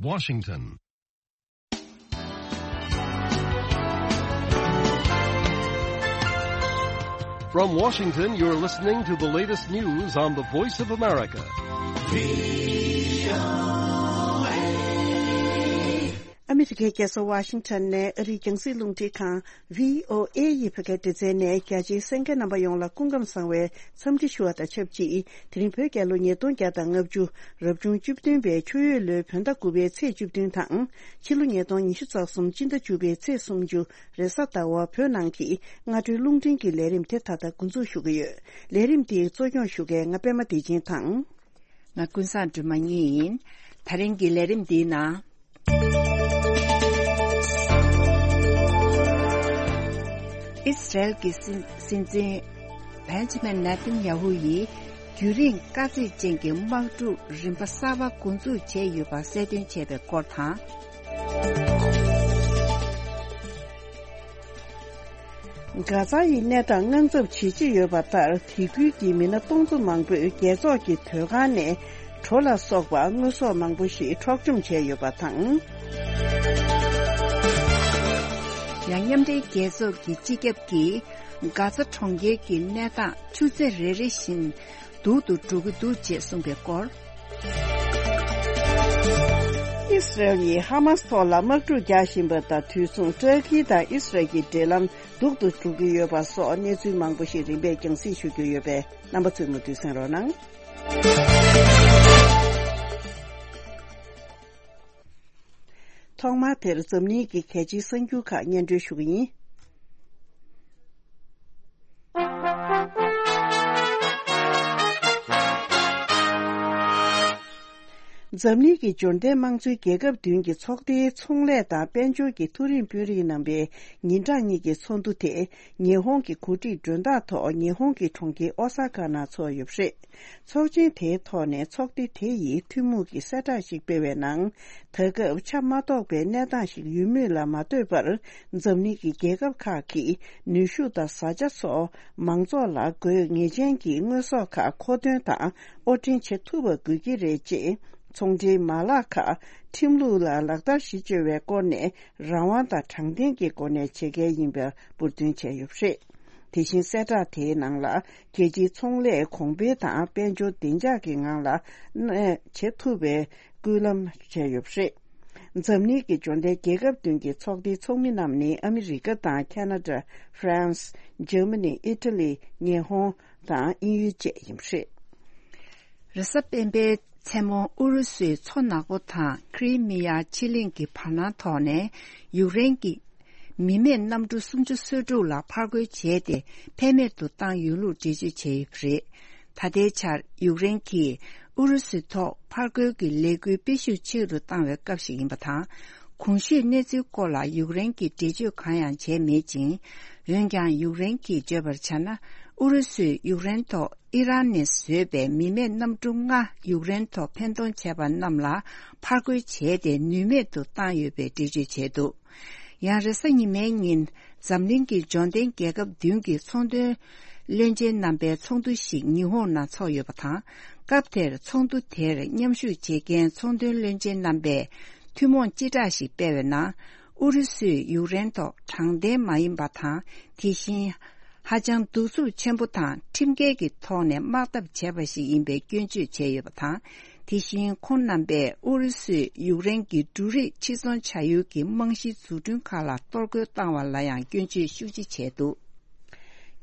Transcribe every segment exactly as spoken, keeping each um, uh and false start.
Washington. From Washington, you're listening to the latest news on the Voice of America. ཨ་མི་རི་ཀའི་རྒྱལ་ས་ཝ་ཤིང་ཊོན་ནས་ཨ་རིའི་རྒྱང་སྲིང་རླུང་འཕྲིན་ཁང་བྷི་ཨོ་ཨེ་ཡི་བོད་སྐད་སྡེ་ཚན་ནས་རྒྱ་ཆེའི་གསན་མཁན་རྣམ་པ་ཡོངས་ལ་སྐུ་ཁམས་བཟང་བའི་འཚམས་འདྲི་ཞུ་བ་དང་ཆབས་ཅིག་དེ་རིང་བོད་རྒྱལ་ལོ་ཉིས་སྟོང་བརྒྱ་དང་ལྔ་བཅུ་རབ་བྱུང་བཅུ་བདུན་པའི་ཆུ་ཡོས་ལོའི་བོད་ཟླ་དགུ་པའི་ཚེས་བཅུ་བདུན་དང་། ཕྱི་ལོ་ཉིས་སྟོང་ཉི་ཤུ་རྩ་གསུམ་སྤྱི་ཟླ་བཅུ་པའི་ཚེས་སུམ་ཅུ་རེས་གཟའ་ཟླ་བ་བོད་ནང་གི་སྔ་དྲོའི་རླུང་འཕྲིན་གྱི་ལས་རིམ་དེ་ད་ལྟ་འགོ་འཛུགས་ཞུ་གི་ཡོད། ལས་རིམ་འདིའི་གཙོ་སྐྱོང་ཞུ་མཁན་ང་པད་མ་བདེ་ཆེན་དང་། ང་ཀུན་བཟང་སྒྲོལ་མ་གཉིས་ཡིན། ད་རིང་གི་ལས་རིམ་འདིའི་ནང་། ཨིས་རལ་གྱི་སྲིད་སྲིད་འཛིན་བན་ཇི་མིན་ནེ་ཐན་ཡ་ཧུ་ཡིས་རྒྱུན་རིང་དཀའ་ཚེགས་ཅན་གྱི་དམག་འཁྲུག་རིམ་པ་གསར་པ་འགོ་འཛུགས་བྱས་ཡོད་པ་གསལ་སྟོན་བྱས་པའི་སྐོར་དང་། གྷ་ཛ་ཡི་གནས་སྟངས་དངངས་འཚབ་ཇེ་ཆེ་ཡོད་པ་ལྟར། དེ་ཁུལ་གྱི་མི་སྣ་སྟོང་ཚོ་མང་པོས་རྒྱལ་ཚོགས་ཀྱི་དོས་ཁང་ནས་གྲོ་ལ་སོགས་པ་དངོས་ཟོག་མང་པོ་ཞིག་འཕྲོག་བཅོམ་བྱས་ཡོད་པ་དང་། ཡང་མཉམ་འབྲེལ་རྒྱལ་ཚོགས་ཀྱི་སྤྱི་ཁྱབ་ཀྱིས་གྷ་ཛ་གྲོང་ཁྱེར་གྱི་གནས་སྟངས་ཆུ་ཚོད་རེ་རེ་བཞིན་སྡུག་ཏུ་འགྲོ་གི་འདུག་ཅེས་གསུངས་པའི་སྐོར། ཨིས་རལ་ཡིས་ཧ་མཱས་ཐོག་ལ་དམག་འཁྲུག་རྒྱག་བཞིན་པ་དང་དུས་མཚུངས་ཏུར་ཀི་དང་ཨིས་རལ་གྱི་འབྲེལ་ལམ་སྡུག་ཏུ་འགྲོ་གི་ཡོད་པ་སོགས་གནས་ཚུལ་མང་པོ་ཞིག་རིམ་པས་རྒྱང་སྲིང་ཞུ་རྒྱུ་ཡོད་པས་རྣམ་པ་ཚོས་མུ་མཐུད་གསན་རོགས་གནང་། ཐོག་མར་དེར་འཛམ་གླིང་གི་གལ་ཆེའི་གསར་འགྱུར་ཁག་སྙན་སྒྲོན་ཞུ་གི་ཡིན། འཛམ་གླིང་གི་འབྱོར་ལྡན་དམངས་གཙོའི་རྒྱལ་ཁབ་བདུན་གྱི་ཚོགས་སྡེའི་ཚོང་ལས་དང་དཔལ་འབྱོར་གྱི་མཐོ་རིམ་དཔོན་རིགས་རྣམ་པའི་ཉིན་གྲངས་གཉིས་ཀྱི་ཚོགས་འདུ་དེ་ཉི་ཧོང་གི་གོ་སྒྲིག་མགྲོན་བདག་ཐོག་ཉི་ཧོང་གི་གྲོང་ཁྱེར་ཨོ་ས་ཀ་ནང་ཚོགས་ཡོད་པ་རེད། ཚོགས་ཆེན་དེའི་ཐོག་ནས་ཚོགས་སྡེ་དེ་ཡིས་ཐུན་མོང་གི་གསལ་བསྒྲགས་ཤིག་སྤེལ་བའི་ནང་། ད་སྐབས་ཆ་མ་རྟོགས་པའི་གནས་སྟངས་ཤིག་ཡོད་མུས་ལ་མ་ལྟོས་པར། འཛམ་གླིང་གི་རྒྱལ་ཁབ་ཁག་གིས་ནུས་ཤུགས་དང་བཟའ་བཅའ་སོགས་མང་ཚོགས་ལ་དགོས་ངེས་ཅན་གྱི་དངོས་ཟོག་ཁག་མཁོ་འདོན་དང་དབོར་འདྲེན་བྱེད་ཐུབ་པ་དགོས་ཀྱི་རེད་ཅེས། ཚོང་འབྲེལ་མ་ལག་ཁག་ཁྲིམས་ལུགས་ལ་ལག་བསྟར་གཞི་བཅོལ་བའི་སྐོར་ནས་རང་དབང་དང་དྲང་བདེན་གྱི་སྒོ་ནས་བྱེད་གལ་ཡིན་པ་འབུར་འདོན་བྱས་ཡོད་པ་རེད། དེ་བཞིན་གསལ་བསྒྲགས་དེའི་ནང་ལ། རྒྱལ་སྤྱིའི་ཚོང་ལས་གོང་འཕེལ་དང་དཔལ་འབྱོར་བདེ་འཇགས་ཀྱི་ངང་ལ་གནས་བྱེད་ཐུབ་པའི་སྐུལ་ལམ་བྱས་ཡོད་པ་རེད། འཛམ་གླིང་གི་འབྱོར་ལྡན་རྒྱལ་ཁབ་བདུན་གྱི་ཚོགས་སྡེའི་ཚོགས་མི་རྣམས་ནི་ཨ་མི་རི་ཀ་དང་ཁ་ན་ཌ། ཧྥ་རན་སི། འཇར་མ་ནི། ཨི་ཊ་ལི། ཉི་ཧོང་དང་དབྱིན་ཡུལ་བཅས་ཡིན་པ་རེད། རེས་གཟའ་སྤེན་པའི་མཚན་མོ་ཨུ་རུ་སུའི་མཚོ་ནག་པོ་དང་ཁི་རི་མི་ཡ་ཕྱེད་གླིང་གི་བར་སྣང་ཐོག་ནས་ཡུཀ་རེན་གྱི་མི་མེད་གནམ་གྲུ་སུམ་ཅུ་སོ་དྲུག་ལ་ཕར་རྒོལ་བྱས་ཏེ་ཕན་མེད་དུ་བཏང་ཡོད་ལུགས་འགྲེལ་བརྗོད་བྱས་ཡོད་པ་རེད། ད་ལྟའི་ཆར་ཡུཀ་རེན་གྱིས་ཨུ་རུ་སུའི་ཐོག་ཕར་རྒོལ་གྱི་ལས་འགུལ་སྤེལ་ཤུགས་ཆེ་རུ་བཏང་བའི་སྐབས་ཤིག་ཡིན་པ་དང་། གོང་ཞུས་གནས་ཚུལ་སྐོར་ལ་ཡུཀ་རེན་གྱིས་འགྲེལ་བརྗོད་གང་ཡང་བྱས་མེད་ཅིང་། འོན་ཀྱང་ཡུཀ་རེན་གྱིས་བརྗོད་པར་བྱས་ན། ཨུ་རུ་སུས་ཡུཀ་རེན་ཐོག་ཨི་རན་ནས་བཟོས་པའི་མི་མེད་གནམ་གྲུ་ལྔ་ཡུཀ་རེན་ཐོག་འཕེན་གཏོང་བྱས་པ་རྣམས་ལ་ཕར་རྒོལ་བྱས་ཏེ་ནུས་མེད་དུ་བཏང་ཡོད་པའི་འགྲེལ་བརྗོད་བྱས་འདུག་ཡང་རེས་གཟའ་ཉི་མའི་ཉིན་འཛམ་གླིང་གི་འབྱོར་ལྡན་རྒྱལ་ཁབ་བདུན་གྱི་ཚོང་དོན་བློན་ཆེན་རྣམ་པའི་ཚོགས་འདུ་ཞིག་ཉི་ཧོང་ནང་ཚོགས་ཡོད་པ་དང་། སྐབས་དེར་ཚོགས་འདུ་དེར་མཉམ་ཞུགས་བྱེད་མཁན་ཚོང་དོན་བློན་ཆེན་རྣམ་པས་ཐུན་མོང་སྤྱི་བསྒྲགས་ཤིག་སྤེལ་བའི་ནང་། ཨུ་རུ་སུས་ཡུཀ་རེན་ཐོག་དྲང་བདེན་མ་ཡིན་པ་དང་། དེ་བཞིན། ཧ་ཅང་གདུག་རྩུབ་ཆེན་པོ་དང་ཁྲིམས་འགལ་གྱི་ཐོག་ནས་དམག་འཐབ་བྱས་པ་ཞིག་ཡིན་པའི་སྐྱོན་བརྗོད་བྱས་ཡོད་པ་དང་། དེ་བཞིན་ཁོང་རྣམ་པས་ཨུ་རུ་སུས་ཡུཀ་རེན་གྱི་འབྲུ་རིགས་ཕྱིར་ཚོང་བྱ་ཡུལ་གྱི་རྨང་གཞིའི་འཛུགས་སྐྲུན་ཁག་ལ་གཏོར་རྒོལ་བཏང་བ་ལ་ཡང་སྐྱོན་བརྗོད་ཤུགས་ཆེ་བྱས་འདུག་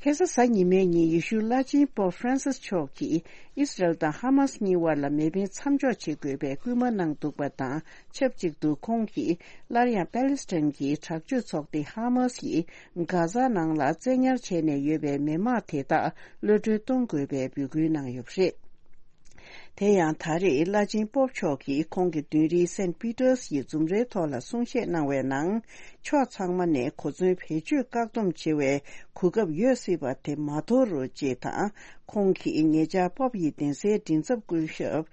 ཁ་སང་གཟའ་ཉི་མའི་ཉིན་ཡེ་ཤུ་བླ་ཆེན་པོབ་ཧྥ་རན་སིས་མཆོག་གིས་ཨིས་རལ་དང་ཧ་མཱས་གཉིས་དབར་ལ་མེ་འཕེན་མཚམས་འཇོག་བྱེད་དགོས་པའི་སྐུལ་མ་གནང་འདུག་པ་དང་ཆབས་ཅིག་ཏུ་ཁོང་གིས་སླར་ཡང་པེ་ལེ་སི་ཐན་གྱི་དྲག་སྤྱོད་ཚོགས་སྡེ་ཧ་མཱས་ཡིས་གྷ་ཟ་ནང་ལ་བཙན་ཉར་བྱས་ནས་ཡོད་པའི་མི་དམངས་དེ་དག་གློད་གྲོལ་གཏོང་དགོས་པའི་འབོད་སྐུལ་གནང་ཡོད་པ་རེད། དེ་ཡང་ད་རེས་བླ་ཆེན་པོབ་མཆོག་གིས་ཁོང་གི་མདུན་རིའི་སེན་པི་ཏར་སི་ཡི་འཛུམ་རའི་ཐོག་ལ་གསུང་བཤད་གནང་བའི་ནང་། ཕྱོགས་ཚང་མ་ནས་གོ་མཚོན་བེད་སྤྱོད་བཀག་སྡོམ་བྱེད་པའི་གོ་སྐབས་ཡོད་སྲིད་པ་དེ་མ་དོར་རོགས་ཅེས་དང་། ཁོང་གིས་ཉེ་ཆར་པོབ་ཡི་གདན་སའི་མགྲིན་ཚབ་སྐུ་ཞབས།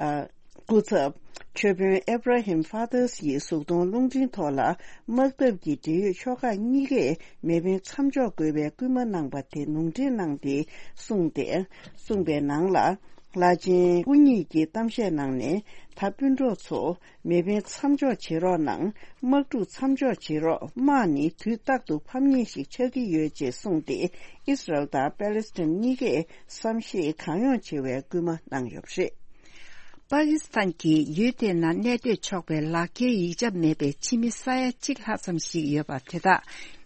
ཨ། སྐུ་ཚབ། ཆོས་དཔོན་ཨེབ་ར་ཧིམ་ཧྥ་ཏར་སི་ཡི་གཟུགས་མཐོང་རླུང་འཕྲིན་ཐོག་ལ། དམག་འཐབ་ཀྱི་འབྲེལ་ཡོད་ཕྱོགས་ཁག་གཉིས་ཀས་མེ་འཕེན་མཚམས་འཇོག་དགོས་པའི་སྐུལ་མ་གནང་པ་དེ་ལུང་འདྲེན་གནང་སྟེ་གསུངས་ཏེ། གསུངས་པའི་ནང་ལ། བླ་ཆེན་སྐུ་ཉིད་ཀྱིས་གཏམ་བཤད་གནང་ནས། ད་སྤུན་གྲོགས་ཚོ། མེ་འཕེན་མཚམས་འཇོག་བྱེད་རོགས་གནང་། དམག་འཁྲུག་མཚམས་འཇོག་བྱེད་རོགས། དམག་ནི་དུས་རྟག་ཏུ་ཕམ་ཉེས་ཤིག་ཆགས་ཀྱི་ཡོད་ཅེས་གསུངས་ཏེ། ཨིས་རལ་དང་པེ་ལེ་སི་ཐན་གཉིས་ཀས་བསམ་ཤེས་གང་ཡོང་བྱེད་པའི་སྐུལ་མ་གནང་ཡོད་པ་རེད། པ་ཀི་སི་ཐན་གྱིས་ཡུལ་དེའི་ནང་གནས་སྡོད་ཆོག་པའི་ལག་འཁྱེར་ཡིག་ཆ་མེད་པའི་ཕྱི་མི་ས་ཡ་གཅིག་ལྷག་ཙམ་ཞིག་ཡོད་པ་དེ་དག་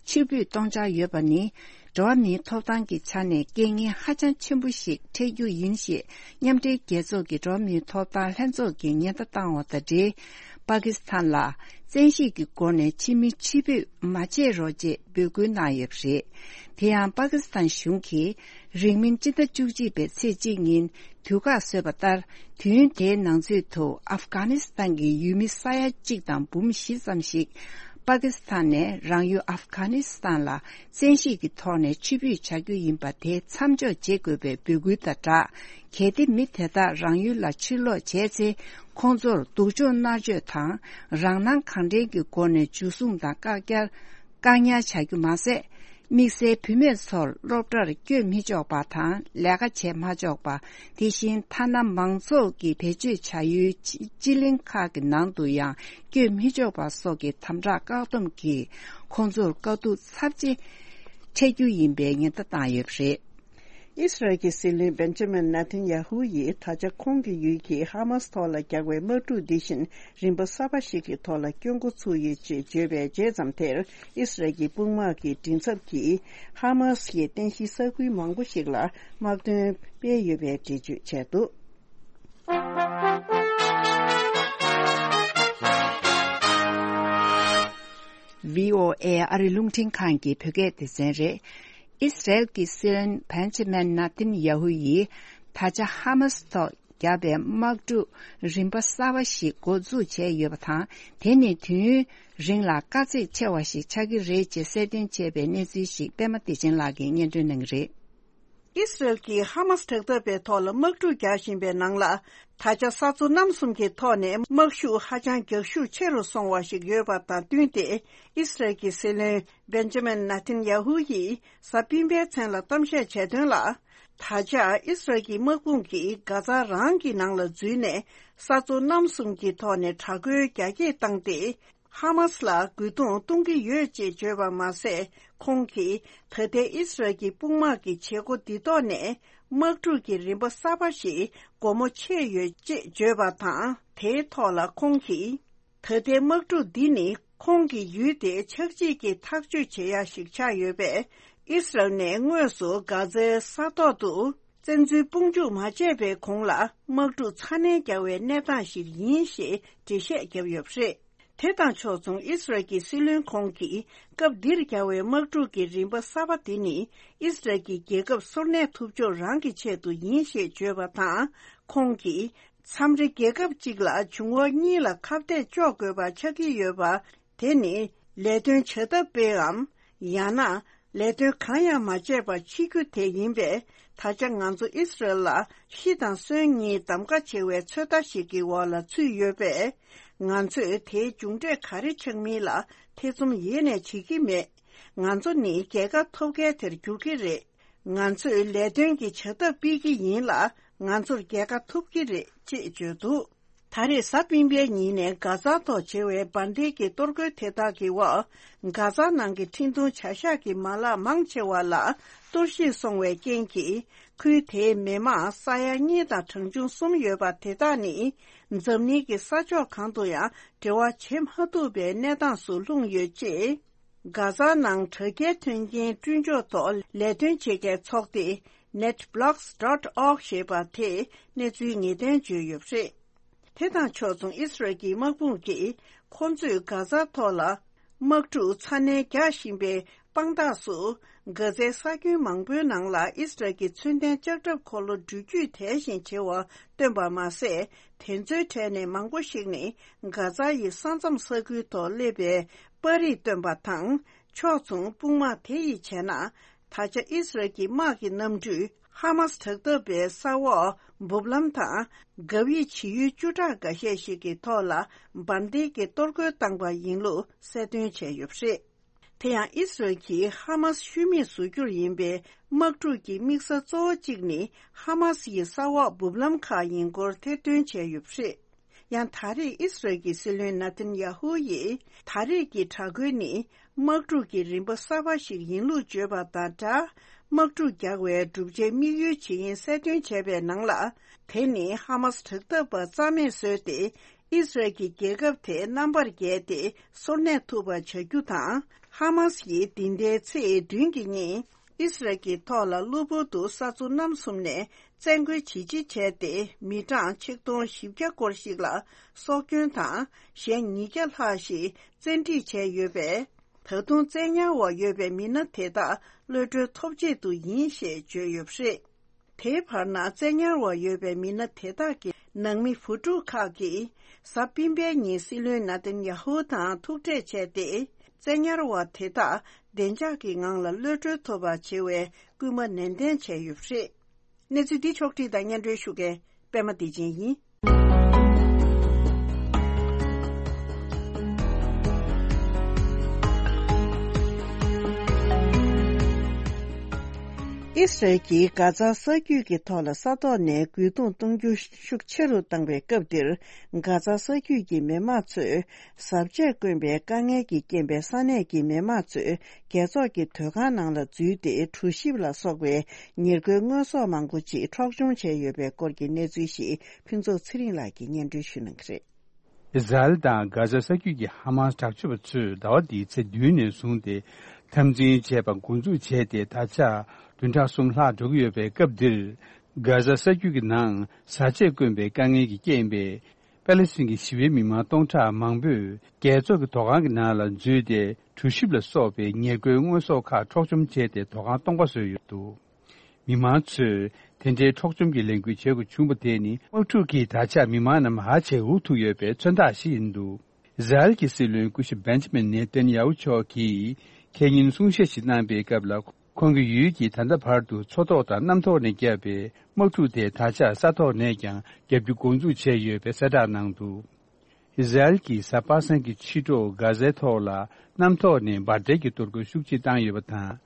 ཕྱིར་འབུད་གཏོང་འཆར་ཡོད་པ་ནི། འགྲོ་བ་མིའི་ཐོབ་ཐང་གི་ཆ་ནས་རྐྱེན་ངན་ཧ་ཅང་ཆེན་པོ་ཞིག་འཕྲད་རྒྱུ་ཡིན་ཞེས་མཉམ་འབྲེལ་རྒྱལ་ཚོགས་ཀྱི་འགྲོ་བ་མིའི་ཐོབ་ཐང་ལྷན་ཚོགས་ཀྱིས་ཉེན་བརྡ་བཏང་བ་དང་འབྲེལ། པ་ཀི་སི་ཐན་ལ་བཙན་ཤེད་ཀྱི་སྒོ་ནས་ཕྱི་མི་ཕྱིར་འབུད་མ་བྱེད་རོགས་ཅེས་འབོད་སྐུལ་གནང་ཡོད་པ་རེད། དེ་ཡང་པ་ཀི་སི་ཐན་གཞུང་གིས་རིང་མིན་སྤྱི་ཟླ་བཅུ་གཅིག་པའི་ཚེས་གཅིག་ཉིན་དུས་བཀག་བཟོས་པ་ལྟར། དུས་ཡུན་དེའི་ནང་ཚུད་དུ་ཨབ་གྷ་ནི་སི་ཐན་གྱི་ཡུལ་མི་ས་ཡ་གཅིག་དང་འབུམ་བཞི་ཙམ་ཞིག་པ་ཀི་སི་ཐན་ནས་རང་ཡུལ་ཨབ་གྷ་ནི་སི་ཐན་ལ་བཙན་ཤེད་ཀྱི་ཐོག་ནས་ཕྱིར་འབུད་བྱ་རྒྱུ་ཡིན་པ་དེ་མཚམས་འཇོག་བྱེད་དགོས་པའི་འབོད་སྐུལ་དང་སྦྲགས། གལ་ཏེ་མི་དེ་དག་རང་ཡུལ་ལ་ཕྱིར་ལོག་བྱས་ཚེ། ཁོང་ཚོར་སྡུག་སྦྱོང་མནར་གཅོད་དང་། རང་སྣང་གང་དྲན་གྱི་སྒོ་ནས་འཇུ་བཟུང་དང་བཀག་ཉར། བཀག་ཉར་བྱ་རྒྱུ་མ་ཟད། དམིགས་བསལ་བུད་མེད་ཚོར་སློབ་གྲྭར་བསྐྱོད་མི་ཆོག་པ་དང་། ལས་ཀ་བྱེད་མ་ཆོག་པ། དེ་བཞིན་ཐ་ན་མང་ཚོགས་ཀྱི་བེད་སྤྱོད་བྱ་ཡུལ་སྤྱི་གླིང་ཁག་གི་ནང་དུ་ཡང་བསྐྱོད་མི་ཆོག་པ་སོགས་ཀྱི་དམ་དྲག་བཀག་སྡོམ་གྱིས་ཁོང་ཚོར་དཀའ་སྡུག་ཚབས་ཆེ་འཕྲད་རྒྱུ་ཡིན་པའི་ཉེན་བརྡ་བཏང་ཡོད་པ་རེད། ཨིས་རལ་གྱི་སྲིད་བློན་བེན་ཇ་མིན་ནེ་ཐན་ཡ་ཧུ་ཡིས་ད་ཆ་ཁོང་གི་ཡུལ་གྱིས་ཧ་མཱ་སི་ཐོག་ལ་རྒྱག་པའི་དམག་འཁྲུག་འདི་བཞིན་རིམ་པ་གསར་པ་ཞིག་གི་ཐོག་ལ་སྐྱོད་འགོ་ཚུགས་ཡོད་ཅེས་བརྗོད་པའི་རྗེས་ཙམ་དེར། ཨིས་རལ་གྱི་དཔུང་དམག་གི་མགྲིན་ཚབ་ཀྱིས་ཧ་མཱ་སི་ཡི་རྟེན་གཞིའི་ས་ཁུལ་མང་པོ་ཞིག་ལ་དམག་དོན་སྤེལ་ཡོད་པའི་འགྲེལ་བརྗོད་བྱས་འདུག། ཝི་ཨོ་ཨེ་ཨ་རི་རླུང་འཕྲིན་ཁང་གི་བོད་སྐད་སྡེ་ཚན་རེད། ཨིས་རལ་གྱི་སྲིད་བློན་བན་ཇ་མན་ནཱ་ཐན་ཡ་ཧུ་ཡིས་ད་ཆ་ཧ་མཱ་སི་ཐོག་བརྒྱབ་པའི་དམག་འཁྲུག་རིམ་པ་གསར་པ་ཞིག་འགོ་འཛུགས་བྱས་ཡོད་པ་དང་། དེ་ནི་དུས་ཡུན་རིང་ལ་དཀའ་ཚེགས་ཆེ་བ་ཞིག་ཆགས་ཀྱི་རེད་ཅེས་གསལ་སྟོན་བྱས་པའི་གནས་ཚུལ་ཞིག་པད་མ་བདེ་ཆེན་ལགས་ཀྱིས་སྙན་སྒྲོན་གནང་གི་རེད། ཨིས་རལ་གྱིས་ཧ་མཱ་སི་དྲག་འཐབ་པའི་ཐོག་ལ་དམག་འཁྲུག་རྒྱག་བཞིན་པའི་ནང་ལ། ད་ཆ་ས་མཚོ་གནམ་གསུམ་གྱི་ཐོག་ནས་དམག་ཤུགས་ཧ་ཅང་རྒྱག་ཤུགས་ཆེ་རུ་སོང་བ་ཞིག་ཡོད་པ་དང་བསྟུན་ཏེ། ཨིས་རལ་གྱི་སྲིད་བློན་བེན་ཇ་མིན་ནེ་ཐན་ཡ་ཧུ་ཡིས་གཟའ་སྤེན་པའི་མཚན་ལ་གཏམ་བཤད་བྱས་དོན་ལ། ད་ཆ་ཨིས་རལ་གྱི་དམག་དཔུང་གིས་གྷ་ཛ་རང་གི་ནང་ལ་འཛུལ་ནས། ས་མཚོ་གནམ་གསུམ་གྱི་ཐོག་ནས་དྲག་རྒོལ་རྒྱ་སྐྱེད་བཏང་སྟེ། ཧ་མཱ་སི་ལ་རྒོལ་རྡུང་གཏོང་གི་ཡོད་ཅེས་བརྗོད་པ་མ་ཟད། ཁོང་གིས་ད་ལྟའི་ཨིས་རལ་གྱི་དཔུང་དམག་གི་བྱེད་སྒོ་འདི་ཐོག་ནས་དམག་འཁྲུག་གི་རིམ་པ་གསར་པ་ཞིག་སྒོ་མོ་ཕྱེ་ཡོད་ཅེས་བརྗོད་པ་དང་། དེའི་ཐོག་ལ་ཁོང་གིས། ད་ལྟའི་དམག་འཁྲུག་འདི་ནི་ཁོང་གི་ཡུལ་དེ་ཆག་འཇིག་གི་ཐག་གཅོད་བྱེད་ཡ་ཞིག་ཆགས་ཡོད་པས། ཨིས་རལ་ནས་དངོས་སུ་གྷ་ཛའི་ས་ཐོག་ཏུ་བཙན་འཛུལ་དཔུང་འཇུག་མ་བྱས་པའི་གོང་ལ་དམག་འཁྲུག་ཚ་ནན་རྒྱག་པའི་གནས་སྟངས་ཤིག་ཡིན་ཞེས་འགྲེལ་བཤད་བརྒྱབ་ཡོད་པ་རེད། དེ་དང་ཕྱོགས་མཚུངས་ཨིས་རལ་གྱི་སྲིད་བློན་ཁོང་གིས་སྐབས་འདིར་རྒྱག་པའི་དམག་འཁྲུག་གི་རིམ་པ་གསར་པ་དེ་ནི་ཨིས་རལ་གྱི་རྒྱལ་ཁབ་སོར་གནས་ཐུབ་ཕྱོགས་རང་གི་ཆེད་དུ་ཡིན་ཞེས་བརྗོད་པ་དང་། ཁོང་གིས། མཚམས་རེ་རྒྱལ་ཁབ་གཅིག་ལ་འབྱུང་བ་གཉིས་ལ་ཁ་གཏད་གཅོག་དགོས་པ་ཆགས་ཀྱི་ཡོད་པ། དེ་ནི་ལས་དོན་བྱ་ཐབས་སྤེལ་བའམ། ཡང་ན། ལས་དོན་གང་ཡང་མ་བྱས་པར་འཆི་རྒྱུ་དེ་ཡིན་པས། ད་ཆ་ང་ཚོ་ཨིས་རལ་ལ་ཤི་དང་གསོན་གཉིས་གདམ་ག་བྱེད་པའི་ཚོད་ལྟ་ཞིག་གི་འོག་ལ་ཚུད་ཡོད་པས། ང་ཚོས་དེའི་མཇུག་འབྲས་ག་རེ་ཆགས་མིན་ལ་ཐེ་ཚོམ་ཡེ་ནས་བྱེད་ཀྱི་མེད། ང་ཚོ་ནི་རྒྱལ་ཁ་ཐོབ་མཁན་དེར་འགྱུར་གྱི་རེད། ང་ཚོས་ལས་དོན་གྱི་བྱ་ཐབས་སྤེལ་གྱི་ཡིན་ལ། ང་ཚོར་རྒྱལ་ཁ་ཐོབ་ཀྱི་རེད་ཅེས་བརྗོད་འདུག། ད་རེས་གཟའ་སྤེན་པའི་ཉིན་ནས་གྷ་ཛ་ཐོག་བྱེད་པའི་འབར་མདེལ་གྱི་གཏོར་རྒོལ་དེ་དག་གི་འོག། གྷ་ཛ་ནང་གི་འཕྲིན་གཏོང་བྱ་གཞག་གི་མ་ལག་མང་ཆེ་བ་ལ་གཏོར་བཤིག་སོང་བའི་རྐྱེན་གྱིས། ཁུལ་དེའི་མི་མང་ས་ཡ་གཉིས་དང་གྲངས་ཆུང་གསུམ་ཡོད་པ་དེ་དག་ནི། འཛམ་གླིང་གི་ས་ཕྱོགས་གང་དུ་ཡང་འབྲེལ་བ་བྱེད་མ་ཐུབ་པའི་གནས་སྟངས་སུ་ལྷུང་ཡོད་ཅེས། གྷ་ཛ་ནང་དྲ་རྒྱའི་མཐུན་རྐྱེན་བསྐྲུན་ཕྱོགས་ཐོག་ལས་དོན་བྱེད་མཁན་ཚོགས་སྡེ་netblocks dot org ཞེས་པ་དེས་གནས་ཚུལ་ངེས་གཏན་བརྗོད་ཡོད་པ་རེད། དེ་དང་ཕྱོགས་མཚུངས་ཨིས་རལ་གྱི་དམག་དཔུང་གིས་ཁོ་ཚོས་གྷ་ཛ་ཐོག་ལ་དམག་འཁྲུག་ཚ་ནན་རྒྱག་བཞིན་པའི་དཔང་རྟགས་སུ། གྷ་ཛའི་ས་ཁྱོན་མང་པོའི་ནང་ལ་ཨིས་རལ་གྱི་མཚོན་ལྡན་ལྕགས་ཁྲབ་འཁོར་ལོ་འགྲུལ་བསྐྱོད་དལ་ཞིང་ཆེ་བ་བཏོན་པ་མ་ཟད། དེ་ཚོའི་གྲས་ནས་མང་པོ་ཞིག་ནི་གྷ་ཛ་ཡི་ས་མཚམས་ས་ཁུལ་ཐོག་སླེབས་པའི་པར་རིས་བཏོན་པ་དང་། ཕྱོགས་མཚུངས་དཔུང་དམག་དེ་ཡིས་བྱས་ན། ད་ཆ་ཨིས་རལ་གྱི་དམག་གི་གནམ་གྲུས་ཧ་མཱ་སི་དྲག་འཐབ་པའི་ས་འོག་འབུབ་ལམ་དང་། གབ་ཡིབ་བྱེད་ཡུལ་བཅུ་ཕྲག་འགའ་ཤས་ཤིག་གི་ཐོག་ལ་འབར་མདེལ་གྱི་གཏོར་རྒོལ་བཏང་པ་ཡིན་ལུགས་གསལ་སྟོན་བྱས་ཡོད་པ་རེད། དེ་ཡང་ཨིས་རལ་གྱིས་ཧ་མཱས་ཤུལ་མེད་བཟོ་རྒྱུར་ཡིན་པའི་དམག་འཁྲུག་གི་དམིགས་ས་གཙོ་བོ་གཅིག་ནི་ཧ་མཱས་ཡི་ས་འོག་སྦུབ་ལམ་ཁག་ཡིན་སྐོར་ཐེར་འདོན་བྱས་ཡོད་པ་རེད། ཡང་ད་རེས་ཨིས་རལ་གྱི་སྲིད་བློན་ནཱ་ཐན་ཡ་ཧུ་ཡིས་ད་རེས་ཀྱི་དྲག་རྒོལ་ནི་དམག་འཁྲུག་གི་རིམ་པ་གསར་པ་ཞིག་ཡིན་ལུགས་བརྗོད་པ་དང་སྦྲགས། དམག་འཁྲུག་རྒྱག་པའི་བསྒྲུབ་བྱའི་དམིགས་ཡུལ་ཇི་ཡིན་གསལ་སྟོན་བྱས་པའི་ནང་ལ། དེ་ནི་ཧ་མཱས་དྲག་འཐབ་པ་རྩ་མེད་བཟོས་ཏེ། ཨིས་རལ་གྱི་རྒྱལ་ཁབ་དེ་རྣམ་པར་རྒྱལ་ཏེ་སོར་གནས་ཐུབ་པ་བྱ་རྒྱུ་དང་། ཧ་མཱས་ཡིས་འདི་ཟླའི་ཚེས་བདུན་གྱི་ཉིན་ཨིས་རལ་གྱི་ཐོག་ལ་གློ་བུར་དུ་ས་མཚོ་གནམ་གསུམ་ནས་བཙན་རྒོལ་ཇི་ཆེ་བྱས་ཏེ། མི་གྲངས་ཆིག་སྟོང་བཞི་བརྒྱ་སྐོར་ཞིག་ལ་སྲོག་སྐྱོན་དང་། གཞན་ཉིས་བརྒྱ་ལྷག་ཞིག་བཙན་ཁྲིད་བྱས་ཡོད་པས། ད་དུང་བཙན་ཉར་འོག་ཡོད་པའི་མི་སྣ་དེ་དག་གློད་གྲོལ་ཐོབ་ཆེད་དུ་ཡིན་ཞེས་བརྗོད་ཡོད་པ་རེད། དེའི་བར་ན་བཙན་ཉར་འོག་ཡོད་པའི་མི་སྣ་དེ་དག་གི་ནང་མི་བུ་ཕྲུག་ཁག་གིས་གཟའ་སྤེན་པའི་ཉིན་སྲིད་བློན་ནཱ་ཐན་ཡ་ཧུ་དང་ཐུག་འཕྲད་བྱས་ཏེ། བཙན་ཉར་འོག་དེ་དག་བདེ་འཇགས་ཀྱི་ངང་ལ་གློད་གྲོལ་ཐུབ་པ་བྱེད་པའི་སྐུལ་མ་ནན་ཏན་བྱས་ཡོད་པ་རེད། གནས་ཚུལ་འདི་ཕྱོགས་བསྒྲིགས་དང་སྙན་སྒྲོན་ཞུ་མཁན་པད་མ་བདེ་ཆེན་ཡིན། ཨིས་རལ་གྱིས་གྷ་ཛ་ས་རྒྱུད་ཀྱི་ཐོག་ལ་ས་ཐོག་ནས་རྒོལ་རྡུང་གཏོང་རྒྱུ་ཤུགས་ཆེ་རུ་བཏང་བའི་སྐབས་འདིར། གྷ་ཛ་ས་རྒྱུད་ཀྱི་མི་མང་ཚོས་བཟའ་ཆས་དཀོན་པའི་དཀའ་ངལ་གྱིས་རྐྱེན་པས་ས་གནས་ཀྱི་མི་མང་ཚོས་རྒྱལ་ཚོགས་ཀྱི་སྡོད་ཁང་ནང་ལ་འཛུལ་ཏེ། གྲུ་ཞིབ་ལ་སོགས་པའི་ཉེར་མཁོའི་དངོས་ཟོག་མང་པོ་ཅིག་འཕྲོག་བཅོམ་བྱས་ཡོད་པའི་སྐོར་གྱི་གནས་ཚུལ་ཞིག་ཕུན་ཚོགས་ཚེ་རིང་ལགས་ཀྱིས་སྙན་སྒྲོན་ཞུ་གནང་གི་རེད། ཨི་ཟ་རེལ་དང་གྷ་ཛ་ས་རྒྱུད་ཀྱི་ཧ་མཱས་དྲག་སྤྱོད་པ་ཚོས་ཟླ་བ་འདིའི་ཚེས་བདུན་ནས་བཟུང་སྟེ་འཐབ་འཛིང་བྱས་པ་འགོ་འཛུགས་བྱས་ཏེ། ད་ཆ་བདུན་ཕྲག་གསུམ་ལྷག་འགྲོ་གི་ཡོད་པའི་སྐབས་འདིར། གྷ་ཛ་ས་རྒྱུད་ཀྱི་ནང་བཟའ་ཆས་དཀོན་པའི་དཀའ་ངལ་གྱིས་རྐྱེན་པས། པེ་ལེ་སི་ཐན་གྱི་ཞི་བའི་མི་མང་སྟོང་ཕྲག་མང་པོས་རྒྱལ་ཚོགས་ཀྱི་ཐོག་ཁང་གི་ནང་ལ་འཛུལ་ཏེ། གྲུ་ཞིབ་ལ་སོགས་པའི་ཉེར་མཁོའི་དངོས་ཟོག་ཁག་འཕྲོག་བཅོམ་བྱས་ཏེ། ཐོག་ཁང་སྟོང་པ་བཟོས་ཡོད་འདུག། མི་མང་ཚོས་དེ་འདྲའི་འཕྲོག་བཅོམ་གྱི་ལས་འགུལ་བྱེད་དགོས་བྱུང་བ་དེ་ནི། དམག་འཁྲུག་གིས་ད་ཆ་མི་མང་རྣམས་ཧ་ཅང་འུ་ཐུག་ཡོད་པའི་མཚོན་རྟགས་ཤིག་ཡིན་འདུག། ཨི་ཟ་རེལ་གྱི་སྲིད་བློན་སྐུ་ཞབས་བེན་ཇ་མིན་ནེ་ཐན་ཡ་ཧུ་མཆོག་གིས་ཁས་ཉིན་གསུང་བཤད་ཞིག་གནང་པའི་སྐབས་ལ། ཁོང་གི་ཡུལ་གྱིས་ད་ལྟ་བར་དུ་མཚོ་ཐོག་དང་གནམ་ཐོག་ནས་བརྒྱབ་པའི་དམག་འཁྲུག་དེ་ད་ཆ་ས་ཐོག་ནས་ཀྱང་རྒྱག་རྒྱུ་འགོ་འཛུགས་བྱས་ཡོད་པའི་གསལ་བསྒྲགས་གནང་འདུག། ཨི་ཟ་རེལ་གྱིས་གཟའ་པ་སངས་ཀྱི་ཕྱི་དྲོ་གྷ་ཛའི་ཐོག་ལ་གནམ་ཐོག་ནས་འབར་མདེལ་གྱི་གཏོར་རྒོལ་ཤུགས་ཆེ་བཏང་ཡོད་པ་དང་།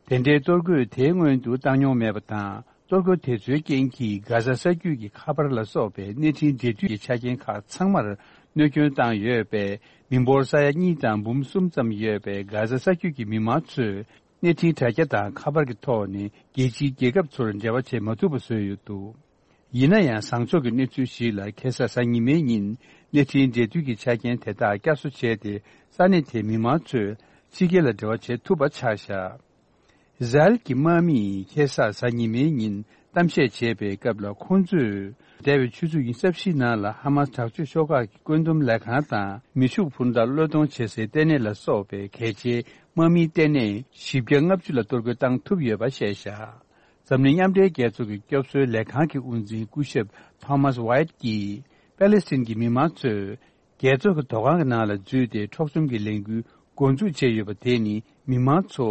དེ་འདྲའི་གཏོར་རྒོལ་དེ་སྔོན་དུ་བཏང་མྱོང་མེད་པ་དང་། གཏོར་རྒོལ་དེ་ཚོའི་རྐྱེན་གྱིས་གྷ་ཛ་ས་རྒྱུད་ཀྱི་ཁ་པར་ལ་སོགས་པའི་གནས་འཕྲིན་འབྲེལ་མཐུད་ཀྱི་ཆ་རྐྱེན་ཁག་ཚང་མར་གནོད་སྐྱོན་བཏང་ཡོད་པས། མི་འབོར་ས་ཡ་གཉིས་དང་འབུམ་གསུམ་ཙམ་ཡོད་པའི་གྷ་ཛ་ས་རྒྱུད་ཀྱི་མི་མང་ཚོས་གནས་འཕྲིན་དྲ་རྒྱ་དང་ཁ་པར་གྱི་ཐོག་ནས་རྒྱལ་སྤྱིའི་རྒྱལ་ཁབ་ཚོར་འབྲེལ་བ་བྱེད་མ་ཐུབ་པ་བཟོས་ཡོད་འདུག། ཡིན་ན་ཡང་། བཟང་ཕྱོགས་ཀྱི་གནས་ཚུལ་ཞིག་ལ། ཁ་སང་གཟའ་ཉི་མའི་ཉིན་གནས་འཕྲིན་འབྲེལ་མཐུད་ཀྱི་ཆ་རྐྱེན་དེ་དག་བསྐྱར་གསོ་བྱས་ཏེ། ས་གནས་དེའི་མི་མང་ཚོས་ཕྱི་རྒྱལ་ལ་འབྲེལ་བ་བྱེད་ཐུབ་པ་ཆགས་བཞག། ཨི་ཟ་རེལ་གྱི་དམག་མིས་ཁ་སང་གཟའ་ཉི་མའི་ཉིན་གཏམ་བཤད་བྱས་པའི་སྐབས་ལ། ཁོང་ཚོས་འདས་པའི་ཆུ་ཚོད་ཉི་ཤུ་རྩ་བཞིའི་ནང་ལ་ཧ་མཱས་དྲག་སྤྱོད་ཤོག་ཁག་གི་བཀོད་འདོམས་ལས་ཁང་དང་། མེ་ཤུགས་འཕུར་མདའ་བློས་གཏོང་བྱེད་སའི་ལྟེ་གནས་ལ་སོགས་པའི་གལ་ཆེའི་དམག་མིའི་ལྟེ་གནས་བཞི་བརྒྱ་ལྔ་བཅུ་ལ་གཏོར་རྒོལ་བཏང་ཐུབ་ཡོད་པ་བཤད་བཞག། འཛམ་གླིང་མཉམ་འབྲེལ་རྒྱལ་ཚོགས་ཀྱི་སྐྱོབ་གསོའི་ལས་ཁང་གི་དབུ་འཛིན་སྐུ་ཞབས་ཐོ་མཱས་ཝའེཊ་ཀྱིས། པེ་ལེ་སི་ཐན་གྱི་མི་མང་ཚོས་རྒྱལ་ཚོགས་ཀྱི་ཐོག་ཁང་གི་ནང་ལ་འཛུལ་ཏེ། འཕྲོག་བཅོམ་གྱི་ལས་འགུལ་འགོ་འཛུགས་བྱས་ཡོད་པ་དེ་ནི། མི་མང་ཚོ་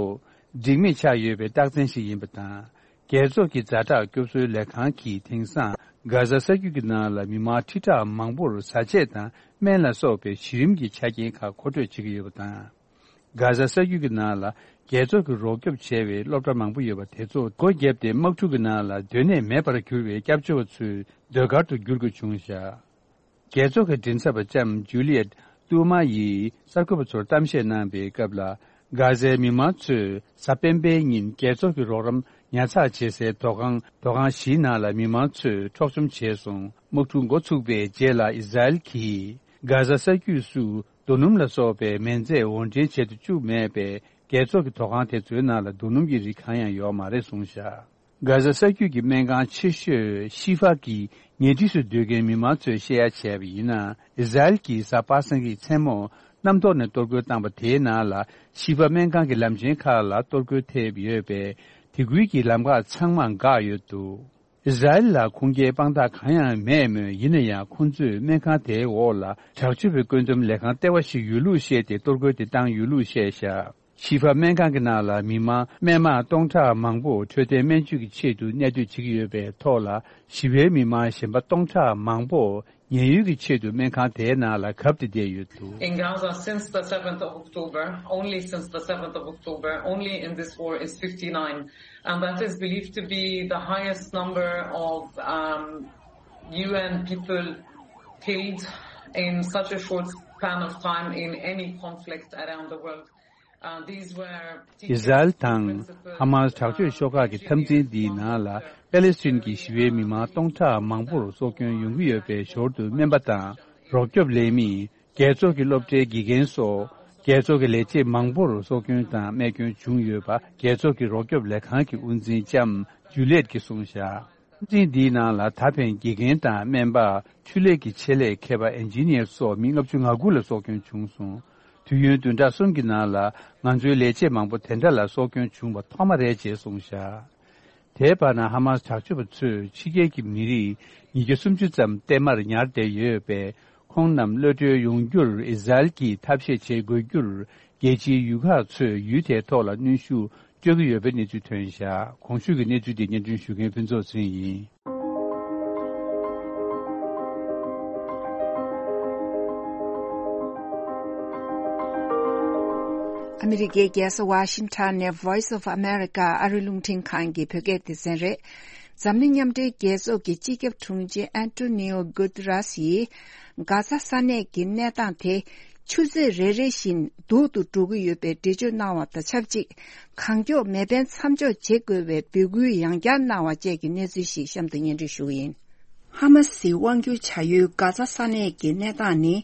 འཇིགས་མེད་ཆགས་ཡོད་པའི་རྟགས་མཚན་ཞིག་ཡིན་པ་དང་། རྒྱལ་ཚོགས་ཀྱི་ཛ་དྲག་སྐྱོབ་གསོའི་ལས་ཁང་གིས། དེང་སང་གྷ་ཛ་ས་རྒྱུད་ཀྱི་ནང་ལ་མི་མང་ཁྲི་ཕྲག་མང་པོར་བཟའ་ཆས་དང་སྨན་ལ་སོགས་པའི་གཞི་རིམ་གྱི་ཆ་རྐྱེན་ཁག་མཁོ་སྤྲོད་བྱེད་ཀྱི་ཡོད་པ་དང་། གྷ་ཛ་ས་རྒྱུད་ཀྱི་ནང་ལ་རྒྱལ་ཚོགས་ཀྱི་རོགས་སྐྱོབ་བྱས་པའི་སློབ་གྲྭ་མང་པོ་ཡོད་པ་དེ་ཚོ་སྒོ་བརྒྱབ་སྟེ། དམག་འཁྲུག་གི་ནང་ལ་སྡོད་གནས་མེད་པར་གྱུར་བའི་སྐྱབས་བཅོལ་བ་ཚོའི་སྡོད་སྒར་དུ་བསྒྱུར་དགོས་བྱུང་བཞག། རྒྱལ་ཚོགས་ཀྱི་མགྲིན་ཚབ་པ་ལྕམ་ཇུ་ལི་ཡེད་ཏུའུ་མ་ཡིས་གསར་འགོད་པ་ཚོར་གཏམ་བཤད་གནང་པའི་སྐབས་ལ། གྷ་ཛའི་མི་མང་ཚོས་གཟའ་སྤེན་པའི་ཉིན་རྒྱལ་ཚོགས་ཀྱི་རོགས་རམ་ཉར་ཚགས་བྱེད་སའི་ཐོག་ཁང་། ཐོག་ཁང་བཞིའི་ནང་ལ་མི་མང་ཚོས་འཕྲོག་བཅོམ་བྱས་སོང་། དམག་འཁྲུག་འགོ་ཚུགས་པའི་རྗེས་ལ། ཨི་ཟ་རེལ་གྱིས་གྷ་ཛ་ས་རྒྱུད་སུ་རྡོ་སྣུམ་ལ་སོགས་པའི་མེ་མཛད་དབོར་འདྲེན་བྱེད་དུ་བཅུག་མེད་པས། རྒྱལ་ཚོགས་ཀྱི་ཐོག་ཁང་དེ་ཚོའི་ནང་ལ་རྡོ་སྣུམ་གྱི་རིགས་གང་ཡང་ཡོད་མ་རེད་གསུངས་བཞག། གྷ་ཛ་ས་རྒྱུད་ཀྱི་སྨན་ཁང་ཆེ་ཤོས་ཤི་ཧྥ་གི་ཉེ་འཁྲིས་སུ་སྡོད་མཁན་མི་མང་ཚོས་བཤད་ཡ་བྱས་པ་ཡིན་ན། ཨི་ཟ་རེལ་གྱིས་གཟའ་པ་སངས་ཀྱི་མཚན་མོ་གནམ་ཐོག་ནས་གཏོར་རྒོལ་བཏང་པ་དེའི་ནང་ལ། ཤི་ཧྥ་སྨན་ཁང་གི་ལམ་ཆེན་ཁག་ལ་གཏོར་རྒོལ་ཐེབས་ཡོད་པས། དེ་ཁུལ་གྱི་ལམ་ཁག་ཚང་མ་འགག་ཡོད་འདུག། ཨི་ཟ་རེལ་ལ་ཁུངས་སྐྱེལ་དཔང་རྟགས་གང་ཡང་མེད་མོད། ཡིན་ན་ཡང་། ཁོང་ཚོས་སྨན་ཁང་དེའི་འོག་ལ་དྲག་སྤྱོད་པའི་བཀོད་འདོམས་ལས་ཁང་ལྟེ་བ་ཞིག་ཡོད་ལུགས་བཤད་དེ། གཏོར་རྒོལ་དེ་བཏང་ཡོད་ལུགས་བཤད་བཞག། ཤི་ཧྥ་སྨན་ཁང་གི་ནང་ལ་མི་མང་སྨན་མང་སྟོང་ཕྲག་མང་པོ་འཕྲོད་བསྟེན་སྨན་བཅོས་ཀྱི་ཆེད་དུ་གནས་སྡོད་བྱེད་ཀྱི་ཡོད་པའི་ཐོག་ལ། ཞི་བའི་མི་མང་གཞན་པ་སྟོང་ཕྲག་མང་པོ་ ཉེན་གཡོལ་གྱི་ཆེད་དུ་སྨན་ཁང་དེའི་ནང་ལ་གབ་སྟེ་བསྡད་ཡོད་འདུག། In Gaza, since the seventh of October, only since the seventh of October, only in this war is fifty-nine, and that is believed to be the highest number of, um, U N people killed in such a short span of time in any conflict around the world. อิสราเอล་དང་ཧ་མ་སི་དྲག་སྤྱོད་ཤོག་ཁག་གི་འཐབ་འཛིང་འདིའི་ནང་ལ་པེ་ལེ་སི་ཐན་གྱི་ཞི་བའི་མི་མང་སྟོང་ཕྲག་མང་པོར་སྲོག་སྐྱོན་ཡོང་གི་ཡོད་པའི་ཞོར་དུ་སྨན་པ་དང་རོགས་སྐྱོབ་ལས་མི། རྒྱལ་ཚོགས་ཀྱི་སློབ་གྲྭའི་དགེ་རྒན་སོགས་རྒྱལ་ཚོགས་ཀྱི་ལས་བྱེད་མང་པོར་སྲོག་སྐྱོན་དང་རྨས་སྐྱོན་བྱུང་ཡོད་པ་རྒྱལ་ཚོགས་ཀྱི་རོགས་སྐྱོབ་ལས་ཁང་གི་དབུ་འཛིན་ལྕམ་ཇུ་ལེད་ཀྱིས་གསུངས་བཞག། འཛིན་འདིའི་ནང་ལ་ད་ཕན་དགེ་རྒན་དང་སྨན་པ། ཆུ་ལས་ཀྱི་ཆེད་ལས་མཁས་པ་ཨིན་ཇི་ནི་ཡར་སོགས་མི་ལྔ་བཅུ་ང་དགུ་ལ་སྲོག་སྐྱོན་བྱུང་སོང་། དུས་ཡུན་བདུན་ཕྲག་གསུམ་གྱི་ནང་ལ་ང་ཚོའི་ལས་བྱེད་མང་པོ་དེ་འདྲ་ལ་སྲོག་སྐྱོན་བྱུང་བ་ཐོག་མ་རེད་ཅེས་གསུངས་བཞག། དེའི་བར་ན་ཧ་མ་སི་དྲག་སྤྱོད་པ་ཚོས་ཕྱི་རྒྱལ་གྱི་མི་རིགས་ཉིས་བརྒྱ་སུམ་ཅུ་ཙམ་བརྟན་མར་ཉར་བསྡད་ཡོད་པས་ཁོང་རྣམས་གློད་གྲོལ་ཡོང་རྒྱུར་ཨི་ཟ་རེལ་གྱིས་ཐབས་ཤེས་བྱེད་དགོས་རྒྱུར་རྒྱལ་སྤྱིའི་ཡུལ་ཁག་ཚོས་ཡུལ་དེའི་ཐོག་ལ་གནོན་ཤུགས། སྤྲོད་ཀྱི་ཡོད་པའི་གནས་ཚུལ་ཐོན་བཞག། གོང་ཞུས་ཀྱི་གནས་ཚུལ་དེ་སྙན་སྒྲོན་ཞུ་མཁན་ཕུན་ཚོགས་ཚེ་རིང་ཡིན། ཨ་མི་རི་ཀའི་རྒྱལ་ས་ཝ་ཤིང་ཊོན་ནས་Voice of America ཨ་རིའི་རླུང་འཕྲིན་ཁང་གི་བོད་སྐད་སྡེ་ཚན་རེད། འཛམ་གླིང་མཉམ་འབྲེལ་རྒྱལ་ཚོགས་ཀྱི་སྤྱི་ཁྱབ་དྲུང་ཆེ་ཨན་ཏོ་ནི་ཨོ་གུ་ཏི་ར་སི་ཡིས་གྷ་ཛ་ས་གནས་ཀྱི་གནས་སྟངས་དེ། ཆུ་ཚོད་རེ་རེ་བཞིན་སྡུག་ཏུ་འགྲོ་གི་ཡོད་པའི་འགྲེལ་བརྗོད་གནང་བ་དང་ཆབས་ཅིག་གང་མགྱོགས་མེ་འཕེན་མཚམས་འཇོག་བྱེད་དགོས་པའི་འབོད་སྐུལ་ཡང་བསྐྱར་གནང་བ་བཅས་ཀྱི་གནས་ཚུལ་ཞིག་གཤམ་དུ་སྙན་སྒྲོན་ཞུ་གི་ཡིན། ཧ་མ་སིའི་དབང་སྒྱུར་བྱ་ཡུལ་གྷ་ཛ་ས་གནས་ཀྱི་གནས་སྟངས་ནི།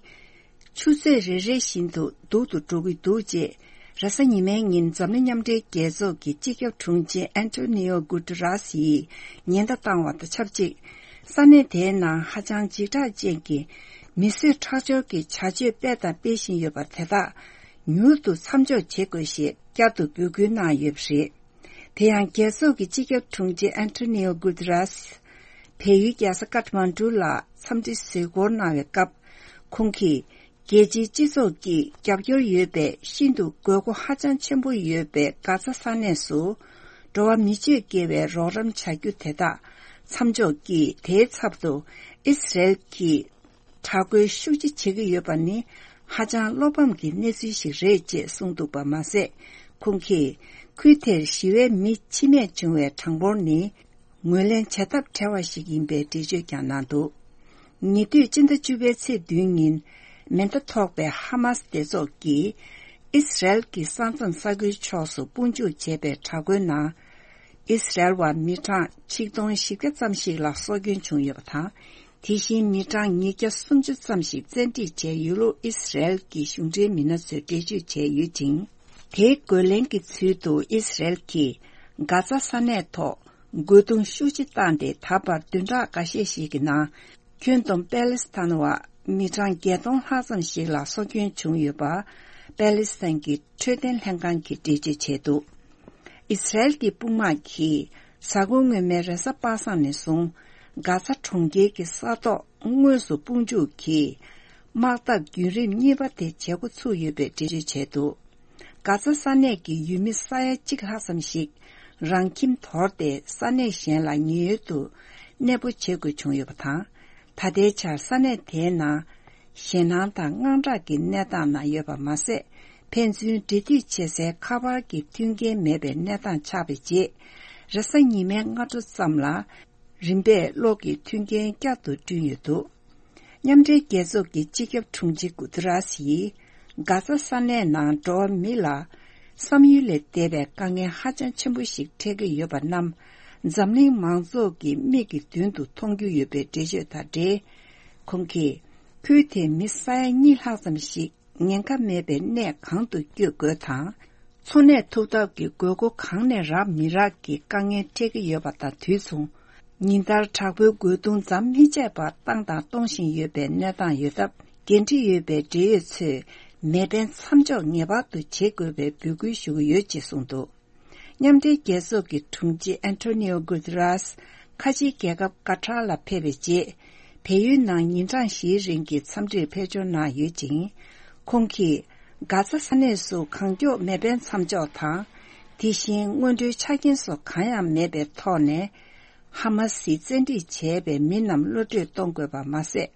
ཆུ་ཚོད་རེ་རེ་བཞིན་དུ་སྡུག་ཏུ་འགྲོ་གི་འདུག་ཅེས། རེས་གཟའ་ཉི་མའི་ཉིན་འཛམ་གླིང་མཉམ་འབྲེལ་རྒྱལ་ཚོགས་ཀྱི་སྤྱི་ཁྱབ་དྲུང་ཆེ་ཨན་ཏོ་ནི་ཨོ་གུ་ཏི་ར་སི་ཡིས་ཉེན་བརྡ་བཏང་བ་དང་ཆབས་ཅིག་ས་གནས་དེའི་ནང་ཧ་ཅང་འཇིགས་སྐྲག་ཅན་གྱི་མི་གསོད་ཁྲག་སྦྱོར་གྱི་བྱ་སྤྱོད་སྤེལ་དང་སྤེལ་བཞིན་ཡོད་པ་དེ་དག་མྱུར་དུ་མཚམས་འཇོག་བྱེད་དགོས་ཞེས་བསྐྱར་དུ་འབོད་སྐུལ་གནང་ཡོད་པ་རེད། དེ་ཡང་རྒྱལ་ཚོགས་ཀྱི་སྤྱི་ཁྱབ་དྲུང་ཆེ་ཨན་ཏོ་ནི་ཨོ་གུ་ཏི་ར་སི་བལ་ཡུལ་རྒྱལ་ས་ཀཏ་མན་ཌུ་ལ་འཚམས་འདྲི་གཟིགས་སྐོར་གནང་བའི་སྐབས། ཁོང་གིས་རྒྱལ་སྤྱིའི་སྤྱི་ཚོགས་ཀྱིས་རྒྱབ་སྐྱོར་ཡོད་པའི་ཤིན་ཏུ་དགོས་མཁོ་ཧ་ཅང་ཆེན་པོ་ཡོད་པའི་གྷ་ཛ་ས་གནས་སུ་འགྲོ་བ་མི་སྤྱོད་དགེ་བའི་རོགས་རམ་བྱ་རྒྱུ་དེ་དག་མཚམས་འཇོག་གིས་དེའི་ཚབ་ཏུ་ཨི་སི་རེལ་གྱིས་དྲག་རྒོལ་ཤུགས་ཆེ་བྱེད་ཀྱི་ཡོད་པ་ནི་ཧ་ཅང་བློ་ཕམ་གྱི་གནས་ཚུལ་ཞིག་རེད་ཅེས་གསུངས་འདུག་པ་མ་ཟད། ཁོང་གིས་ཁུལ་དེར་ཞི་བའི་མི་འཆི་རྨས་བྱུང་བའི་གྲངས་འབོར་ནི་ངོས་ལེན་བྱ་ཐབས་བྲལ་བ་ཞིག་ཡིན་པའི་འགྲེལ་བརྗོད་ཀྱང་གནང་འདུག་ཉེ་དུས་སྤྱི་ཟླ་བཅུ་པའི་ཚེས་བདུན་ཉིན་མེ་མདའ་ཐོགས་པའི་ཧ་མ་སི་སྡེ་ཚོགས་ཀྱིས་ཨི་སི་རེལ་གྱི་ས་མཚམས་ས་ཁུལ་ཕྱོགས་སུ་དཔུང་འཇུག་བྱས་པའི་དྲག་རྒོལ་ནང་། ཨི་སི་རེལ་བ་མི་གྲངས་ཆིག་སྟོང་བཞི་བརྒྱ་ཙམ་ཞིག་ལ་སྲོག་སྐྱོན་བྱུང་ཡོད་པ་དང་། དེ་བཞིན་མི་གྲངས་ཉིས་བརྒྱ་སུམ་ཅུ་ཙམ་ཞིག་བཙན་ཁྲིད་བྱས་ཡོད་ལུགས་ཨི་སི་རེལ་གྱི་གཞུང་འབྲེལ་མི་སྣ་ཚོས་འགྲེལ་བརྗོད་བྱས་ཡོད་ཅིང་། དེའི་རྒོལ་ལན་གྱི་ཚུལ་དུ་ཨི་སི་རེལ་གྱིས་གྷ་ཛ་ས་གནས་ཐོག་རྒོལ་རྡུང་ཤུགས་ཆེ་བཏང་སྟེ། ད་བར་བདུན་ཕྲག་འགའ་ཤས་ཤིག་གི་ནང་། ཁྱོན་བསྡོམས་པེ་ལེ་སི་ཐན་བ་མི་གྲངས་བརྒྱད་སྟོང་ལྷག་ཙམ་ཞིག་ལ་སྲོག་སྐྱོན་བྱུང་ཡོད་པ། པེ་ལེ་སི་ཐན་གྱི་འཕྲོད་བསྟེན་ལྷན་ཁང་གིས་འགྲེལ་བརྗོད་བྱས་འདུག་ཨི་སི་རེལ་གྱི་དཔུང་དམག་གིས་གཟའ་འཁོར་སྔོན་མའི་རེས་གཟའ་པ་སངས་ནས་བཟུང་། གྷ་ཛ་གྲོང་ཁྱེར་གྱི་ས་ཐོག་དངོས་སུ་དཔུང་འཇུག་གིས། དམག་འཐབ་བརྒྱུད་རིམ་གཉིས་པ་དེ་བྱེད་འགོ་ཚུགས་ཡོད་པའི་འགྲེལ་བརྗོད་བྱས་འདུག་གྷ་ཛ་ས་གནས་ཀྱི་ཡུལ་མི་ས་ཡ་གཅིག་ལྷག་ཙམ་ཞིག་རང་ཁྱིམ་དོར་ཏེ་ས་གནས་གཞན་ལ་ཉེན་གཡོལ་དུ་གནས་སྤོ་བྱེད་དགོས་བྱུང་ཡོད་པ་དང་། ད་ལྟའི་ཆར་ས་གནས་དེའི་ནང་ཞེད་སྣང་དང་དངངས་སྐྲག་གི་གནས་སྟངས་ནང་ཡོད་པ་མ་ཟད། ཕན་ཚུན་འབྲེལ་མཐུད་བྱེད་སའི་ཁ་པར་གྱི་མཐུན་རྐྱེན་མེད་པའི་གནས་སྟངས་ཆགས་པའི་རྗེས། རེས་གཟའ་ཉི་མའི་སྔ་དྲོ་ཙམ་ལ། རིམ་པས་གློག་གི་མཐུན་རྐྱེན་བསྐྱར་དུ་བསྐྲུན་ཡོད་འདུག་མཉམ་འབྲེལ་རྒྱལ་ཚོགས་ཀྱི་སྤྱི་ཁྱབ་དྲུང་ཆེ་གུ་ཏི་ར་སི་ཡིས་གྷ་ཛ་ས་གནས་ནང་འགྲོ་བ་མི་ལ་བསམ་ཡུལ་ལས་འདས་པའི་དཀའ་ངལ་ཧ་ཅང་ཆེན་པོ་ཞིག་འཕྲད་ཀྱི་ཡོད་པ་རྣམས་འཛམ་གླིང་མང་ཚོགས་ཀྱི་མིག་གི་མདུན་དུ་མཐོང་རྒྱུ་ཡོད་པའི་འགྲེལ་བརྗོད་དང་འབྲེལ། ཁོང་གིས་ཁུལ་དེའི་མི་ས་ཡ་གཉིས་ལྷག་ཙམ་ཞིག་ཉེན་ཁ་མེད་པའི་གནས་གང་དུ་བསྐྱོད་དགོས་དང་། འཚོ་གནས་ཐུབ་ཐབས་ཀྱི་དགོས་མཁོ་གང་ནས་རག་མི་རག་གི་དཀའ་ངལ་འཕྲད་ཀྱི་ཡོད་པ་དང་དུས་མཚུངས། ཉིན་ལྟར་དྲག་པོའི་རྒོལ་རྡུང་མཚམས་མི་ཆད་པར་བཏང་དང་གཏོང་བཞིན་ཡོད་པའི་གནས་སྟངས་ཡོད་སྟབས། འགན་འཁྲི་ཡོད་པའི་འབྲེལ་ཡོད་ཚོས་མེ་འཕེན་མཚམས་འཇོག་ངེས་པར་དུ་བྱེད་དགོས་པའི་འབོད་སྐུལ་ཞུ་གི་ཡོད་ཅེས་གསུངས་འདུག་མཉམ་འབྲེལ་རྒྱལ་ཚོགས་ཀྱི་དྲུང་ཆེ་ཨན་ཐོ་ནིའོ་གུ་ཏི་རཱས་ཁ་ཆེའི་རྒྱལ་ཁབ་ཀ་ཏར་ལ་ཕེབས་པའི་རྗེས། བལ་ཡུལ་ནང་ཉིན་གྲངས་བཞིའི་རིང་གི་འཚམས་འདྲིར་ཕེབས་འབྱོར་གནང་ཡོད་ཅིང་། ཁོང་གིས་གྷ་ཛ་ས་གནས་སུ་གང་མགྱོགས་མེ་འཕེན་མཚམས་འཇོག་དང་། དེ་བཞིན་སྔོན་འགྲོའི་ཆ་རྐྱེན་སོགས་གང་ཡང་མེད་པའི་ཐོག་ནས། ཧ་མ་སིས་བཙན་ཁྲིད་བྱས་པའི་མི་རྣམས་གློད་གྲོལ་གཏོང་དགོས་པ་མ་ཟད།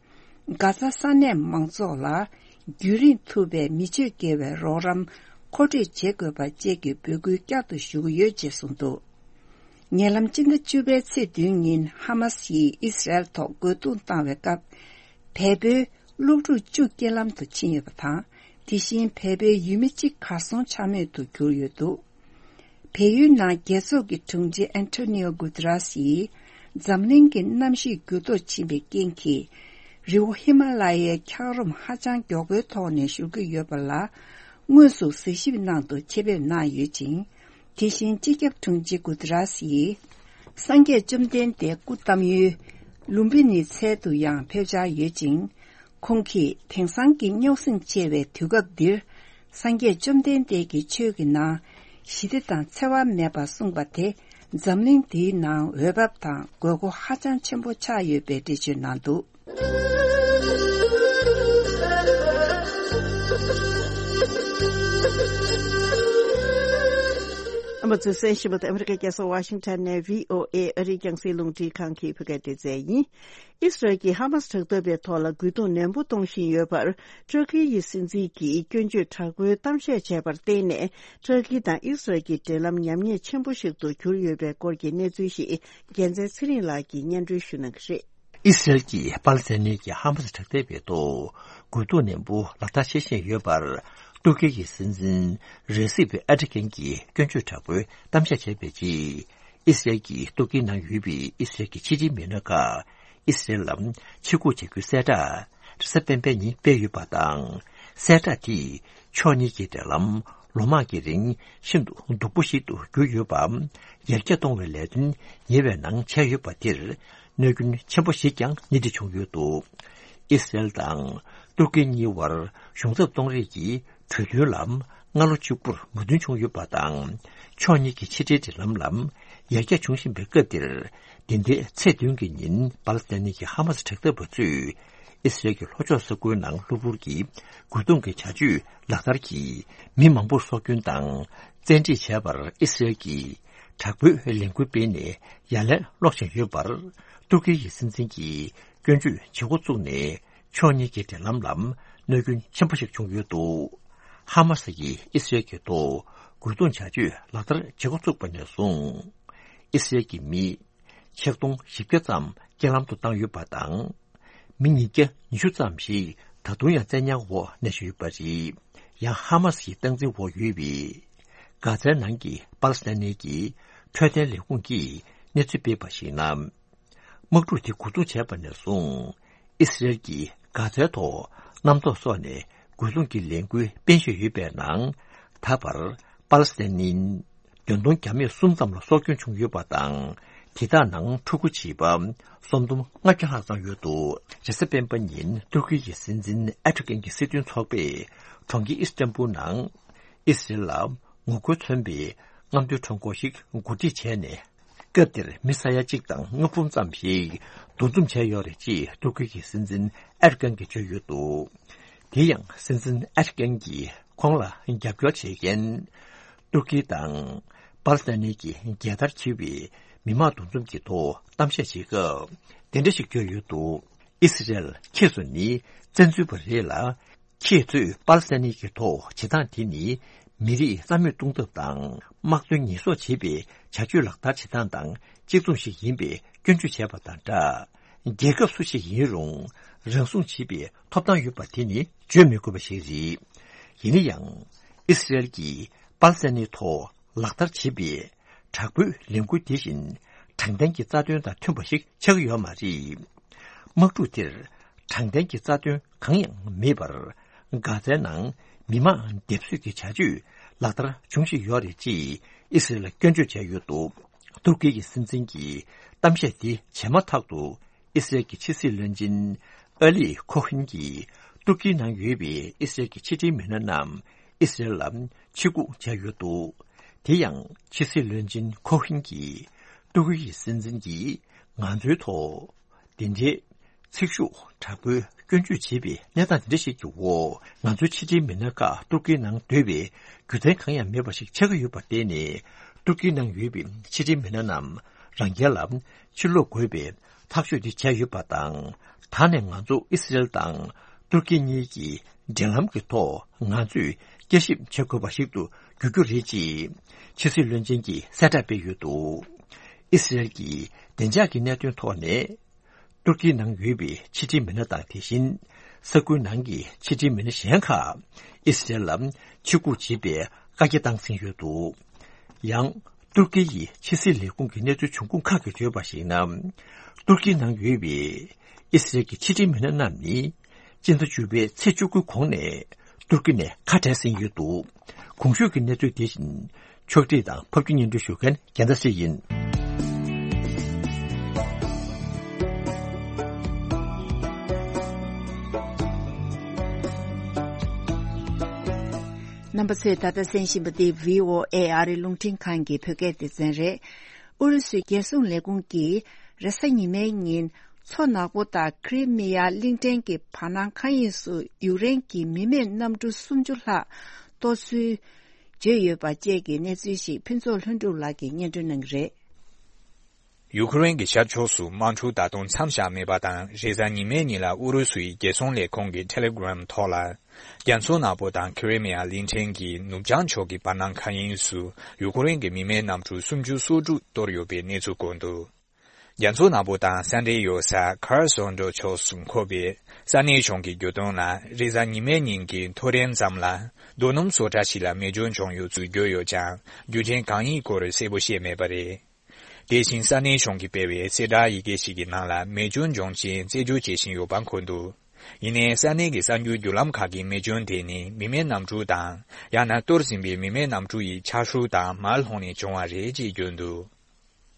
གྷ་ཛ་ས་གནས་མང་ཚོགས་ལ་རྒྱུན་རིང་ཐུབ་པའི་མི་སྤྱོད་བརྒལ་བའི་རོགས་རམ་མཁོ་སྤྲོད་བྱེད་དགོས་པ་བཅས་ཀྱི་འབོད་སྐུལ་བསྐྱར་དུ་ཞུ་གི་ཡོད་ཅེས་གསུངས་འདུག། ཉེ་ལམ་སྤྱི་ཟླ་བཅུ་པའི་ཚེས་བདུན་ཉིན་ཧ་མ་སི་ཡིས་ཨི་སི་རལ་ཐོག་རྒོལ་རྡུང་བཏང་བའི་སྐབས། བལ་པོའི་སློབ་ཕྲུག་བཅུ་རྐྱེན་ལམ་དུ་ཕྱིན་ཡོད་པ་དང་། དེ་བཞིན་བལ་པོའི་ཡུལ་མི་གཅིག་གར་སོང་ཆ་མེད་དུ་གྱུར་ཡོད་འདུག། བལ་ཡུལ་ནང་རྒྱལ་ཚོགས་ཀྱི་དྲུང་ཆེ་ཨན་ཐོ་ནིའོ་གུ་ཏེ་རེས་ཡིས། འཛམ་གླིང་གི་གནམ་གཤིས་འགྱུར་ལྡོག་ཕྱིན་པའི་རྐྱེན་གྱིས། རི་བོ་ཧི་མ་ལ་ཡའི་འཁྱགས་རོམ་ཧ་ཅང་མགྱོགས་པོའི་ཐོག་ནས་བཞུར་གྱི་ཡོད་པ་ལ། དངོས་སུ་གཟིགས་ཞིབ་གནང་དུ་ཆེད་ཕེབས་གནང་ཡོད་ཅིང་། དེ་བཞིན་སྤྱི་ཁྱབ་དྲུང་ཆེ་གུ་ཏེ་རེས་ཡིས། སངས་རྒྱས་བཅོམ་ལྡན་འདས་སྐུ་བལྟམས་ཡུལ་ལུམ་བི་ནི་ཚལ་དུ་ཡང་ཕེབས་འཆར་ཡོད་ཅིང་། ཁོང་གིས་དེང་སང་གི་རྙོག་ཟིང་ཆེ་བའི་དུས་སྐབས་འདིར། སངས་རྒྱས་བཅོམ་ལྡན་འདས་ཀྱི་ཆོས་ཀྱི་ནང་ཞི་བདེ་དང་འཚེ་བ་མེད་པར་གསུངས་པ་དེ། འཛམ་གླིང་འདིའི་ནང་འོས་འབབ་དང་དགོས་མཁོ་ཧ་ཅང་ཆེན་པོ་ཆགས་ཡོད་པའི་འགྲེལ་བརྗོད་གནང་འདུག། ཨ་མ་ཚོས་གསན་བཞིན་པ་དེ་ཨ་མི་རི་ཀའི་རྒྱལ་ས་ཝ་ཤིང་ཊོན་ནས་བྷི་ཨོ་ཨེ་ཨ་རིའི་རྒྱང་སྲིང་རླུང་འཕྲིན་ཁང་གི་བོད་སྐད་སྡེ་ཚན་ཡིན། ཨི་སི་རལ་གྱིས་ཧ་མ་སི་དྲག་འཐབ་པའི་ཐོག་ལ་རྒོལ་རྡུང་ནན་པོ་གཏོང་བཞིན་ཡོད་པར། ཏུར་ཀི་ཡི་སྲིད་འཛིན་གྱིས་སྐྱོན་བརྗོད་དྲག་པོའི་གཏམ་བཤད་བྱས་པར་བརྟེན་ནས། ཏུར་ཀི་དང་ཨི་སི་རལ་གྱི་འབྲེལ་ལམ་ཉམས་ཉེས་ཆེན་པོ་ཞིག་ཏུ་གྱུར་ཡོད་པའི་སྐོར་གྱི་གནས་ཚུལ་ཞིག་རྒྱལ་མཚན་ཚེ་རིང་ལགས་ཀྱིས་སྙན་སྒྲོན་ཞུ་གནང་གི་རེད། ཨི་སི་རལ་གྱིས་པ་ལི་སི་ཐན་ནི་གྱི་ཧ་མ་སི་དྲག་འཐབ་པའི་ཐོག་རྒོལ་རྡུང་ནན་པོ་ལག་བསྟར་བྱེད་བཞིན་ཡོད་པར། ཏུར་ཀི་ཡི་སྲིད་འཛིན་རེ་སིབ་ཨེར་ཏོ་གྷན་གྱིས་སྐྱོན་བརྗོད་དྲག་པོའི་གཏམ་བཤད་བྱས་པའི་རྗེས། ཨི་སི་རལ་གྱིས་ཏུར་ཀིའི་ནང་ཡོད་པའི་ཨི་སི་རལ་གྱི་ཕྱི་འབྲེལ་མི་སྣ་ཁག་ཨི་སི་རལ་ལ་ཕྱིར་སྒུག་བྱ་རྒྱུའི་གསལ་བསྒྲགས་རེས་གཟའ་སྤེན་པའི་ཉིན་སྤེལ་ཡོད་པ་དང་། གསལ་བསྒྲགས་དེས་ཕྱོགས་གཉིས་ཀྱི་འབྲེལ་ལམ་ལོ་མང་གི་རིང་ཤིན་ཏུ་སྡུག་པོ་ཞིག་ཏུ་གྱུར་ཡོད་པ། ཡར་རྒྱས་གཏོང་བའི་ལས་དོན་ཉེ་བའི་ནང་བྱས་ཡོད་པ་དེར། གནོད་སྐྱོན་ཆེན་པོ་ཞིག་ཀྱང་སྣེ་ཁྲིད་བྱུང་ཡོད་འདུག། ཨི་སི་རལ་དང་ཏུར་ཀི་གཉིས་བར་གཞུང་ཚབ་གཏོང་རེས་ཀྱི་གྲོས་མཐུན་ལ་སྔ་ལོ་གཅིག་པུར་མོས་མཐུན་བྱུང་ཡོད་པ་དང་། ཕྱོགས་གཉིས་ཀྱི་ཕྱི་འབྲེལ་འབྲེལ་ལམ་ལ་ཡར་རྒྱས་འབྱུང་བཞིན་པའི་སྐབས་འདིར། འདི་ཟླའི་ཚེས་བདུན་གྱི་ཉིན་པ་ལི་སི་ཐན་ནི་གི་ཧ་མ་སི་དྲག་འཐབ་པ་ཚོས་ཨི་སི་རལ་གྱི་ལྷོ་ཕྱོགས་ས་ཁུལ་ནང་གློ་བུར་གྱི་རྒོལ་རྡུང་གི་བྱ་སྤྱོད་ལག་བསྟར་གྱིས་མི་མང་པོར་སྲོག་སྐྱོན་དང་། བཙན་ཁྲིད་བྱས་པར་ཨི་སི་རལ་གྱིས་དྲག་པོའི་ལས་འགུལ་སྤེལ་ནས་ཡ་ལན་སློག་བཞིན་ཡོད་པར། ཏུར་ཀི་ཡི་སྲིད་འཛིན་གྱིས་སྐྱོན་བརྗོད་བྱེད་འགོ་བཙུགས་ནས་ཕྱོགས་གཉིས་ཀྱི་འབྲེལ་ལམ་ལ་གནོད་སྐྱོན་ཆེན་པོ་ཞིག་བྱུང་ཡོད་འདུག། ཧ་མ་སི་ཡིས་ཨི་སི་རལ་གྱི་ཐོག་རྒོལ་རྡུང་བྱ་སྤྱོད་ལག་བསྟར་བྱེད་འགོ་བཙུགས་པ་ནས་བཟུང་། ཨི་སི་རལ་གྱི་མི་ཆིག་སྟོང་བཞི་བརྒྱ་ཙམ་རྐྱེན་ལམ་དུ་བཏང་ཡོད་པ་དང་། མི་ཉིས་བརྒྱ་ཉི་ཤུ་ཙམ་ཞིག་ད་དུང་ཡང་བཙན་ཉར་འོག་གནས་བཞིན་ཡོད་པ་རེད། ཡང་ཧ་མ་སི་ཡི་སྟངས་འཛིན་འོག་ཡོད་པའི་གྷ་ཛའི་ནང་གི་པ་ལི་སི་ཐན་ནི་གི་འཕྲོད་བསྟེན་ལས་ཁུངས་ཀྱིས་གནས་ཚུལ་སྤེལ་བར་གཞིགས་ན། དམག་འཁྲུག་དེ་འགོ་འཛུགས་བྱས་པ་ནས་བཟུང་། ཨི་སི་རལ་གྱིས་གྷ་ཛའི་ཐོག་གནམ་ཐོག་སོགས་ནས་རྒོལ་རྡུང་གི་ལས་འགུལ་སྤེལ་བཞིན་ཡོད་པའི་ནང་། ད་བར་པ་ལི་སི་ཐན་ནི་བདུན་སྟོང་བརྒྱ་མེད་གསུམ་ཙམ་ལ་སྲོག་སྐྱོན་བྱུང་ཡོད་པ་དང་། དེ་དག་ནང་ཕྲུ་གུ་བྱིས་པ་སུམ་སྟོང་ལྔ་བརྒྱ་ལྷག་ཙམ་ཡོད་འདུག། རེས་གཟའ་སྤེན་པ་ཉིན་ཏུར་ཀི་ཡི་སྲིད་འཛིན་ཨེར་ཏོ་གྷན་གྱི་སྲིད་དོན་ཚོགས་པས་གྲོང་ཁྱེར་ཨི་སི་ཏན་བུལ་ནང་ཨི་སི་རལ་ལ་ངོ་རྒོལ་མཚོན་པའི་རྔམ་སྟོན་ཁྲོམ་སྐོར་ཞིག་གོ་སྒྲིག་བྱས་ནས། སྐབས་དེར་མི་ས་ཡ་གཅིག་དང་ལྔ་འབུམ་ཙམ་ཞིག་འདུ་འཛོམས་བྱས་ཡོད་རེད་ཅེས་ཏུར་ཀི་ཡི་སྲིད་འཛིན་ཨེར་ཏོ་གྷན་གྱིས་བརྗོད་ཡོད་འདུག། དེ་ཡང་སྲིད་འཛིན་ཨེར་ཏོ་གྷན་གྱིས་ཁོང་ལ་རྒྱབ་སྐྱོར་བྱེད་མཁན་ཏུར་ཀི་དང་པ་ལི་སི་ཐན་ནི་གི་རྒྱལ་དར་འཁྱེར་བའི་མི་མང་འདུ་འཛོམས་ཀྱི་ཐོག་གཏམ་བཤད་བྱེད་སྐབས་དེ་འདྲ་ཞིག་བརྗོད་ཡོད་འདུག། ཨི་སི་རལ་ཁྱེད་ཚོ་ནི་བཙན་འཛུལ་བ་རེད་ལ། ཁྱེད་ཚོས་པ་ལི་སི་ཐན་ནི་གི་ཐོག་བྱེད་སྟངས་དེ་ནི་མི་རིགས་རྩ་མེད་གཏོང་ཐབས་དང་དམག་དོན་ཉེས་གསོག་བྱེད་པའི་བྱ་སྤྱོད་ལག་བསྟར་བྱེད་སྟངས་དང་གཅིག་མཚུངས་ཤིག་ཡིན་པའི་སྐྱོན་བརྗོད་བྱས་པ་དང་སྦྲགས། རྒྱལ་ཁབ་སུ་ཞིག་ཡིན་རུང་རང་སྲུང་བྱེད་པའི་ཐོབ་ཐང་ཡོད་པ་དེ་ནི་བརྗོད་མི་དགོས་པ་ཞིག་རེད། ཡིན་ན་ཡང་ཨི་སི་རལ་གྱིས་པ་ལི་སི་ཐན་ནི་ཐོག་ལག་བསྟར་བྱེད་པའི་དྲག་པོའི་ལས་འགུལ་དེ་བཞིན་དྲང་བདེན་གྱི་རྩ་དོན་དང་མཐུན་པ་ཞིག་ཆགས་ཀྱི་ཡོད་མ་རེད། དམག་འཁྲུག་དེར་དྲང་བདེན་གྱི་རྩ་དོན་གང་ཡང་མེད་པར། གྷ་ཛའི་ནང་མི་མང་སྡེབ་གསོད་ཀྱི་བྱ་སྤྱོད་ལག་བསྟར་འབྱུང་བཞིན་ཡོད་རེད་ཅེས་ཨི་སི་རལ་ལ་སྐྱོན་བརྗོད་བྱས་ཡོད་འདུག། ཏུར་ཀི་ཡི་སྲིད་འཛིན་གྱིས་གཏམ་བཤད་དེ་བྱས་མ་ཐག་ཏུ། ཨི་སི་རལ་གྱི་ཕྱི་སྲིད་བློན་ཆེན་ཨ་ལི་ཁོ་ཧིན་གྱིས་ཏུར་ཀིའི་ནང་ཡོད་པའི་ཨི་སི་རལ་གྱི་ཕྱི་འབྲེལ་མི་སྣ་རྣམས་ཨི་སི་རལ་ལ་ཕྱིར་སྒུག་བྱས་ཡོད་འདུག། དེ་ཡང་ཕྱི་སྲིད་བློན་ཆེན་ཁོ་ཧིན་གྱིས་ཏུར་ཀི་ཡི་སྲིད་འཛིན་གྱིས་ང་ཚོའི་ཐོག་དེ་འདྲའི་ཚིག་ཤུགས་དྲག་པོའི་སྐྱོན་བརྗོད་བྱེད་པའི་གནས་སྟངས་དེ་འདྲ་ཞིག་གི་འོག་ང་ཚོའི་ཕྱི་འབྲེལ་མི་སྣ་ཁག་ཏུར་ཀིའི་ནང་སྡོད་པའི་རྒྱུ་མཚན་གང་ཡང་མེད་པ་ཞིག་ཆགས་ཀྱི་ཡོད་པར་བརྟེན་ནས། ཏུར་ཀིའི་ནང་ཡོད་པའི་ཕྱི་འབྲེལ་མི་སྣ་རྣམས་རང་རྒྱལ་ལ་ཕྱིར་ལོག་དགོས་པའི་ཐག་གཅོད་དེ་བྱས་ཡོད་པ་དང་ ད་ནས་ང་ཚོ་ཨི་སི་རེལ་དང་ཏུར་ཀི་གཉིས་ཀྱིས་འབྲེལ་ལམ་གྱི་ཐོག་ང་ཚོས་བསྐྱར་ཞིབ་བྱེད་དགོས་པ་ཞིག་ཏུ་འགྱུར་རྒྱུ་རེད་ཅེས་ཕྱི་སྲིད་བློན་ཆེན་གྱིས་གསལ་བསྒྲགས་སྤེལ་ཡོད་འདུག་ཨི་སི་རེལ་གྱིས་བདེ་འཇགས་ཀྱི་གནད་དོན་ཐོག་ནས། ཏུར་ཀིའི་ནང་ཡོད་པའི་ཕྱི་འབྲེལ་མི་སྣ་དང་དེ་བཞིན་ས་ཁུལ་ནང་གི་ཕྱི་འབྲེལ་མི་སྣ་གཞན་ཁག་ཨི་སི་རེལ་ལ་ཕྱིར་སྒུག་བྱེད་པའི་བཀའ་རྒྱ་བཏང་ཟིན་ཡོད་འདུག་ཡང་ཏུར་ཀི་ཡི་ཕྱི་སྲིད་ལས་ཁུངས་ཀྱི་གནས་ཚུལ་འབྱུང་ཁུངས་ཁག་གིས་བརྗོད་པར་གཞིགས་ན། ཏུར་ཀིའི་ནང་ཡོད་པའི་ཨི་སི་རེལ་གྱི་ཕྱི་འབྲེལ་མི་སྣ་རྣམས་ནི་སྤྱི་ཟླ་བཅུ་པའི་ཚེས་བཅུ་དགུའི་གོང་ནས་ཏུར་ཀི་ནས་ཁ་བྲལ་ཟིན་ཡོད་འདུག་གོང་ཞུས་ཀྱི་གནས་ཚུལ་དེ་བཞིན་ཕྱོགས་སྒྲིག་དང་ཕབ་སྒྱུར་སྙན་སྒྲོན་ཞུ་མཁན་རྒྱལ་མཚན་སྲས་ཡིན། རྣམ་པ་ཚོས་ད་ལྟ་གསན་བཞིན་པ་འདི་བྷི་ཨོ་ཨེ་ཨ་རིའི་རླུང་འཕྲིན་ཁང་གི་བོད་སྐད་སྡེ་ཚན་རེད། ཨུ་རུ་སུའི་རྒྱལ་སྲུང་ལས་ཁུངས་ཀྱིས་རེས་གཟའ་ཉི་མའི་ཉིན་མཚོ་ནག་པོ་དང་ཁི་རི་མི་ཡ་གླིང་ཕྲན་གྱི་བར་སྣང་མཁའ་དབྱིངས་སུ་ཡུཀ་རེན་གྱི་མི་མེད་གནམ་གྲུ་སུམ་ཅུ་ལྷག་གཏོར་ཚུལ་བརྗོད་ཡོད་པ་བཅས་ཀྱི་གནས་ཚུལ་ཞིག་ཕུན་ཚོགས་ལྷུན་གྲུབ་ལགས་ཀྱིས་སྙན་སྒྲོན་གནང་གི་རེད། ཡུ་ཁུ་རེན་གྱི་ཤར་ཕྱོགས་སུ་དམག་འཁྲུག་ད་དུང་མཚམས་བཞག་མེད་པ་དང་། རེས་གཟའ་ཉི་མའི་ཉིན་ལ་ཨུ་རུ་སུ་ཡི་རྒྱལ་སྲུང་ལས་ཁུངས་ཀྱི་ཊེ་ལེ་གྷི་རམ་ཐོག་ལ། རྒྱ་མཚོ་ནག་པོ་དང་ཁི་རི་མི་ཡ་གླིང་ཕྲན་གྱི་ནུབ་བྱང་ཕྱོགས་ཀྱི་བར་སྣང་མཁའ་དབྱིངས་སུ་ཡུ་ཁུ་རེན་གྱི་མི་མེད་གནམ་གྲུ་སུམ་ཅུ་སོ་དྲུག་གཏོར་ཡོད་པའི་གནས་ཚུལ་བཀོད་འདུག་རྒྱ་མཚོ་ནག་པོ་དང་ས་འབྲེལ་ཡོད་ས་ཁར་སོན་ཌོ་ཕྱོགས་སུ་འཁོད་པའི་ས་གནས་གཞུང་གིས་བརྗོད་དོན་ལ། རེས་གཟའ་ཉི་མའི་ཉིན་གྱི་ཐོ་རེངས་ཙམ་ལ་རྡོ་སྣུམ་བཟོ་གྲྭ་ཞིག་ལ་མེ་སྐྱོན་བྱུང་ཡོད་ཚུལ་བརྗོད་ཡོད་ཀྱང་། རྒྱུ་རྐྱེན་གང་ཡིན་སྐོར་གསལ་པོ་བཤད་མེད་པ་རེད། དེ་བཞིན་ས་གནས་གཞུང་གིས་སྤེལ་བའི་གསལ་བསྒྲགས་ཡི་གེ་ཞིག་གི་ནང་ལ། མེ་སྐྱོན་བྱུང་རྐྱེན་རྩད་གཅོད་བྱེད་བཞིན་ཡོད་པ་འཁོད་འདུག་ཡིན་ནའི་ས་གནས་ཀྱི་གསར་འགྱུར་བརྒྱུད་ལམ་ཁག་གིས་མེ་སྐྱོན་དེ་ནི་མི་མེད་གནམ་གྲུ་དང་། ཡང་ན་གཏོར་ཟིན་པའི་མི་མེད་གནམ་གྲུ་ཡི་ཆག་ཧྲུལ་དང་མར་ལྷུང་ནས་བྱུང་བ་རེད་ཅེས་བརྗོད་འདུག་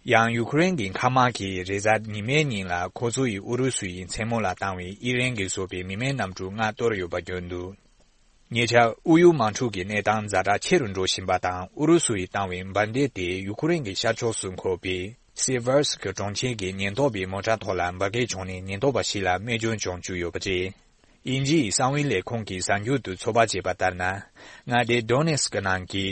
ཡང་ཡུ་ཁུ་རེན་གྱི་མཁའ་དམག་གིས་རེས་གཟའ་ཉི་མའི་ཉིན་ལ་ཁོ་ཚོ་ཡིས་ཨུ་རུ་སུ་ཡི་མཚན་མོ་ལ་བཏང་བའི་ཨི་རན་གྱིས་བཟོས་པའི་མི་མེད་གནམ་གྲུ་ལྔ་གཏོར་ཡོད་པ་བརྗོད་འདུག་ཉེ་ཆར་ཨུ་ཡུ་དམག་འཁྲུག་གི་གནས་སྟངས་ཛ་དྲག་ཆེ་རུ་འགྲོ་བཞིན་པ་དང་། ཨུ་རུ་སུ་ཡིས་བཏང་བའི་འབར་མདེལ་དེ་ཡུ་ཁུ་རེན་གྱི་ཤར་ཕྱོགས་སུ་འཁོད་པའི་སི་ཝར་སི་ཀི་གྲོང་ཁྱེར་གྱི་ཉེན་རྟོག་པའི་མོ་ཊ་ཐོག་ལ་འབར་གས་བྱུང་ནས་ཉེན་རྟོག་པ་ཞིག་ལ་རྨས་སྐྱོན་བྱུང་བཅུག་ཡོད་པ་རེད། དབྱིན་ཇིའི་གསང་བའི་ལས་ཁུངས་ཀྱིས་གསར་འགྱུར་དུ་ཚོད་དཔག་བྱས་པ་ལྟར་ན། མངའ་སྡེ་ཌོ་ནེ་སི་ཀི་ནང་གི་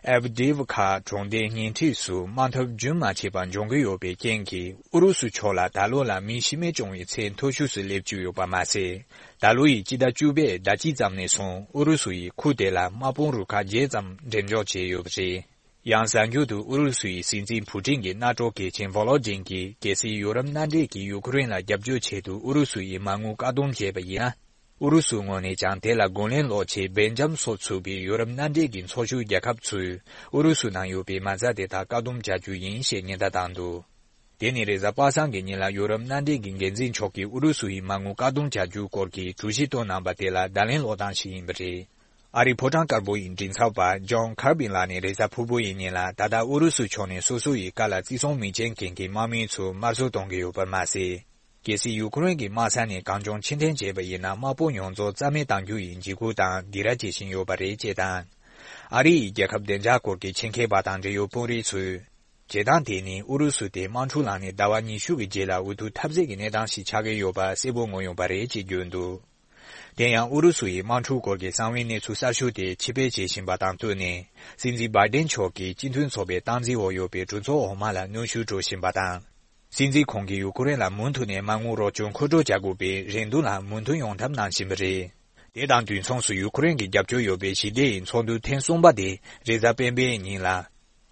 ཨེབ་ཌིབ་ཁ་གྲོང་སྡེའི་ཉེ་འཁྲིས་སུ་དམག་འཐབ་རྒྱུན་མ་ཆད་པར་འབྱུང་གི་ཡོད་པའི་རྐྱེན་གྱིས། ཨུ་རུ་སུ་ཕྱོགས་ལ་ད་ལོ་ལ་མི་ཤི་རྨས་བྱུང་བའི་ཚད་མཐོ་ཤོས་སུ་སླེབས་བཅུག་ཡོད་པ་མ་ཟད། ད་ལོ་ཡི་སྤྱི་ཟླ་བཅུ་པའི་ཟླ་གཅིག་ཙམ་ནས་བཟུང་ཨུ་རུ་སུ་ཡིས་ཁུལ་དེ་ལ་དམག་དཔུང་རུ་ཁག་བརྒྱད་ཙམ་འགྲེམས་འཇོག་བྱས་ཡོད་པ་རེད། ཡང་གསར་འགྱུར་དུ་ཨུ་རུ་སུ་ཡི་སྲིད་འཛིན་ཕུ་ཀྲིན་གྱི་རྣམ་གྲོལ་གལ་ཆེན་ཝོ་ལོ་ཇིན་གྱིས། གལ་སྲིད་ཡུ་རོབ་མནའ་འབྲེལ་གྱིས་ཡུ་ཁུ་རེན་ལ་རྒྱབ་སྐྱོར་ཆེད་དུ་ཨུ་རུ་སུ་ཡི་མ་དངུལ་བཀག་སྡོམ་བྱས་པ་ཡིན་ན། ཨུ་རུ་སུའི་ངོས་ནས་ཀྱང་དེ་ལ་རྒོལ་ལན་སློག་ཆེད་སྦེལ་ཇམ་སོགས་ཚུད་པའི་ཡུ་རོབ་མནའ་འབྲེལ་གྱི་ཚོགས་ཞུགས་རྒྱལ་ཁབ་ཚོས་ཨུ་རུ་སུ་ནང་ཡོད་པའི་མ་རྩ་དེ་དག་བཀག་སྡོམ་བྱ་རྒྱུ་ཡིན་ཞེས་ཉེན་བརྡ་བཏང་འདུག་དེ་ནི་རེས་གཟའ་པ་སངས་ཀྱི་ཉིན་ལ་ཡུ་རོབ་མནའ་འབྲེལ་གྱི་འགན་འཛིན་མཆོག་གིས་ཨུ་རུ་སུ་ཡི་མ་དངུལ་བཀག་སྡོམ་བྱ་རྒྱུའི་སྐོར་གྱི་གྲོས་གཞི་བཏོན་གནང་པ་དེ་ལ་བརྡ་ལན་སློག་སྟངས་ཤིག་ཡིན་པ་རེད། ཨ་རིའི་ཕོ་བྲང་དཀར་པོ་ཡི་མགྲིན་ཚབ་པ་ཇོན་ཁར་བིན་ལགས་ནས་རེས་གཟའ་ཕུར་བུ་ཡི་ཉིན་ལ། ད་ལྟ་ཨུ་རུ་སུ་ཕྱོགས་ནས་སོ་སོ་ཡི་བཀའ་ལ་བརྩི་སྲུང་མི་བྱེད་མཁན་གྱི་དམག་མི་ཚོར་དམར་གསོད་གཏོང་གི་ཡོད་པ་མ་ཟད། གལ་སྲིད་ཡུ་ཁུ་རེན་གྱི་དམག་ས་ནས་གང་བྱུང་ཕྱིར་འཐེན་བྱས་པ་ཡིན་ན། དམག་དཔུང་ཡོངས་རྫོགས་རྩ་མེད་གཏང་རྒྱུ་ཡི་འཇིགས་སྐུལ་དང་སྡིགས་ར་བྱེད་བཞིན་ཡོད་པ་རེད་ཅེས་དང་། ཨ་རི་ཡི་རྒྱལ་ཁབ་བདེ་འཇགས་སྐོར་གྱི་ཆེད་མཁས་པ་དང་འབྲེལ་ཡོད་དཔོན་རིགས་ཚོས། བྱེད་སྟངས་དེ་ནི་ཨུ་རུ་སུ་དེ་དམག་འཁྲུག་ལངས་ནས་ཟླ་བ་ཉི་ཤུ་གི་རྗེས་ལ་འུ་ཐུག་ཐབས་ཟད་ཀྱི་གནས་སྟངས་ཤིག་ཆགས་ཀྱི་ཡོད་པ་གསལ་པོ་མངོན་ཡོང་པ་རེད་ཅེས་བརྗོད་འདུག་དེ་ཡང་ཨུ་རུ་སུ་ཡི་དམག་འཁྲུག་སྐོར་གྱི་གསང་བའི་གནས་ཚུལ་གསར་ཤོས་དེ་ཕྱིར་སྤེལ་བྱེད་བཞིན་པ་དང་བསྟུན་ནས། སྲིད་འཛིན་བྷའི་ཌེན་མཆོག་གིས་སྤྱི་མཐུན་ཚོགས་པའི་སྟངས་འཛིན་འོག་ཡོད་པའི་གྲོས་ཚོགས་འོག་མ་ལ་གནོན་ཤུགས་སྤྲོད་བཞིན་པ་དང་། སྲིད་འཛིན་ཁོང་གིས་ཡུ་ཁུ་རེན་ལ་མུ་མཐུད་ནས་མ་དངུལ་རོགས་སྐྱོར་མཁོ་སྤྲོད་བྱ་དགོས་པའི་རེ་འདུན་ལ་མོས་མཐུན་ཡོང་ཐབས་གནང་བཞིན་པ་རེད། དེ་དང་དུས་མཚུངས་སུ་ཡུ་ཁུ་རེན་གྱི་རྒྱབ་སྐྱོར་ཡོད་པའི་ཞི་བདེ་ཡི་ཚོགས་འདུ་ཐེངས་གསུམ་པ་དེ་རེས་གཟའ་སྤེན་པའི་ཉིན་ལ་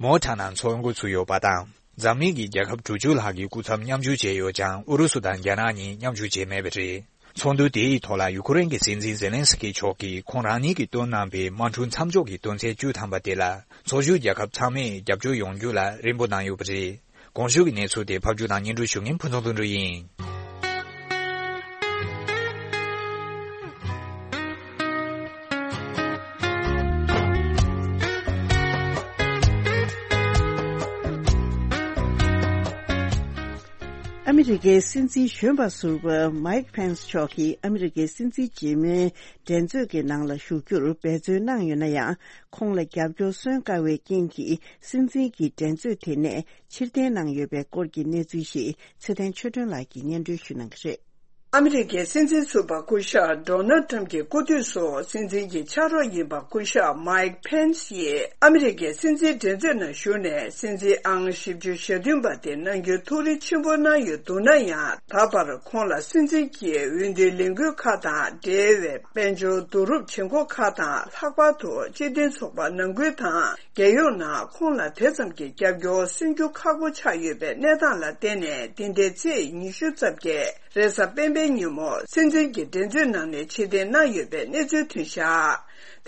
མོ་ཊ་ནང་འཚོགས་འགོ་ཚུགས་ཡོད་པ་དང་། འཛམ་གླིང་གི་རྒྱལ་ཁབ་དྲུག་ཅུ་ལྷག་གི་སྐུ་ཚབ་མཉམ་ཞུགས་བྱས་ཡོད་ཀྱང་། ཨུ་རུ་སུ་དང་རྒྱ་ནག་གཉིས་མཉམ་ཞུགས་བྱས་མེད་པ་རེད། ཚོགས་འདུ་དེའི་ཐོག་ལ་ཡུ་ཁུ་རེན་གྱི་སྲིད་འཛིན་ཛེ་ལན་སི་ཀི་མཆོག་གིས་ཁོང་རང་ཉིད་ཀྱིས་བཏོན་གནང་པའི་དམག་འཁྲུག་མཚམས་འཇོག་གི་དོན་ཚན་བཅུ་ཐམ་པ་དེ་ལ་ཚོགས་ཞུགས་རྒྱལ་ཁབ་ཚང་མས་རྒྱབ་སྐྱོར་ཡོང་རྒྱུ་ལ་རིམ་པོ་གནང་ཡོད་པ་རེད། གོང་ཞུས་ཀྱི་གནས་ཚུལ་དེ་ཕབ་སྒྱུར་དང་སྙན་སྒྲོན་ཞུ་མཁན་ཕུན་ཚོགས་དོན་གྲུབ་ཡིན། ཨ་མི་རི་ཀའི་སྲིད་འཛིན་གཞོན་པ་ཟུར་པ་མའིག་ཕེན་སི་མཆོག་གིས་ཨ་མི་རི་ཀའི་སྲིད་འཛིན་རྗེས་མའི་འགྲན་རྩོད་ཀྱི་ནང་ལ་ཞུགས་རྒྱུར་འབད་བརྩོན་གནང་ཡོད་ན་ཡང་། ཁོང་ལ་རྒྱབ་སྐྱོར་སོན་དཀའ་བའི་རྐྱེན་གྱིས། སྲིད་འཛིན་གྱི་འགྲན་རྩོད་དེ་ནས་ཕྱིར་འཐེན་གནང་ཡོད་པའི་སྐོར་གྱི་གནས་ཚུལ་ཞིག་ཚེ་བརྟན་ཆོས་སྒྲོན་ལགས་ཀྱིས་སྙན་སྒྲོན་ཞུ་གནང་གི་རེད། ཨ་མི་རི་ཀའི་སྲིད་འཛིན་ཟུར་པ་སྐུ་ཞབས་ཌོ་ནལ་ཊམ་གྱི་སྐུ་དུས་སུ་སྲིད་འཛིན་གྱི་ཕྱག་རོགས་ཡིན་པ་སྐུ་ཞབས་མའིག་ཕེན་སི་ཡིས་ཨ་མི་རི་ཀའི་སྲིད་འཛིན་འགྲན་རྩོད་ནང་ཞུགས་ནས་སྲིད་འཛིན་ཨང་བཞི་བཅུ་ཞེ་བདུན་པ་དེ་གནང་རྒྱུའི་ཐུགས་རེ་ཆེན་པོ་གནང་ཡོད་འདུག་ན་ཡང་། ད་བར་ཁོང་ལ་སྲིད་འཛིན་གྱི་འོས་བསྡུའི་ལས་འགུལ་ཁག་དང་འབྲེལ་བའི་དཔལ་འབྱོར་བསྡུ་རུབ་བྱེད་སྒོ་ཁག་དང་། ལྷག་པར་དུ་སྤྱི་མཐུན་ཚོགས་པ་ནང་ཁུལ་དང་། རྒྱལ་ཡོངས་ནང་ཁོང་ལ་དེ་ཙམ་གྱི་རྒྱབ་སྐྱོར་སོན་རྒྱུ་ཁག་པོ་ཆགས་ཡོད་པའི་གནས་སྟངས་ལ་བརྟེན་ནས། འདི་ཟླའི་ཚེས་ཉི་ཤུ་རྩ་བརྒྱད་རེས་གཟའ་སྤེན་པའི་ཉིན་མོ་སྲིད་འཛིན་གྱི་འགྲན་རྩོད་ནང་ནས་ཕྱིར་འཐེན་གནང་ཡོད་པའི་གནས་ཚུལ་ཐོན་བཞག་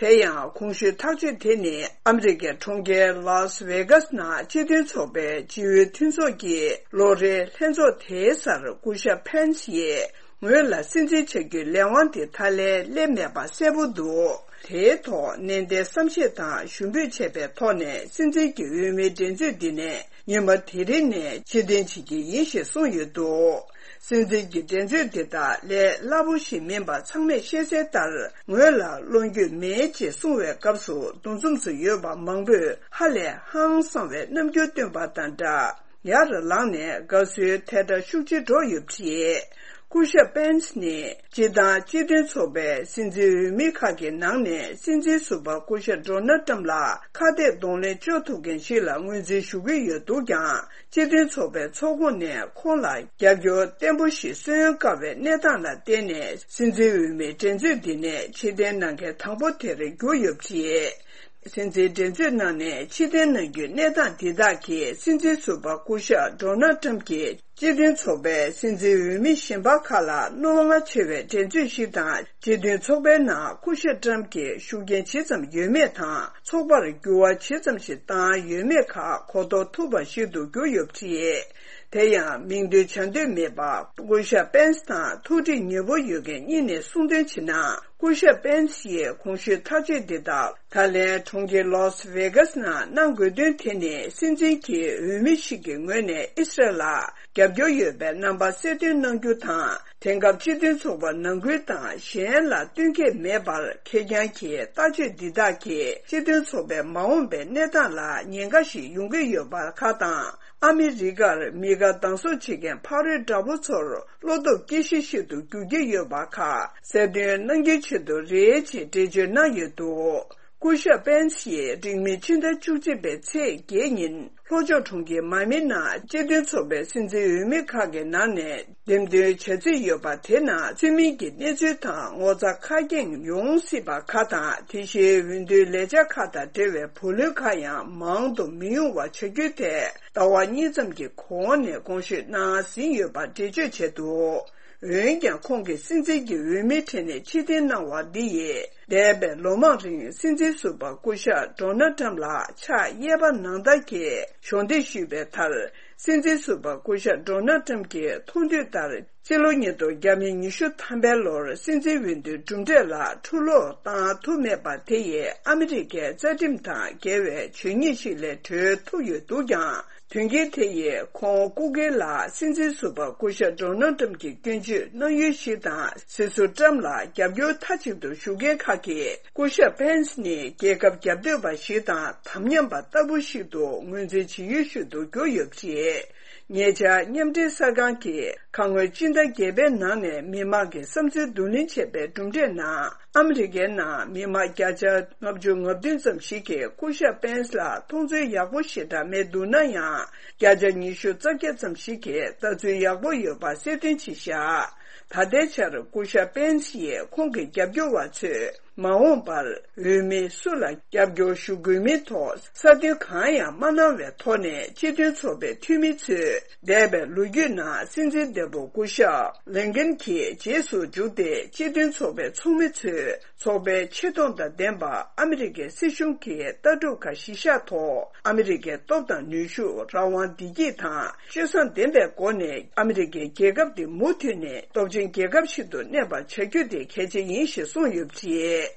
དེ་ཡང་གོང་ཞུས་ཐག་གཅོད་དེ་ནི་ཨ་མི་རི་ཀའི་གྲོང་ཁྱེར་ལཱས་ཝེ་གཱས་ནང་སྤྱི་མཐུན་ཚོགས་པའི་སྤྱི་འོས་མཐུན་ཚོགས་ཀྱི་ལོ་རེའི་ལྷན་ཚོགས་དེའི་སར་སྐུ་ཞབས་ཕན་སི་ཡིས། ངོས་ལ་སྲིད་འཛིན་བྱ་རྒྱུའི་ལས་དབང་དེ་ད་ལན་སླེབས་མེད་པ་གསལ་པོ་འདུག་དེའི་ཐོག་ནན་ཏན་བསམ་ཤེས་དང་ཞུ་འབོད་བྱས་པའི་ཐོག་ནས་སྲིད་འཛིན་གྱི་འོས་མིའི་འགྲན་རྩོད་འདི་ནས་ཉི་མ་དེ་རིང་ནས་ཕྱིར་འཐེན་བྱེད་ཀྱི་ཡིན་ཞེས་གསུངས་ཡོད་འདུག་སྲིད་འཛིན་གྱི་འགྲན་རྩོད་འདི་དག་ལས་སླ་པོ་ཞིག་མིན་པ་ཚང་མས་ཤེས་གསལ་ལྟར། ངོས་ལ་བློ་འགྱོད་མེད་ཅེས་གསུང་བའི་སྐབས་སུ་འདུ་འཛོམས་སུ་ཡོད་པ་མང་པོས་ཧ་ལས་ཧང་སངས་པའི་རྣམ་འགྱུར་སྟོན་པ་དང་སྦྲགས། ཡར་ལངས་ནས་དགའ་བསུའི་ཐལ་སྒྲ་ཤུགས་ཆེ་སྒྲོག་ཡོད་པ་རེད། སྐུ་ཞབས་པེན་སི་ནི་སྤྱི་བཏང་སྤྱི་མཐུན་ཚོགས་པའི་སྲིད་འཛིན་འོས་མི་ཁག་གི་ནང་ནས་སྲིད་འཛིན་ཟུར་པ་སྐུ་ཞབས་ཌོ་ནལ་ཊམ་ལ་ཁ་གཏད་གདོང་ལེན་གཅོག་ཐུབ་མཁན་ཞིག་ལ་ངོས་འཛིན་ཞུ་གི་ཡོད་འདུག་ཀྱང་། སྤྱི་མཐུན་ཚོགས་པའི་ཚོགས་ཁོངས་ནས་ཁོང་ལ་རྒྱབ་སྐྱོར་བརྟན་པོ་ཞིག་སོན་དཀའ་བའི་གནས་སྟངས་ལ་བརྟེན་ནས། སྲིད་འཛིན་འོས་མིའི་འགྲན་རྩོད་འདི་ནས་ཕྱིར་འཐེན་གནང་མཁན་དང་པོ་དེར་གྱུར་ཡོད་པ་རེད། སྲིད་འཛིན་འགྲན་རྩོད་ནང་ནས་ཕྱིར་འཐེན་གནང་རྒྱུའི་གནས་སྟངས་འདི་དག་གིས་སྲིད་འཛིན་ཟུར་པ་སྐུ་ཞབས་ཌོ་ནལ་ཊམ་གྱིས་སྤྱི་མཐུན་ཚོགས་པའི་སྲིད་འཛིན་འོས་མི་གཞན་པ་ཁག་ལ་གནོད་པ་ཆེ་བའི་འགྲན་རྩོད་ཞིག་དང་། སྤྱི་མཐུན་ཚོགས་པའི་ནང་སྐུ་ཞབས་ཊམ་གྱི་ཤུགས་རྐྱེན་ཇི་ཙམ་ཡོད་མེད་དང་། ཚོགས་པར་འགྱུར་བ་ཇི་ཙམ་ཞིག་བཏང་ཡོད་མེད་ཁག་གོ་རྟོགས་ཐུབ་པ་ཞིག་ཏུ་གྱུར་ཡོད་པ་རེད། དེ་ཡང་མིང་འདོན་བྱ་འདོད་མེད་པ། སྐུ་ཞབས་པེན་སི་དང་ཐུགས་འདྲིས་ཉེ་པོ་ཡོད་མཁན་གཉིས་ནས་གསུངས་དོན་བྱས་ན། སྐུ་ཞབས་པེན་སི་ཡིས་གོང་ཞུས་ཐག་གཅོད་འདི་དག་ད་ལན་གྲོང་ཁྱེར་ལཱས་ཝེ་གཱས་ནང་གནང་དགོས་དོན་དེ་ནི། སྲིད་འཛིན་གྱི་འོས་མི་ཞིག་གི་ངོས་ནས་ཨི་སི་རལ་ལ་རྒྱབ་སྐྱོར་ཡོད་པའི་རྣམ་པ་གསལ་སྟོན་གནང་རྒྱུ་དང་། དེང་སྐབས་སྤྱི་མཐུན་ཚོགས་པ་ནང་ཁུལ་དང་གཞན་ལ་བསྟུན་མཁས་མེད་པར། ཁེར་རྐྱང་གི་ལྟ་སྤྱོད་འདི་དག་གིས་སྤྱི་མཐུན་ཚོགས་པའི་མ་འོངས་པའི་གནས་སྟངས་ལ་ཉེན་ཁ་ཞིག་ཡོང་གི་ཡོད་པ་ཁག་དང་། ཨ་མི་རི་ཀར་མི་དགའ་སྡང་ཟུག་བྱེད་མཁན་ཕ་རོལ་དྲག་པོ་ཚོར་བློ་སྟོབས་སྐྱེད་གཞི་ཞིག་ཏུ་འགྱུར་གྱི་ཡོད་པ་ཁག་གསལ་སྟོན་གནང་རྒྱུའི་ཆེད་དུ་རེད་ཅེས་འགྲེལ་བརྗོད་གནང་ཡོད་འདུག་སྐུ་ཞབས་པེན་སི་ཡིས་འགྲིག་མིན་ཕྱི་ཟླ་བཅུ་གཅིག་པའི་ཚེས་བརྒྱད་ཉིན་ལྷོ་ཕྱོགས་གྲོང་ཁྱེར་མ་མི་ནང་སྤྱི་མཐུན་ཚོགས་པའི་སྲིད་འཛིན་འོས་མི་ཁག་གི་ནང་ནས་འདེམས་ཐོན་བྱ་རྩིས་ཡོད་པ་དེ་ནང་ཚུད་མིན་གྱི་གནས་ཚུལ་དང་ངོ་ཚ་ཁ་སྐྱེངས་ཡོང་སྲིད་པ་ཁག་དང་། དེ་བཞིན་འོས་བསྡུའི་ལས་འཆར་ཁག་དང་འབྲེལ་བའི་བུ་ལོན་ཁག་ཡང་མང་དུ་མི་ཡོང་བ་བྱ་རྒྱུ་དེ་ཟླ་བ་གཉིས་ཙམ་གྱི་གོང་ནས་དགོངས་ཞུ་གནང་ཟིན་ཡོད་པ་འགྲེལ་བརྗོད་བྱས་འདུག་འོན་ཀྱང་ཁོང་གིས་སྲིད་འཛིན་གྱི་འོས་མིའི་གྲས་ནས་ཕྱིར་འཐེན་གནང་བ་འདི་ཡིས། འདས་པའི་ལོ་མང་རིང་སྲིད་འཛིན་ཟུར་པ་སྐུ་ཞབས་ཌོ་ནལ་ཊམ་ལ་ཕྱག་གཡས་པ་ནང་ལྟར་གྱི་གཞོགས་འདེགས་ཞུས་པའི་མཐར། སྲིད་འཛིན་ཟུར་པ་སྐུ་ཞབས་ཌོ་ནལ་ཊམ་གྱིས་མཐོང་འདོད་ལྟར། སྤྱི་ལོ་ཉིས་སྟོང་ཉི་ཤུ་ཐམ་པའི་ལོར་སྲིད་འཛིན་འོས་བསྡུའི་གྲུབ་འབྲས་ལ་འཁྲུ་སློག་བཏང་ཐུབ་མེད་པ་དེ་ཡིས་ཨ་མི་རི་ཀའི་རྩ་ཁྲིམས་དང་འགལ་བའི་ཇུས་ཉེས་ཤིག་ལས་གྲོལ་ཐུབ་ཡོད་འདུག་ཀྱང་། དོན་རྐྱེན་དེ་ཡིས་ཁོང་སྐུ་སྒེར་ལ་སྲིད་འཛིན་ཟུར་པ་སྐུ་ཞབས་ཌོ་ནལ་ཊམ་གྱི་སྐྱོན་བརྗོད་གནང་ཡུལ་ཞིག་དང་། སྲིད་ཟུར་ཊམ་ལ་རྒྱབ་སྐྱོར་མཐའ་གཅིག་ཏུ་ཞུ་མཁན་ཁག་གིས་སྐུ་ཞབས་པེན་སི་ནི་རྒྱལ་ཁབ་རྒྱབ་གཏོད་པ་ཞིག་དང་དམ་ཉམས་པ་ལྟ་བུ་ཞིག་ཏུ་ངོས་འཛིན་བྱེད་ཡུལ་ཞིག་ཏུ་གྱུར་ཡོད་པ་རེད། ཉེ་ཆར་མཉམ་འབྲེལ་གསར་ཁང་གིས་ཁ་སྔོན་སྤྱི་ཟླ་བརྒྱད་པའི་ནང་ནས་མི་མང་གི་བསམ་ཚུལ་བསྡུ་ལེན་བྱས་པའི་གྲུབ་འབྲས་ནང་། ཨ་མི་རི་ཀའི་ནང་མི་མང་བརྒྱ་ཆ་ལྔ་བཅུ་ང་བདུན་ཙམ་ཞིག་གིས་སྐུ་ཞབས་པེན་སི་ལ་མཐོང་ཚུལ་ཡག་པོ་ཞེ་དྲག་མེད་འདུག་ན་ཡང་། བརྒྱ་ཆ་ཉི་ཤུ་རྩ་བརྒྱད་ཙམ་ཞིག་གིས་ལྟ་ཚུལ་ཡག་པོ་ཡོད་པ་གསལ་སྟོན་བྱས་བཞག་ད་ལྟའི་ཆར་སྐུ་ཞབས་པེན་སི་ཡིས་ཁོང་གི་རྒྱབ་སྐྱོར་བ་ཚོས། མ་འོངས་པར་འོས་མི་སུ་ལ་རྒྱབ་སྐྱོར་ཞུ་དགོས་མིན་ཐོག་གསལ་སྟོན་གང་ཡང་མ་གནང་བའི་ཐོག་ནས། སྤྱི་མཐུན་ཚོགས་པའི་འཐུས་མི་ཚོས་འདས་པའི་ལོ་རྒྱུས་ནང་སྲིད་འཛིན་འདས་པོ་སྐུ་ཞབས་ལིན་ཀན་གྱི་རྗེས་སུ་འཇུག་སྟེ། སྤྱི་མཐུན་ཚོགས་པའི་ཚོགས་མི་ཚོས་ཚོགས་པའི་ཆེ་མཐོང་དང་ལྡན་པ་ཨ་མི་རི་ཀའི་སྲིད་གཞུང་གི་ལྟ་གྲུབ་ཁག་གཞི་བཞག་ཐོག་ཨ་མི་རི་ཀའི་སྟོབས་དང་ནུས་ཤུགས། རང་དབང་བདེ་སྐྱིད་དང་། སྤྱོད་བཟང་ལྡན་པའི་སྒོ་ནས་ཨ་མི་རི་ཀའི་རྒྱལ་ཁབ་འདི་མུ་མཐུད་ནས་སྟོབས་ཆེན་རྒྱལ་ཁབ་ཞིག་ཏུ་གནས་པར་བྱ་རྒྱུ་དེ་གལ་ཆེ་ཡིན་ཞེས་གསུངས་ཡོད་པ་རེད།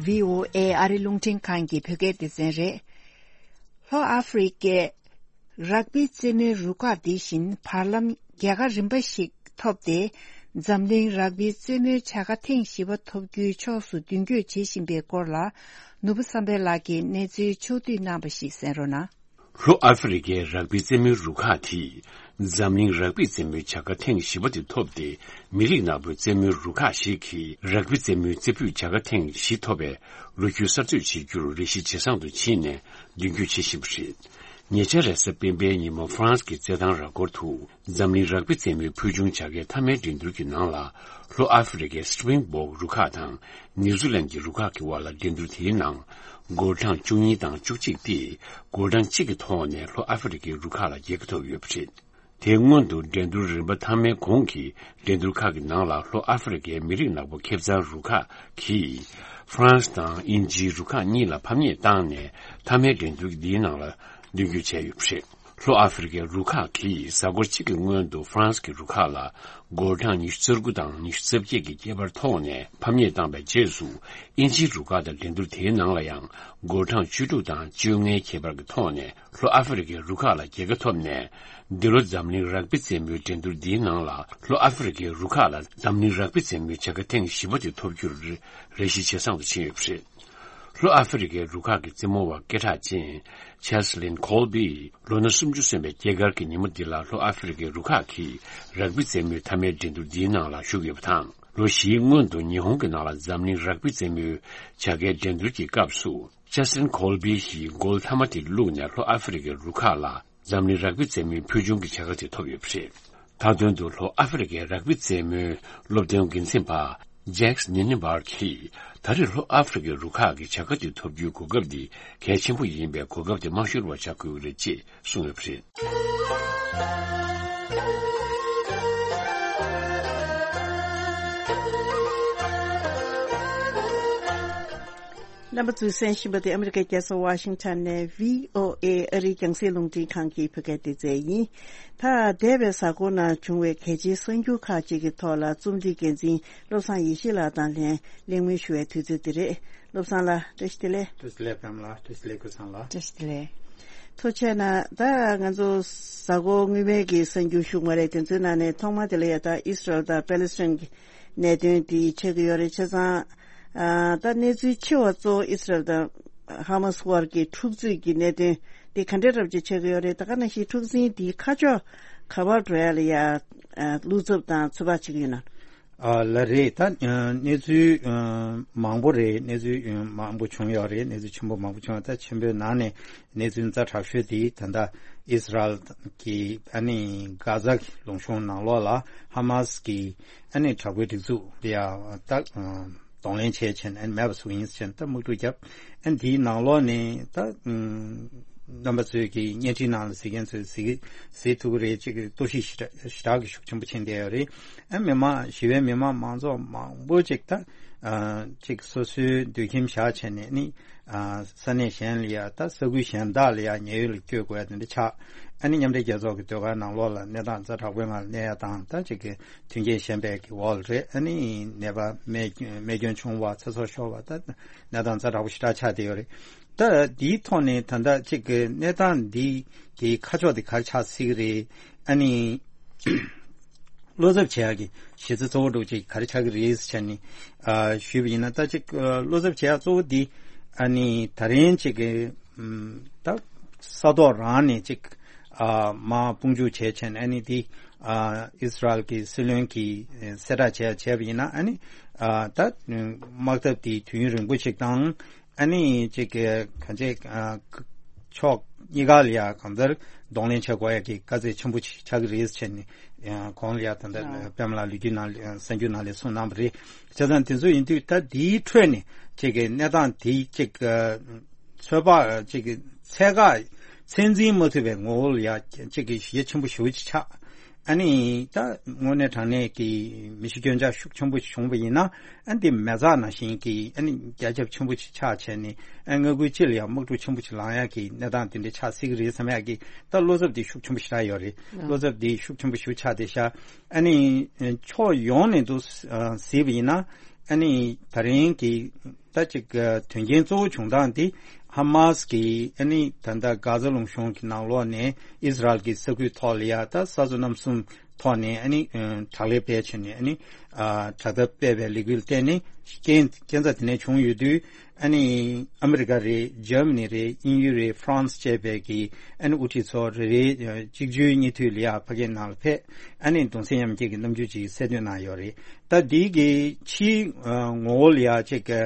བྷི་ཨོ་ཨེ་ཨ་རི་རླུང་འཕྲིན་ཁང་གི་བོད་སྐད་སྡེ་ཚན་རེད། ལྷོ་ཨ་ཧྥེ་རི་ཀའི་རག་པི་རྩེད་མོའི་རུ་ཁག་འདི་བཞིན་བར་ལམ་རྒྱལ་ཁ་རིམ་པ་ཞིག་ཐོབ་སྟེ། འཛམ་གླིང་རག་པིའི་རྩེད་མོའི་བྱ་དགའ་ཐེངས་བཞི་པ་ཐོབ་རྒྱུའི་ཕྱོགས་སུ་མདུན་སྐྱོད་བྱེད་བཞིན་པའི་སྐོར་ལ། ནོར་བུ་བསམ་འཕེལ་ལགས་ཀྱིས་གནས་ཚུལ་ཕྱོགས་བསྡུས་གནང་བ་ཞིག་གསན་རོགས་གནང་། ལྷོ་ཨ་ཧྥེ་རི་ཁའི་རག་པི་རྩེད་མོའི་རུ་ཁག་དེས་འཛམ་གླིང་རག་པི་རྩེད་མོའི་བྱ་དགའ་ཐེངས་བཞི་པ་དེ་ཐོབ་སྟེ། མི་རིགས་ནག་པོའི་རྩེད་མོའི་རུ་ཁག་ཞིག་གིས་རག་པི་རྩེད་མོའི་རྩེ་ཕུད་བྱ་དགའ་ཐེངས་བཞི་ཐོབ་པའི་ལོ་རྒྱུས་གསར་གཏོད་བྱེད་རྒྱུར་རེ་ཞིག་ཇེ་བཟང་དུ་ཕྱིན་ནས་མདུན་སྐྱོད་བྱེད་བཞིན་པ་རེད། ཉེ་ཆར་རེས་གཟའ་སྤེན་པའི་ཉིན་མོ་ཧྥ་རན་སི་གི་རྩེད་ཐང་ར་སྐོར་དུ། འཛམ་གླིང་རག་པི་རྩེད་མོའི་ཕུལ་བྱུང་བྱ་དགའི་མཐའ་མའི་འགྲན་བསྡུར་གྱི་ནང་ལ། ལྷོ་ཨ་ཧྥེ་རི་ཁའི་སྤྲིང་བོག་རུ་ཁག་དང་ནིའུ་ཛི་ལན་གྱི་རུ་ཁག་གི་དབར་ལ་འགྲན་བསྡུར་དེའི་ནང་། འགོད་གྲངས་བཅུ་གཉིས་དང་བཅུ་གཅིག་སྟེ། འགོད་གྲངས་གཅིག་གི་ཐོག་ནས་ལྷོ་ཨ་ཧྥེ་རི་ཁའི་རུ་ཁག་ལ་རྒྱལ་ཁ་ཐོབ་ཡོད་པ་རེད། དེའི་སྔོན་དུ་འགྲན་བསྡུར་རིམ་པ་མཐའ་མའི་གོང་གི་འགྲན་བསྡུར་ཁག་གི་ནང་ལ་ལྷོ་ཨ་ཧྥེ་རི་ཁའི་མི་རིགས་ནག་པོ་ཁེ་བཟང་རུ་ཁག་གིས། ཧྥ་རན་སི་དང་དབྱིན་ཇིའི་རུ་ཁག་གཉིས་ལ་ཕམ་ཉེས་བཏང་ནས་མཐའ་མའི་འགྲན་བསྡུར་འདིའི་ནང་ལ་མདུན་སྐྱོད་བྱས་ཡོད་པ་རེད། ལྷོ་ཨ་ཧྥེ་རི་ཁའི་རུ་ཁག་གིས་གཟའ་འཁོར་གཅིག་གི་སྔོན་དུ་ཧྥ་རན་སི་གི་རུ་ཁག་ལ་འགོད་གྲངས་ཉི་ཤུ་རྩ་དགུ་དང་ཉི་ཤུ་རྩ་བརྒྱད་ཀྱི་ཁྱད་པར་ཐོག་ནས་ཕམ་ཉེས་བཏང་བའི་རྗེས་སུ། དབྱིན་ཇིའི་རུ་ཁག་དང་འགྲན་བསྡུར་དེའི་ནང་ལ་ཡང་འགོད་གྲངས་བཅུ་དྲུག་དང་བཅོ་ལྔའི་ཁྱད་པར་གྱི་ཐོག་ནས་ལྷོ་ཨ་ཧྥེ་རི་ཁའི་རུ་ཁག་ལ་རྒྱལ་ཁ་ཐོབ་ནས། འདི་ལོ་འཛམ་གླིང་རག་པི་རྩེད་མོའི་འགྲན་བསྡུར་འདིའི་ནང་ལ་ལྷོ་ཨ་ཧྥེ་རི་ཁའི་རུ་ཁག་ལ་འཛམ་གླིང་རག་པི་རྩེད་མོའི་བྱ་དགའ་ཐེངས་བཞི་པ་དེ་ཐོབ་རྒྱུར་རེ་ཞིག་ཇེ་བཟང་དུ་ཕྱིན་ཡོད་པ་རེད། ལྷོ་ཨ་ཧྥེ་རི་ཁའི་རུ་ཁག་གི་རྩེད་མོ་བ་སྐད་གྲགས་ཅན་ཆེ་སི་ལིན་ཁོལ་བིས་ལོ་ན་སུམ་ཅུ་སོན་པའི་སྐྱེས་སྐར་གྱི་ཉིན་མོ་འདི་ལ་ལྷོ་ཨ་ཧྥེ་རི་ཁའི་རུ་ཁག་གིས་རག་པི་རྩེད་མོའི་མཐའ་མའི་འགྲན་བསྡུར་འདིའི་ནང་ལ་ཞུགས་ཡོད་པ་དང་། ལོ་བཞིའི་སྔོན་དུ་ཉི་ཧོང་གི་ནང་ལ་འཛམ་གླིང་རག་པི་རྩེད་མོའི་བྱ་དགའི་འགྲན་བསྡུར་གྱི་སྐབས་སུ། ཇ་སི་ཊིན་ཁོལ་བི་ཡིས་གོལ་མཐའ་མ་དེ་བླུགས་ནས་ལྷོ་ཨ་ཧྥེ་རི་ཁའི་རུ་ཁག་ལ་འཛམ་གླིང་རག་པི་རྩེད་མོའི་ཕུལ་བྱུང་གི་བྱ་དགའ་དེ་ཐོབ་ཡོད་པ་རེད། མཐའ་དོན་དུ་ལྷོ་ཨ་ཧྥེ་རི་ཁའི་རག་པི་རྩེད་མོའི་སློབ་སྟོན་འགན་འཛིན་པ་ཇེག་སི་ནི་ནི་བར་གྱིས་ད་རེས་ལྷོ་ཨ་ཧྥེ་རི་ཁའི་རུ་ཁག་གི་བྱ་དགའ་དེ་ཐོབ་རྒྱུའི་གོ་སྐབས་འདི་གལ་ཆེན་པོ་ཡིན་པས་གོ་སྐབས་དེ་མ་ཤོར་བར་བྱ་དགོས་ཀྱི་རེད་ཅེས་གསུངས་ཡོད་པ་རེད། རྣམ་པ་ཚོས་གསན་བཞིན་པ་དེ་ཨ་མི་རི་ཀའི་རྒྱལ་ས་ཝ་ཤིང་ཊོན་ནས་བྷི་ཨོ་ཨེ་ཨ་རིའི་རྒྱང་སྲིང་རླུང་འཕྲིན་ཁང་གི་བོད་སྐད་སྡེ་ཚན་ཡིན། ད་འདས་པའི་གཟའ་འཁོར་ནང་བྱུང་བའི་གལ་ཆེའི་གསར་འགྱུར་ཁག་ཅིག་གི་ཐོག་ལ་རྩོམ་སྒྲིག་འགན་འཛིན་བློ་བཟང་ཡེ་ཤེས་ལགས་དང་ལན་གླེང་མོལ་ཞུ་བའི་དུས་ཚོད་འདི་རེད། བློ་བཟང་ལགས་བཀྲ་ཤིས་བདེ་ལེགས། བཀྲ་ཤིས་བདེ་ལེགས་པད་མ་ལགས། བཀྲ་ཤིས་བདེ་ལེགས་ཀུན་བཟང་ལགས། བཀྲ་ཤིས་བདེ་ལེགས། ཐུགས་རྗེ་གནང་། ད་ང་ཚོ་གཟའ་འཁོར་སྔོན་མའི་གི་གསར་འགྱུར་ཞུ་བ་རེད། དེ་ཚོའི་ནང་ནས་ཐོག་མ་དེ་ལ་ཡ་ད་ཨིས་ར་ཨེལ་དང་པེ་ལེ་སི་ཐན་གྱི་གནད་དོན་དེ་ཆགས་ཀྱི་ཡོད་རེད། བྱས་ཙང་ཨ་ད་གནས་ཚུལ་ཆེ་བ་གཙོ་བོ་ཨིས་ར་ཨེལ་དང་ཧ་མ་སི་དབར་གྱི་འཁྲུག་རྩོད་ཀྱི་གནད་དོན་དེ་ག་འདྲ་འདྲ་པོ་ཅིག་ཆགས་ཀྱི་ཡོད་རེད། ད་ག་ནང་བཞིན་འཁྲུག་འཛིང་དེའི་ཁ་ཕྱོགས་ག་པར་འགྲོ་ཡ་ལ་ཡ་ཨ་བློ་འཚབ་དང་ཚོད་དཔག་བྱེད་ཀྱི་ཡོད་ན། ཨ་ལགས་རེད། ད་ཨ་གནས་ཚུལ་ཨ་མང་པོ་རེད། གནས་ཚུལ་ཨ་མང་པོ་བྱུང་ཡོད་རེད། གནས་ཚུལ་ཆེན་པོ་མང་པོ་བྱུང་ཡོད། ད་ཆེན་པོའི་ནང་ནས་གནས་ཚུལ་ཛ་དྲག་ཤོས་དེ་ད་ལྟ་ཨིས་ར་ཨེལ་གྱི་ཨ་ནི་གྷ་ཛ་གི་ལུང་གཤོང་ནང་ལོགས་ལ་ཧ་མ་སི་གི་ཨ་ནི་དྲག་པོའི་སྒྲིག་འཛུགས་དེ་ཡང་ད་གདོང་ལེན་བྱས་བྱས་ནས་ཨ་ནི་མེད་པ་བཟོ་གི་ཡིན་ཟེར་ནས་ད་དམག་འཁྲུག་བརྒྱབ། ཨ་ནི་དེའི་ནང་ལོགས་ནས་ད་རྣམ་པ་ཚོས་ཀྱི་བརྙན་འཕྲིན་ནང་ལ་གཟིགས་མཁན་ཚོས་གཟིགས་གཟིགས་ཐུབ་ཀྱི་རེད། ཅིག་གི་གཏོར་བཤིག་ཞེ་དྲག་ཞེ་དྲག་གི་ཤུགས་ཆེན་པོ་ཕྱིན་བསྡད་ཡོད་རེད། ཨ་མི་མང་ཞི་བའི་མི་མང་མང་ཚོགས་མང་པོ་ཅིག་ད་ཨ་ཅིག་སོ་སོའི་སྡོད་ཁྱིམ་བཞག་བྱས་ནས་ནི་ཨ་ས་གནས་གཞན་ལ་ཡ་ད་ས་ཁུལ་གཞན་དག་ལ་ཡ་ཉེན་གཡོལ་ལ་བསྐྱོད་དགོས་ཡ་དེ་འདྲ་ཆགས། ཨ་ནི་མཉམ་འབྲེལ་རྒྱལ་ཚོགས་ཀྱི་ཟློས་གར་ནང་ལོགས་ལ་གནས་སྟངས་ཛ་དྲག་པོའི་ངང་ལ་གནས་ཡ་དང་ད་ཅིག་གི་མཐུན་རྐྱེན་ཞན་པའི་གི་འོག་ལ་རེད། ཨ་ནི་ནད་པ་རྨས་རྨས་སྐྱོན་བྱུང་བ་ཚེ་སྲོག་ཤོར་བ་ད་གནས་སྟངས་ཛ་དྲག་པོ་ཞེ་དྲག་ཆགས་བསྡད་ཡོད་རེད། ད་འདིའི་ཐོག་ནས་ད་ལྟ་ཅིག་གི་གནས་སྟངས་འདི་གི་ཁ་ཕྱོགས་འདི་ག་རེ་ཆགས་སྲིད་ཀྱི་རེད། ཨ་ནི་བློ་འཚབ་བྱེད་ཡག་གི་གཞི་རྩ་གཙོ་བོ་འདྲ་བོ་ཅིག་ག་རེ་ཆགས་ཀྱི་རེད་ཟེར་ནས་ཨ་ཞུས་པ་ཡིན་ན། ད་ཅིག་ཨ་བློ་འཚབ་བྱེད་ཡག་གཙོ་བོ་འདི་ཨ་ནི་ད་རིང་ཅིག་གི་ཨམ་ད་ས་ཐོག་རང་ནས་ཅིག་ཨ་མར་དཔུང་འཇུག་བྱས་བྱས་ནས་ཨ་ནི་འདི་ཨ་ཨིས་ར་ཨེལ་གྱི་སྲིད་བློན་གྱིས་གསལ་བསྒྲགས་བྱས་བྱས་པ་ཡིན་ན། ཨ་ནི་ཨ་ད་དམག་འཐབ་འདི་དུས་ཡུན་རིང་པོ་ཞིག་དང་། ཨ་ནི་ཅིག་གི་གང་ཅི་ཨ་ཕྱོགས་གཉིས་ཀ་ལ་ཡ་གང་ལྟར་གདོང་ལེན་བྱེད་དགོས་ཡ་གི་དཀའ་ཚེགས་ཆེན་པོ་ཅིག་ཆགས་ཀྱི་རེད་ཟེར་ནས་ཨ་གོང་ལ་ཡ་ད་ལྟ་ཨ་པད་མ་ལགས་ལོ་རྒྱུས་ནང་ལ་གསར་འགྱུར་ནང་ལ་གསུངས་གནང་བ་རེད། བྱས་ཙང་དེ་ཚོ་ཡིན་དུས་ད་འདིའི་ཁྲོད་ནས་ཅིག་གི་གནས་སྟངས་དེ་ཅིག་ཚོད་དཔག་ཅིག་གི་ཚད་བཀག་ཚད་འཛིན་མ་ཐུབ་པའི་ངོ་བོ་ལ་ཡ་ཅིག་གི་ཞེ་ཆེན་པོ་ཞེ་པོ་ཅིག་ཆགས། ཨ་ནི་ད་དངོས་གནས་དྲང་གནས་ཀྱི་མི་ཤི་སྐྱོན་ཆག་ཤུགས་ཆེན་པོ་ཞིག་བྱུང་བ་ཡིན་ན། ཨ་ནི་འདི་མེ་བཙའ་ནང་བཞིན་གྱི་ཨ་ནི་རྒྱ་ཁྱབ་ཆེན་པོ་ཞིག་ཆགས་བྱས་ནས་ཨ་མངའ་ཁུལ་སྤྱི་ལ་ཡང་དམག་འཁྲུག་ཆེན་པོ་ཞིག་ལངས་ཡག་གི་གནས་སྟངས་དེ་འདྲ་ཆགས་སྲིད་ཀྱི་རེད་བསམ་ཡག་གི་ད་བློ་འཚབ་འདི་ཤུགས་ཆེན་པོ་ཞིག་རག་ཡོད་རེད། ཨ་བློ་འཚབ་འདི་ཤུགས་ཆེན་པོ་ཞིག་ཆགས་བསྡད་ཤག་ཨ་ནི་ཕྱོགས་ཡོངས་ནས་འདུ་གཟིགས་པ་ཡིན་ན། ཨ་ནི་ད་རིང་གི་ད་ཅིག་དོན་རྐྱེན་གཙོ་བོ་བྱུང་སྟངས་འདི་ ཧ་མཱས་ཀྱིས་ཨ་ནི་ད་ལྟ་གྷ་ཛ་ལུང་གཤོང་གི་ནང་ལོགས་ནས་ཨིས་རལ་གྱི་ས་ཁུལ་ཐོག་ལ་ཡ་ད་ས་མཚོ་གནམ་གསུམ་ཐོག་ནས་ཨ་ནི་ཨ་དྲག་ལས་སྤེལ་བྱས་ནས་ཨ་ནི་ཨ་དྲག་འཐབ་སྤེལ་བའི་ལས་འགུལ་བརྟེན་ནས་རྐྱེན་རྐྱེན་རྩ་དེ་ནས་བྱུང་ཡོད་དུས། ཨ་ནི་ཨ་མི་རི་ཀ་རེད། འཇར་མ་ནི་རེད། དབྱིན་ཡུལ་རེད། ཧྥ་རན་སི་བཅས་པའི་གི་ཨ་ནི་དབུ་ཁྲིད་ཚོ་རེ་རེ་གཅིག་གྱུར་གཉིས་མཐུད་ལ་ཡ་ཕ་གིའི་ནང་ལ་ཕེབས། ཨ་ནི་གདུང་སེམས་མཉམ་སྐྱེད་ཀྱི་རྣམ་འགྱུར་ཅིག་གསལ་སྟོན་གནང་ཡོད་རེད། ད་འདི་གི་ཕྱིའི་ངོ་བོ་ལ་ཡ་ཅིག་གི་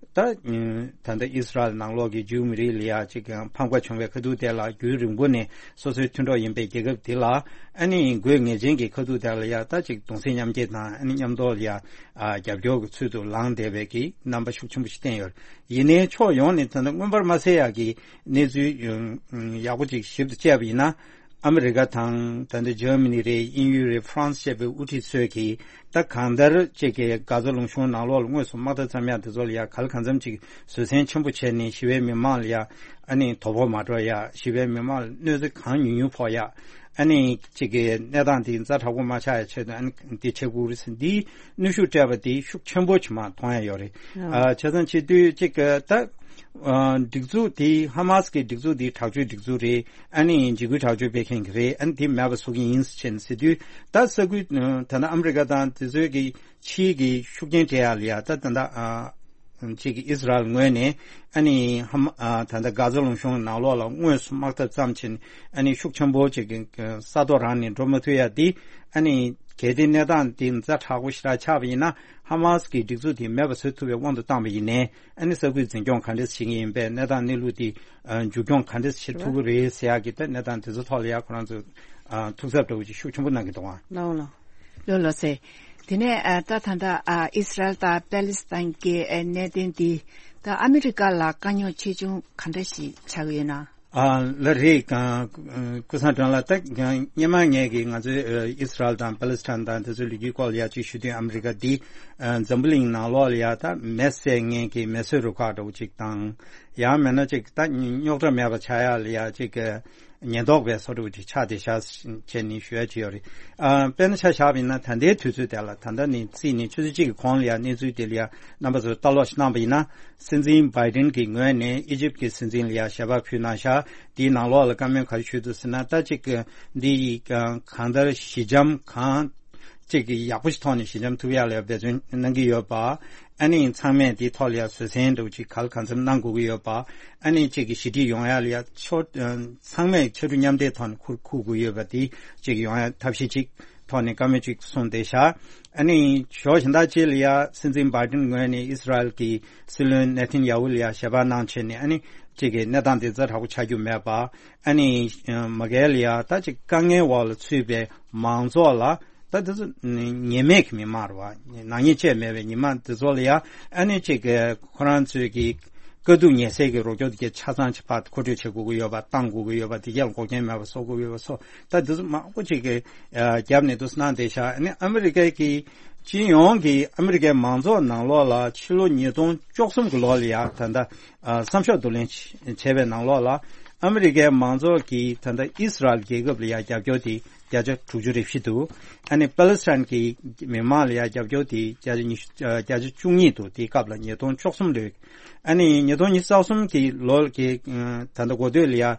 ད་ད་ལྟ་ཨིས་རལ་ནང་ལོགས་ཀྱི་ཇིའུ་མི་རིགས་ལ་ཡ་ཅིག་གི་ཕམ་ཁ་བྱུང་བའི་ཁ་ཐུག་དེ་ལ་རྒྱུན་རིང་པོ་ནས་སོ་སོའི་མཐུན་གྲོགས་ཡིན་པའི་རྒྱལ་ཁབ་དེ་ལ་ཨ་ནི་དགོས་ངེས་ཅན་གྱི་ཁ་ཐུག་དེ་ལ་ཡ་ད་ཅིག་གདུང་སེམས་མཉམ་སྐྱེད་དང་ཨ་ནི་མཉམ་དུ་ལ་ཡ་རྒྱབ་སྐྱོར་གྱི་ཚུལ་དུ་ལངས་བསྡད་པའི་གི་རྣམ་པ་ཤུགས་ཆེན་པོ་ཞིག་བསྟན་ཡོད། ཡིན་ནའི་ཕྱོགས་ཡོངས་ནས་ད་ལྟ་མངོན་པར་མ་གསལ་ཡག་གི་གནས་ཚུལ་ཡག་པོ་ཅིག་ཞིབ་ཏུ་དཔྱད་པ་ཡིན་ན། ཨ་མི་རི་ཀ་དང་ད་ལྟ་འཇར་མ་ནི་རེད། དབྱིན་ཡུལ་རེད། ཧྥ་རན་སི་བཅས་པའི་དབུ་ཁྲིད་ཚོས་ཀྱིས་ད་གང་ལྟར་ཅིག་གི་གྷ་ཛ་ལུང་གཤོང་ནང་ལོགས་ལ་དངོས་སུ་དམག་འཐབ་བརྩམས་ཡག་དེ་ཚོ་ལ་ཡ་ག་ལ་གང་འཚམ་ཅིག་བཟོད་བསྲན་ཆེན་པོ་བྱས་ནས་ཞི་བའི་མི་མང་ལ་ཡ་ཨ་ནི་དོ་ཕོག་མ་འགྲོ་ཡ། ཞི་བའི་མི་མང་ལ་གནོད་འཚེ་གང་ཉུང་ཉུང་ཕོག་ཡ། ཨ་ནི་གཅིག་གི་གནས་སྟངས་དེ་ཛ་དྲག་པོ་མ་ཆགས་ཡ་ཆེད་དུ་ཨ་ནི་འདི་བྱེད་དགོས་རེད་ཟེར། འདིའི་གནོན་ཤུགས་སྤྲད་པ་དེ་ཤུགས་ཆེན་པོ་ཅིག་མ་མཐོང་ཡ་ཡོད་རེད། ཨ། ཨ་བྱས་ཙང་བྱེད་དུས་གཅིག་གི་ད་ཨ་སྒྲིག་འཛུགས་དེ་ཧ་མཱས་ཀྱི་སྒྲིག་འཛུགས་དེ་དྲག་སྤྱོད་སྒྲིག་འཛུགས་རེད། ཨ་ནི་འཇིགས་སྐུལ་དྲག་སྤྱོད་སྤེལ་མཁན་གྱི་རེད། ཨ་ནི་དེ་མེད་པ་བཟོ་གི་ཡིན་ཟེར་བྱས་ནས་ཟེར་དུས། ད་ས་ཁུལ་ད་ལྟ་ཨ་མི་རི་ཀ་དང་དེ་ཚོའི་གི་ཕྱིའི་གི་ཤུགས་རྐྱེན་སྤྲད་ཡ་ལ་ཡ་ད་ད་ལྟ་ཨ། གཅིག་གི་ཨིས་རལ་ངོས་ནས་ཨ་ནི་ཧ་མ་ཨ་ད་ལྟ་གྷ་ཛ་ལུང་གཤོང་ནང་ལོགས་ལ་དངོས་སུ་དམག་འཐབ་བརྩམས་ཕྱིན། ཨ་ནི་ཤུགས་ཆེན་པོ་ཅིག་གི་ས་ཐོག་རང་ནས་འགྲོ་མ་ཐུབ་ཡ་འདི། ཨ་ནི་གལ་ཏེ་གནས་སྟངས་འདི་ཛ་དྲག་པོ་ཞེ་དྲག་ཆགས་པ་ཡིན་ན། ཧ་མཱས་ཀྱི་སྒྲིག་འཛུགས་དེ་མེད་པ་བཟོ་ཐུབ་པའི་དབང་དུ་བཏང་པ་ཡིན་ནའི། ཨ་ནི་ས་ཁུལ་འཛིན་སྐྱོང་ག་འདྲས་བྱེད་ཀྱི་ཡིན་པས། གནས་སྟངས་གནས་ལུགས་དེ་ཨ་མཇུག་སྐྱོང་ག་འདྲས་བྱེད་ཐུབ་ཀྱི་རེད་ཟེར་ཡག་གི་ད་གནས་སྟངས་དེ་ཚོ་ཐོག་ལ་ཡ་ཁོ་རང་ཚོ་ཨ་ཐུགས་འཚབ་འདྲ་བོ་ཅིག་ཤུགས་ཆེན་པོ་གནང་གི་འདུག་ཨ། ལགས་ལགས། ལགས་ལགས་སེ། དེ་ནས་ཨ་ད་ད་ལྟ་ཨ་ཨིས་རལ་དང་པེ་ལི་སི་ཐན་གྱི་ཨ་གནད་དོན་འདི་ད་ཨ་མི་རི་ཀ་ལ་དཀའ་རྙོག་ཆེ་ཆུང་ག་འདྲ་ཞིག་ཆགས་ཡོད་ན། ཨ་ལགས་རེད། ཀ་ཀུན་བཟང་སྒྲོན་ལགས། ད་སྔོན་མ་ངས་ཀྱིས་ང་ཚོའི་ཨ་ཨིས་རལ་དང་པེ་ལི་སི་ཐན་དང་དེ་ཚོའི་ལོ་རྒྱུས་སྐོར་ལ་ཡ་ཅིག་ཞུ་དུས། ཨ་མི་རི་ཀ་འདི་ཨ་འཛམ་བུ་གླིང་ནང་ལོགས་ལ་ཡ་ད་མེ་བསད་མཁན་གྱི་མེ་གསོད་རུ་ཁག་འདྲ་བོ་ཅིག་དང་། ཡང་མིན་ན་ཅིག་ད་རྙོག་དྲ་མེད་པ་ཆགས་ཡ་ལ་ཡ་ཅིག་ཉེན་རྟོག་པའི་བཟོ་འདྲ་བོ་ཅིག་ཆགས་བསྡད་ཤག་བྱས་ནས་ཞུ་ཡ་ཅིག་ཡོད་རེད། ཨ་དཔེར་ན་ཆ་བཞག་པ་ཡིན་ན། ད་ལྟའི་དུས་ཚོད་དེ་ལ། ད་ལྟ་ནས་བརྩིས་ནས་ཆུ་ཚོད་གཅིག་གི་གོང་ལ་ཡ་གནས་ཚུལ་དེ་ལ་ཡ་རྣམ་པ་ཚོས་ལྟ་ཀློག་ཞིག་གནང་པ་ཡིན་ན། སྲིད་འཛིན་བྷའི་ཌེན་གྱི་ངོས་ནས་ཨི་ཇིབ་ཀྱི་སྲིད་འཛིན་ལ་ཡ་ཞལ་པར་ཕུལ་གནང་ཤག་དེའི་ནང་ལོགས་ལ་བཀའ་མོལ་ག་རེ་ཞུས་འདུག་ཟེར་ན། ད་ཅིག་འདི་ཡི་གང་ལྟར་ཞི་འཇམ་གང་ཅིག་གི་ཡག་པོ་ཞིག་ཐོག་ནས་ཞི་འཇམ་ཐུབ་ཡག་ལ་འབད་བརྩོན་གནང་གི་ཡོད་པ། ཨ་ནི་ཚང་མས་དེའི་ཐོག་ལ་ཡ་བཟོད་བསྲན་འདྲ་བོ་ཅིག་ག་ལ་གང་འཚམ་གནང་དགོས་ཀྱི་ཡོད་པ། ཨ་ནི་ཅིག་གི་ཞི་འགྲིག་ཡོང་ཡག་ལ་ཡ་ཕྱོགས་ཚང་མས་ཕྱར་གྲུ་མཉམ་འདེགས་ཐོག་ནས་ཁུར་ཁུར་དགོས་ཀྱི་ཡོད་པ། དེ་ཅིག་ཡོང་ཡག་ཐབས་ཤེས་ཅིག་ཐོག་ནས་བཀའ་མོལ་ཅིག་གསུངས་བསྡད་ཤག་ཨ་ནི་ཕྱོགས་གཞན་དག་ཅིག་ལ་ཡ་སྲིད་འཛིན་བྷའི་ཌེན་ངོས་ནས་ཨིས་རལ་གྱི་སྲིད་བློན་ནེ་ཐན་ཡ་ཧུ་ལ་ཡ་ཞལ་པར་གནང་བྱས་ནས། ཨ་ནི་ཅིག་གི་གནས་སྟངས་དེ་ཛ་དྲག་པོ་ཆགས་རྒྱུ་མེད་པ། ཨ་ནི་མ་གལ་ལ་ཡ་ད་ཅིག་དཀའ་ངལ་འོག་ལ་ཚུད་པའི་མང་ཚོགས་ལ། ད་དེ་ཚོ་ཉེས་མེད་ཀྱི་མི་མང་རེད་བ། ནག་ཉེས་བཅས་མེད་པའི་མི་མང་དེ་ཚོ་ལ་ཡ། ཨ་ནི་ཅིག་གི་ཁོ་རང་ཚོའི་གི་དཀའ་སྡུག་ཉེ་སའི་གི་རོགས་སྐྱོར་དེ་གའི་ཆ་ཚང་ཅིག་ཕར་མཁོ་སྤྲོད་བྱེད་དགོས་ཀྱི་ཡོད་པ། བཏང་དགོས་ཀྱི་ཡོད་པ། དེ་གའི་འགོག་རྐྱེན་མེད་པ་བཟོ་དགོས་ཀྱི་ཡོད་པ་སོགས། ད་དེ་ཚོ་མང་པོ་ཅིག་གི་ཨ་རྒྱབ་ནས་འདུག་སེ་གནང་བསྡད་ཤག་ཨ་ནི་ཨ་མི་རི་ཀའི་གི་སྤྱི་ཡོངས་ཀྱི་ཨ་མི་རི་ཀའི་མང་ཚོགས་ནང་ལོགས་ལ་ཕྱི་ལོ་ཉིས་སྟོང་བཅུ་གསུམ་གྱི་ལོ་ལ་ཡ་ད་ལྟ་ཨ་བསམ་ཤོག་བསྡུ་ལེན་བྱས་པའི་ནང་ལོགས་ལ། ཨ་མི་རི་ཀའི་མང་ཚོགས་ཀྱིས་ད་ལྟ་ཨིས་རལ་རྒྱལ་ཁབ་ལ་ཡ་རྒྱབ་སྐྱོར་དེ་བརྒྱ་ཆ་དྲུག་ཅུ་རེ་བཞི་འདུག་ཨ་ནི་པ་ལི་སི་ཐན་གྱི་མི་མང་ལ་ཡ་རྒྱབ་སྐྱོར་དེ་བརྒྱ་ཆ་ཉི་ཤུ་ཨ་བརྒྱ་ཆ་བཅུ་གཉིས་འདུག་དེའི་སྐབས་ལ་ཉིས་སྟོང་བཅུ་གསུམ་ལོའི། ཨ་ནི་ཉིས་སྟོང་ཉི་ཤུ་རྩ་གསུམ་གྱི་ལོ་གི་ཨ་ད་ལྟ་འགོ་སྟོད་ལ་ཡ་ཨ་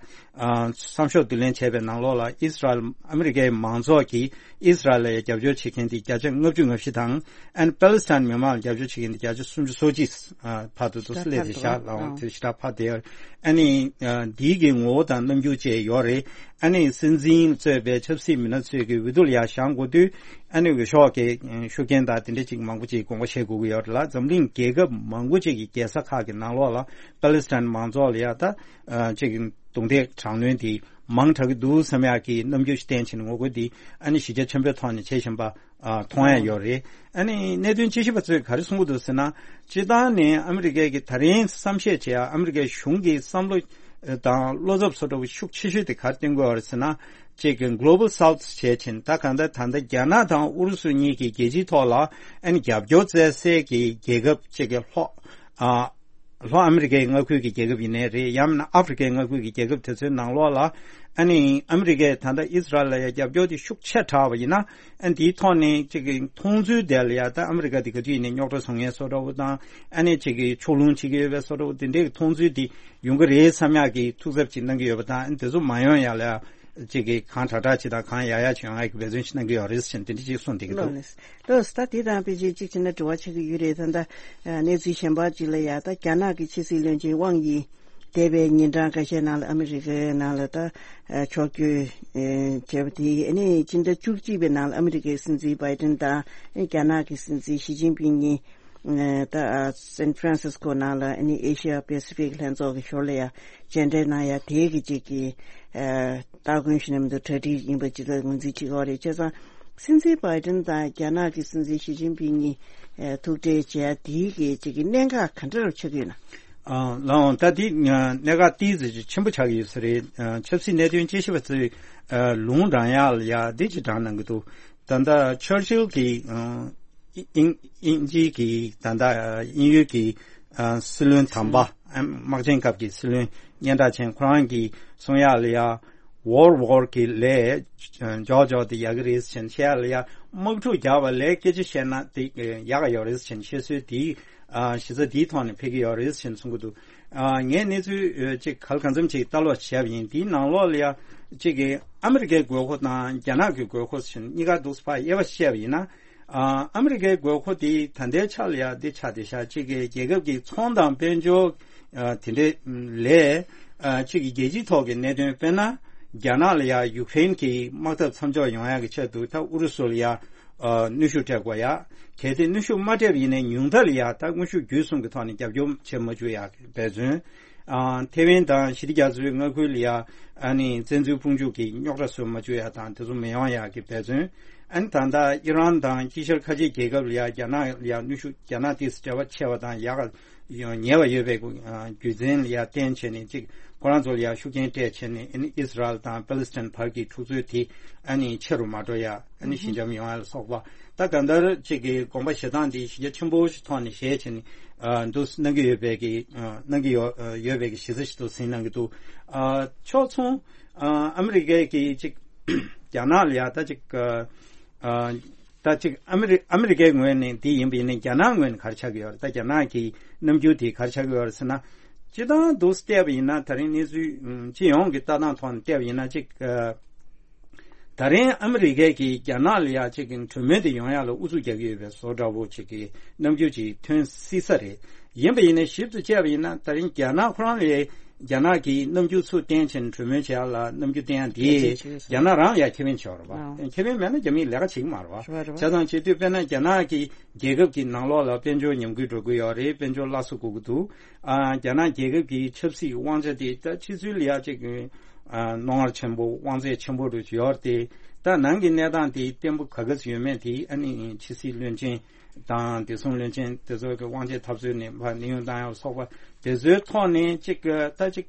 བསམ་ཤོག་བསྡུ་ལེན་བྱས་པའི་ནང་ལོགས་ལ། ཨིས་རལ་ཨ་མི་རི་ཀའི་མང་ཚོགས་ཀྱིས་ཨིས་རལ་ལ་ཡ་རྒྱབ་སྐྱོར་བྱེད་མཁན་དེ་བརྒྱ་ཆ་ལྔ་བཅུ་ང་བཞི་དང་། ཨ་ནི་པ་ལི་སི་ཐན་མི་མང་ལ་རྒྱབ་སྐྱོར་བྱེད་མཁན་དེ་བརྒྱ་ཆ་སུམ་ཅུ་སོ་གཅིག་ཨ་བར་དུ་འདུག་སེ་སླེབས་བསྡད་ཤག་ལགས་འོང་། དེ་ཞེ་དྲག་འཕར་བསྡད་ཡོད། ཨ་ནི་ཨ་འདིའི་གི་ངོ་བོ་དང་རྣམ་འགྱུར་བཅས་ཡོད་རེད། ཨ་ནི་སྲིད་འཛིན་གཙོས་པའི་ཆབ་སྲིད་མི་སྣ་ཚོས་ཀྱི་འོས་བསྡུ་ལ་ཡ་བཞེངས་འགོ་དུས། ཨ་ནི་འོས་ཤོག་གི་ཤུགས་རྐྱེན་དང་དེ་འདྲ་ཅིག་མང་པོ་ཅིག་དགོངས་པ་བཞེས་དགོས་ཀྱི་ཡོད་རེད་ལ། འཛམ་གླིང་རྒྱལ་ཁབ་མང་པོ་ཅིག་གི་རྒྱལ་ས་ཁག་གི་ནང་ལོགས་ལ་པ་ལི་སི་ཐན་མང་ཚོགས་ལ་ཡ་ད་ཨ་ཅིག་རྡུང་རྡེག་དྲག་གནོན་དེ་མང་དྲགས་ཀྱི་འདུག་བསམ་ཡག་གི་རྣམ་འགྱུར་ཞིག་བསྟན་བྱས་ནས་ངོ་རྒོལ་འདི་ཨ་ནི་གཞི་རྒྱ་ཆེན་པོའི་ཐོག་ནས་བྱེད་བཞིན་པ་ཨ་མཐོང་ཡ་ཡོད་རེད། ཨ་ནི་གནད་དོན་དཔྱད་ཞིབ་པ་ཚོས་ག་རེ་གསུང་གི་འདུག་ཟེར་ན། སྤྱིར་བཏང་ནས་ཨ་མི་རི་ཀའི་གི་ད་རིང་བསམ་ཤེས་བྱེད་ཡ། ཨ་མི་རི་ཀའི་གཞུང་གི་བསམ་བློ་དང་བློ་འཚབ་བཟོ་འདྲ་བོ་ཤུགས་ཆེ་ཤོས་དེ་ག་རེ་བསྟན་གྱི་ཡོད་རེད་ཟེར་ན། གཅིག་གི་Global South་བྱས་ཕྱིན། ད་གང་ལྟར་ད་ལྟ་རྒྱ་ནག་དང་ཨུ་རུ་སུ་གཉིས་ཀྱི་རྒྱལ་སྤྱིའི་ཐོག་ལ་ཨ་ནི་རྒྱབ་སྐྱོར་བཙལ་སའི་གི་རྒྱལ་ཁབ་གཅིག་གི་ལྷོ་ཨ། ལྷོ་ཨ་མི་རི་ཀའི་མངའ་ཁུལ་གྱི་རྒྱལ་ཁབ་ཡིན་ནའི་རེད། ཡང་མིན་ན་ཨ་ཧྥེ་རི་ཀའི་མངའ་ཁུལ་གྱི་རྒྱལ་ཁབ་དེ་ཚོའི་ནང་ལོགས་ལ་ཨ་ནི་ཨ་མི་རི་ཀས་ད་ལྟ་ཨི་སི་རལ་ལ་ཡ་རྒྱབ་སྐྱོར་དེ་ཤུགས་ཆེ་དྲགས་པ་ཡིན་ན། ཨ་ནི་དེའི་ཐོག་ནས་ཅིག་གི་མཐོང་ཚུལ་དེ་ལ་ཡ་ད་ཨ་མི་རི་ཀ་དེ་ག་དུས་ཡིན་ནའི་རྙོག་དྲ་བཟོ་མཁན་བཟོ་འདྲ་བོ་དང་། ཨ་ནི་ཅིག་གི་ཕྱོགས་ལྷུང་བྱེད་ཀྱི་ཡོད་པའི་བཟོ་འདྲ་བོ་དེ་འདྲའི་མཐོང་ཚུལ་དེ་ཡོང་གི་རེད་བསམ་ཡག་གི་ཐུགས་འཚབ་ཅིག་གནང་གི་ཡོད་པ་དང་། ཨ་ནི་དེ་ཚོ་མ་ཡོང་ཡག་ལ་ཡ་ཅིག་གི་གང་དྲག་དྲག་ཅིག་དང་གང་ཡག་ཡག་ཅིག་ཡོང་ཡག་གི་འབད་བརྩོན་ཞིག་གནང་གི་ཡོད་རེད་ཟེར་དེ་འདྲ་ཅིག་གསུངས་བསྡད་ཀྱི་འདུག་ལགས་ལགས་ད་དེ་དང་ཕལ་ཆེར་གཅིག་བྱས་ན་འབྲེལ་བ་ཆགས་ཀྱི་ཡོད་རེད། ད་ལྟ་གནས་ཚུལ་གཞན་པ་ཅིག་ལ་ཡ་ད་རྒྱ་ནག་གི་ཕྱི་སྲིད་བློན་ཆེན་ཝང་དབྱི་འདས་པའི་ཉིན་གྲངས་ཁ་ཤས་ནང་ལ་ཨ་མི་རི་ཀའི་ནང་ལ་ད་ཕྱོགས་བསྐྱོད་བྱས་པ་དེ། ཨ་ནི་སྤྱི་ཟླ་བཅུ་གཅིག་པའི་ནང་ལ་ཨ་མི་རི་ཀའི་སྲིད་འཛིན་བྷའི་ཏིན་དང་རྒྱ་ནག་གི་སྲིད་འཛིན་ཞི་ཅིན་ཕིང་གཉིས་ད་སན་ཧྥ་རན་སིས་ཀོ་ནང་ལ་ཨ་ནི་ཨེ་ཤི་ཡ་པེ་སི་ཕིག་ལྷན་ཚོགས་ཀྱི་ཞོར་ལ་ཡ་མཇལ་འཕྲད་གནང་ཡ་དེ་གི་ཅིག་གི་ཨ་སྟ་གོན་ཞུ་ན་མི་འདུག་གྲ་སྒྲིག་ཡིན་པ་ཅིག་ལ་ངོས་འཛིན་བྱེད་ཀྱི་ཡོད་རེད། བྱས་ཙང་སྲིད་འཛིན་བྷའི་ཏིན་དང་རྒྱ་ནག་གི་སྲིད་འཛིན་ཞི་ཅིན་ཕིང་གཉིས་ཨ་ཐུག་འཕྲད་བྱས་དེའི་གི་ཅིག་གི་གནད་འགག་ག་འདྲ་རུ་ཆགས་ཀྱི་ཡོད་ན། ཨ་ལའང་ད་དེ་གནད་འགག་ཏིས་ཅིག་ཆེན་པོ་ཆགས་ཀྱི་ཡོད་ས་རེད། ཨ་ཆབ་སྲིད་གནད་དོན་དཔྱད་ཞིབ་པ་ཚོས་ཨ་ལུང་དྲངས་ཡག་ལ་ཡ་འདི་ཅིག་དྲངས་གནང་གི་འདུག་ད་ལྟ་ཆར་ཆིལ་གྱིས་ཨ་དབྱིན་དབྱིན་ཇིའི་གི་ད་ལྟ་དབྱིན་ཡུལ་གྱི་ཨ་སྲིད་བློན་དམ་པ། ཨ་དམག་ཆེན་སྐབས་ཀྱི་སྲིད་བློན་སྙན་གྲགས་ཅན་ཁོ་རང་གིས་གསུང་ཡག་ལ་ཡ། World War གི་ལས་འཇོག་འཇོག་དེ་ཡག་གི་རེད་ཟེར་བཤད་ཡག་ལ་ཡ། དམག་འཁྲུག་རྒྱག་པ་ལས་སྐད་ཆ་བཤད་ན་དེ་ཡག་ག་ཡོད་རེད་ཟེར་བཤད་སྲོལ་དེ་གཞི་རྩ་དེའི་ཐོག་ནས་ཕེབས་ཀྱི་ཡོད་རེད་ཟེར་གསུང་གི་འདུག་ངས་གནས་ཚུལ་ཅིག་ག་ལ་གང་འཚམ་ཅིག་ལྟ་ཀློག་བྱས་པ་ཡིན། དེའི་ནང་ལོགས་ལ་ཡ་ཅིག་གི་ཨ་མི་རི་ཀའི་དགོས་མཁོ་དང་རྒྱ་ནག་གི་དགོས་མཁོ་ཟེར་གཉིས་ཀ་འདུག་སེ་ཕར་དབྱེ་བ་བཤད་པ་ཡིན་ན། ཨ་ཨ་མི་རི་ཀའི་དགོས་མཁོ་དེ་ད་ལྟའི་ཆ་ལ་ཡ་འདི་ཆགས་བསྡད་ཤག་ཅིག་གི་རྒྱལ་ཁབ་ཀྱི་ཚོང་དང་དཔལ་འབྱོར་ཨ་དེ་འདྲའི་ལས་ཨ་ཅིག་གི་རྒྱལ་སྤྱིའི་ཐོག་གི་གནད་དོན། དཔེར་ན་རྒྱ་ནག་ལ་ཡ་ཡུཀ་རེན་གྱི་དམག་འཐབ་མཚམས་འཇོག་ཡོང་ཡག་གི་ཆེད་དུ་ད་ཨུ་རུ་སུ་ལ་ཡ་ཨ་གནོན་ཤུགས་སྤྲད་དགོས་ཡ། གལ་ཏེ་གནོན་ཤུགས་མ་སྤྲད་པ་ཡིན་ན་ཉུང་མཐའ་ལ་ཡ་ད་དངོས་ཤུགས་བརྒྱུད་གསུམ་གྱི་ཐོག་ནས་རྒྱབ་སྐྱོར་བྱེད་མ་བཅུག་ཡག་གི་འབད་བརྩོན། ཨ་ཐེ་ཝན་དང་ཞི་བདེ་རྒྱ་མཚོའི་མངའ་ཁུལ་ལ་ཡ་ཨ་ནི་བཙན་འཛུལ་དཔུང་འཇུག་གིས་རྙོག་དྲ་བཟོ་མ་བཅུག་ཡ་དང་དེ་ཚོ་མི་ཡོང་ཡ་གི་འབད་བརྩོན། ཨ་ནི་ད་ལྟ་ཨི་རན་དང་དཀྱིལ་ཤར་ཁ་ཆེ་རྒྱལ་ཁབ་ལ་ཡ་རྒྱ་ནག་ལ་ཡ་གནོན་ཤུགས། རྒྱ་ནག་དེ་འབྲེལ་བ་ཆེ་བ་དང་ཡག་ཉེ་བ་ཡོད་པའི་རྒྱུ་མཚན་ལ་ཡ་བརྟེན་བྱས་ནས་ཅིག་ཁོ་རང་ཚོ་ལ་ཡ་ཤུགས་རྐྱེན་སྤྲད་བྱས་ནས། ཨ་ནི་ཨི་སི་རལ་དང་པ་ལི་སི་ཐན་བར་གྱི་འཁྲུག་རྩོད་དེ་ཨ་ནི་ཆེ་རུ་མ་འགྲོ་ཡ། ཨ་ནི་ཞི་འཇམ་ཡོང་ཡ་ལ་སོགས་པ། ད་གང་ལྟར་ཅིག་གི་དགོངས་པ་བཞེས་སྟངས་འདི་གཞི་རྒྱ་ཆེན་པོ་ཞིག་ཐོག་ནས་བཞེས་བྱས་ནས་ཨ་འདུག་གནང་གི་ཡོད་པའི་གི་ཨ་གནང་གི་ཡོད་ཡོད་པའི་གི་གཞི་རྩ་ཞིག་ཏུ་ཟིན་གནང་གི་འདུག་ཨ་ཕྱོགས་མཚུངས་ཨ་ཨ་མི་རི་ཀའི་གི་ཅིག་རྒྱ་ནག་ལ་ཡ་ད་ཅིག་ཨ་ད་ཅིག་ཨ་མི་རི་ཨ་མི་རི་ཀའི་ངོས་ནས་འདི་ཡིན་པ་ཡིན་ན་རྒྱ་ནག་ངོས་ནས་ག་རེ་ཆགས་ཀྱི་ཡོད་རེད། ད་རྒྱ་ནག་གི་རྣམ་འགྱུར་དེ་ག་རེ་ཆགས་ཀྱི་ཡོད་རེད་ཟེར་ན། སྤྱིར་བཏང་འདུག་སེ་བལྟས་པ་ཡིན་ན་ད་རིང་གནས་ཚུལ་ཨུམ་སྤྱི་ཡོངས་ཀྱི་ལྟ་སྟངས་ཐོག་ནས་བལྟས་པ་ཡིན་ན་ཅིག་ཨ་ད་རིང་ཨ་མི་རི་ཀས་ཀྱིས་རྒྱ་ནག་ལ་ཡ་ཅིག་གི་གྲོས་མོལ་དེ་ཡོང་ཡག་ལ་ཨུ་ཚུགས་རྒྱག་གི་ཡོད་པའི་བཟོ་འདྲ་བོ་ཅིག་གི་རྣམ་འགྱུར་ཅིག་ཐོན་སྲིད་ས་རེད། ཡིན་པ་ཡིན་ན་ཞིབ་ཏུ་དཔྱད་པ་ཡིན་ན་ད་རིང་རྒྱ་ནག་ཁོ་རང་ལ་རྒྱ་ནག་གི་རྣམ་འགྱུར་ཚུར་བསྟན་བྱས་ནས་གྲོས་མོལ་བྱེད་ཡག་ལ་རྣམ་འགྱུར་བསྟན་ཡག་དེ་རྒྱ་ཆེ་ཆེ་རྒྱ་ནག་རང་ལ་ཡ་ཁེ་ཕན་ཆེ་བ་རེད་པ། ཨ་ཁེ་ཕན་མེད་ན་རྒྱ་མིས་ལས་ཀ་བྱེད་ཀྱི་མ་རེད་པ། རེད་པ་རེད་པ། བྱས་ཙང་བྱེད་དུས་དཔེར་ན་རྒྱ་ནག་གི་རྒྱལ་ཁབ་ཀྱི་ནང་ལོགས་ལ་དཔལ་འབྱོར་ཉམས་རྒུད་འགྲོ་གི་ཡོད་རེད། དཔལ་འབྱོར་སླར་གསོ་དགོས་ཀྱི་འདུག་ཨ་རྒྱ་ནག་རྒྱལ་ཁབ་ཀྱི་ཆབ་སྲིད་དབང་ཆ་དེ་ད་ཕྱི་ཚུལ་ལ་ཡ་ཅིག་ཨ་རྣོ་ངར་ཆེན་པོ་དབང་ཚད་ཆེན་པོ་རུ་ཡོད་རེད་དེ། ད་ནང་གི་གནས་སྟངས་དེ་བརྟན་པོ་ག་ག་ཚོད་ཡོད་མེད་དེ་ཨ་ནི་ཕྱི་སྲིད་བློན་ཆེན་དང་བདེ་སྲུང་བློན་ཆེན་དེ་ཚོ་གི་དབང་ཆའི་འཐབ་རྩོད་ནས་ཕར་གནས་དབྱུང་བཏང་ཡག་སོགས་པ་དེ་ཚོའི་ཐོག་ནས་ཅིག་ད་ཅིག་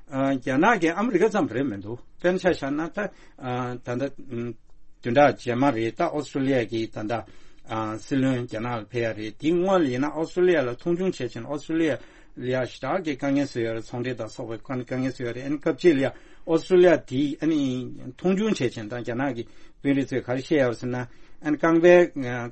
ཨ་རྒྱ་ནག་གིས་ཨ་མི་རི་ཀ་ཙམ་རེད་མི་འདུག་དཔེར་ན་ཆ་བཞག་ན་ད་ཨ་ད་ལྟ་ཨ་བདུན་ཕྲག་རྗེས་མ་རེད། ད་ཨོ་སི་ཀྲོ་ལི་ཡ་གི་ད་ལྟ་ཨ་སྲིད་བློན་རྒྱ་ནག་ལ་ཕེབས་ཡ་རེད། དེའི་སྔོན་ལ་ཡིན་ན་ཨོ་སི་ཀྲོ་ལི་ཡ་ལ་མཐོང་ཆུང་བྱས་ཕྱིན་ཨོ་སི་ཀྲོ་ལི་ཡ་ལ་ཡ་ཞེ་དྲག་གི་དཀའ་ངལ་བཟོས་ཡོད་རེད། ཚོང་འབྲེལ་དང་སོགས་པའི་དཀའ་དཀའ་ངལ་བཟོས་ཡོད་རེད། ཨ་ནི་སྐབས་གཅིག་ལ་ཡ་ཨོ་སི་ཀྲོ་ལི་ཡ་དེ་ཨ་ནི་མཐོང་ཆུང་བྱས་ཕྱིན་ད་རྒྱ་ནག་གི་དཔོན་རིགས་ཚོས་ག་རེ་བཤད་ཡོད་རེད་ཟེར་ན། ཨ་ནི་རྐང་པའི་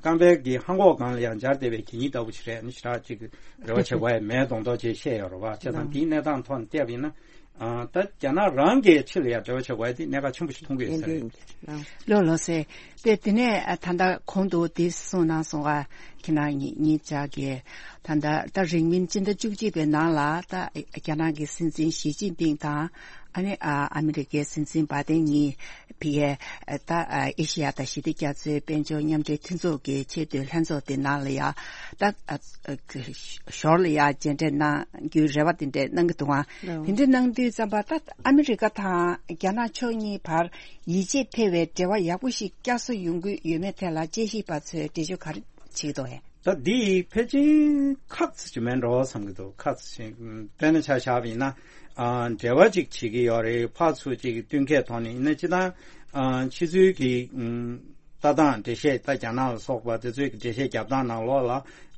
རྐང་པའི་གི་ལྷམ་གོག་སྒང་ལ་ཡ་འབྱར་བསྡད་པའི་གད་སྙིགས་ལྟ་བུ་ཞིག་རེད། ཨ་ནི་ཞེ་དྲག་ཅིག་འབྲེལ་བ་བྱེད་དགོས་ཡ་མེད་མདོག་མདོག་ཅིག་བཤད་ཡོད་རེད་པ། བྱས་ཙང་དེའི་གནས་སྟངས་ཐོག་ནས་བལྟས་པ་ཡིན་ན། ཨ་ད་རྒྱ་ནག་རང་གི་ཕྱི་ལ་ཡ་འབྲེལ་བ་བྱེད་དགོས་ཡ་དེ་གནད་འགག་ཆེན་པོ་ཞིག་མཐོང་གི་ཡོད་ས་རེད། ལགས། ལགས་སོ། དེ་དེ་ནས་ཨ་ད་ལྟ་གོང་དུ་དེ་གསུངས་གནང་སོང་བ། ཁྱེད་རང་གཉིས་གཉིས་ཆ་གི་ད་ལྟ་ད་རིང་མིན་སྤྱི་ཟླ་བཅུ་གཅིག་པའི་ནང་ལ་ད་རྒྱ་ནག་གི་སྲིད་འཛིན་ཞི་ཅིན་ཕིང་དང་ཨ་ནི་ཨ་ཨ་མི་རི་ཀའི་སྲིད་འཛིན་བྷའི་ཏིན་གཉིས་ཕ་གིའི་ད་ཨེ་ཤེ་ཡ་དང་ཞི་བདེ་རྒྱ་མཚོའི་དཔལ་འབྱོར་མཉམ་འབྲེལ་མཐུན་ཚོགས་ཀྱི་ཆེས་མཐོའི་ལྷན་ཚོགས་དེ་ནང་ལ་ཡ་ད་ཞོར་ལ་ཡ་མཇལ་འཕྲད་གནང་རྒྱུའི་རེ་བ་དེ་འདྲ་གནང་གི་འདུག་ཨང་། དེ་འདྲ་གནང་དུས་ཙམ་པ་ད་ཨ་མི་རི་ཀ་དང་རྒྱ་ནག་ཕྱོགས་གཉིས་བར་ཡིད་ཆེས་འཕེར་བའི་འབྲེལ་བ་ཡག་པོ་ཞིག་བསྐྱར་གསོ་ཡོང་གི་ཡོད་མེད་ཐད་ལ་དཔྱད་ཞིབ་པ་ཚོས་འགྲེལ་བརྗོད་ག་རེ་བྱེད་ཀྱི་འདུག་ཨེ། ད་འདི་ཕལ་ཆེར་ཁག་ཅིག་མིན་འགྲོ་བསམ་གྱི་འདུག་ཁག་ཅིག་དཔེར་ན་ཆ་བཞག་པ་ཡིན་ན། ཨ་འབྲེལ་བ་ཅིག་བྱེད་ཀྱི་ཡོད་རེད། ཕར་ཚུར་ཅིག་བསྟུན་མཁས་ཐོག་ནས་ཡིན་ན་སྤྱིར་བཏང་ཨ་ཕྱི་ཚུལ་གྱི་ཨ་ ལྟ་སྟངས་འགྲེལ་བཤད། ད་རྒྱ་ནག་ལ་སོགས་པ་དེ་ཚོའི་འགྲེལ་བཤད་རྒྱབ་སྟངས་ནང་ལོགས་ལ་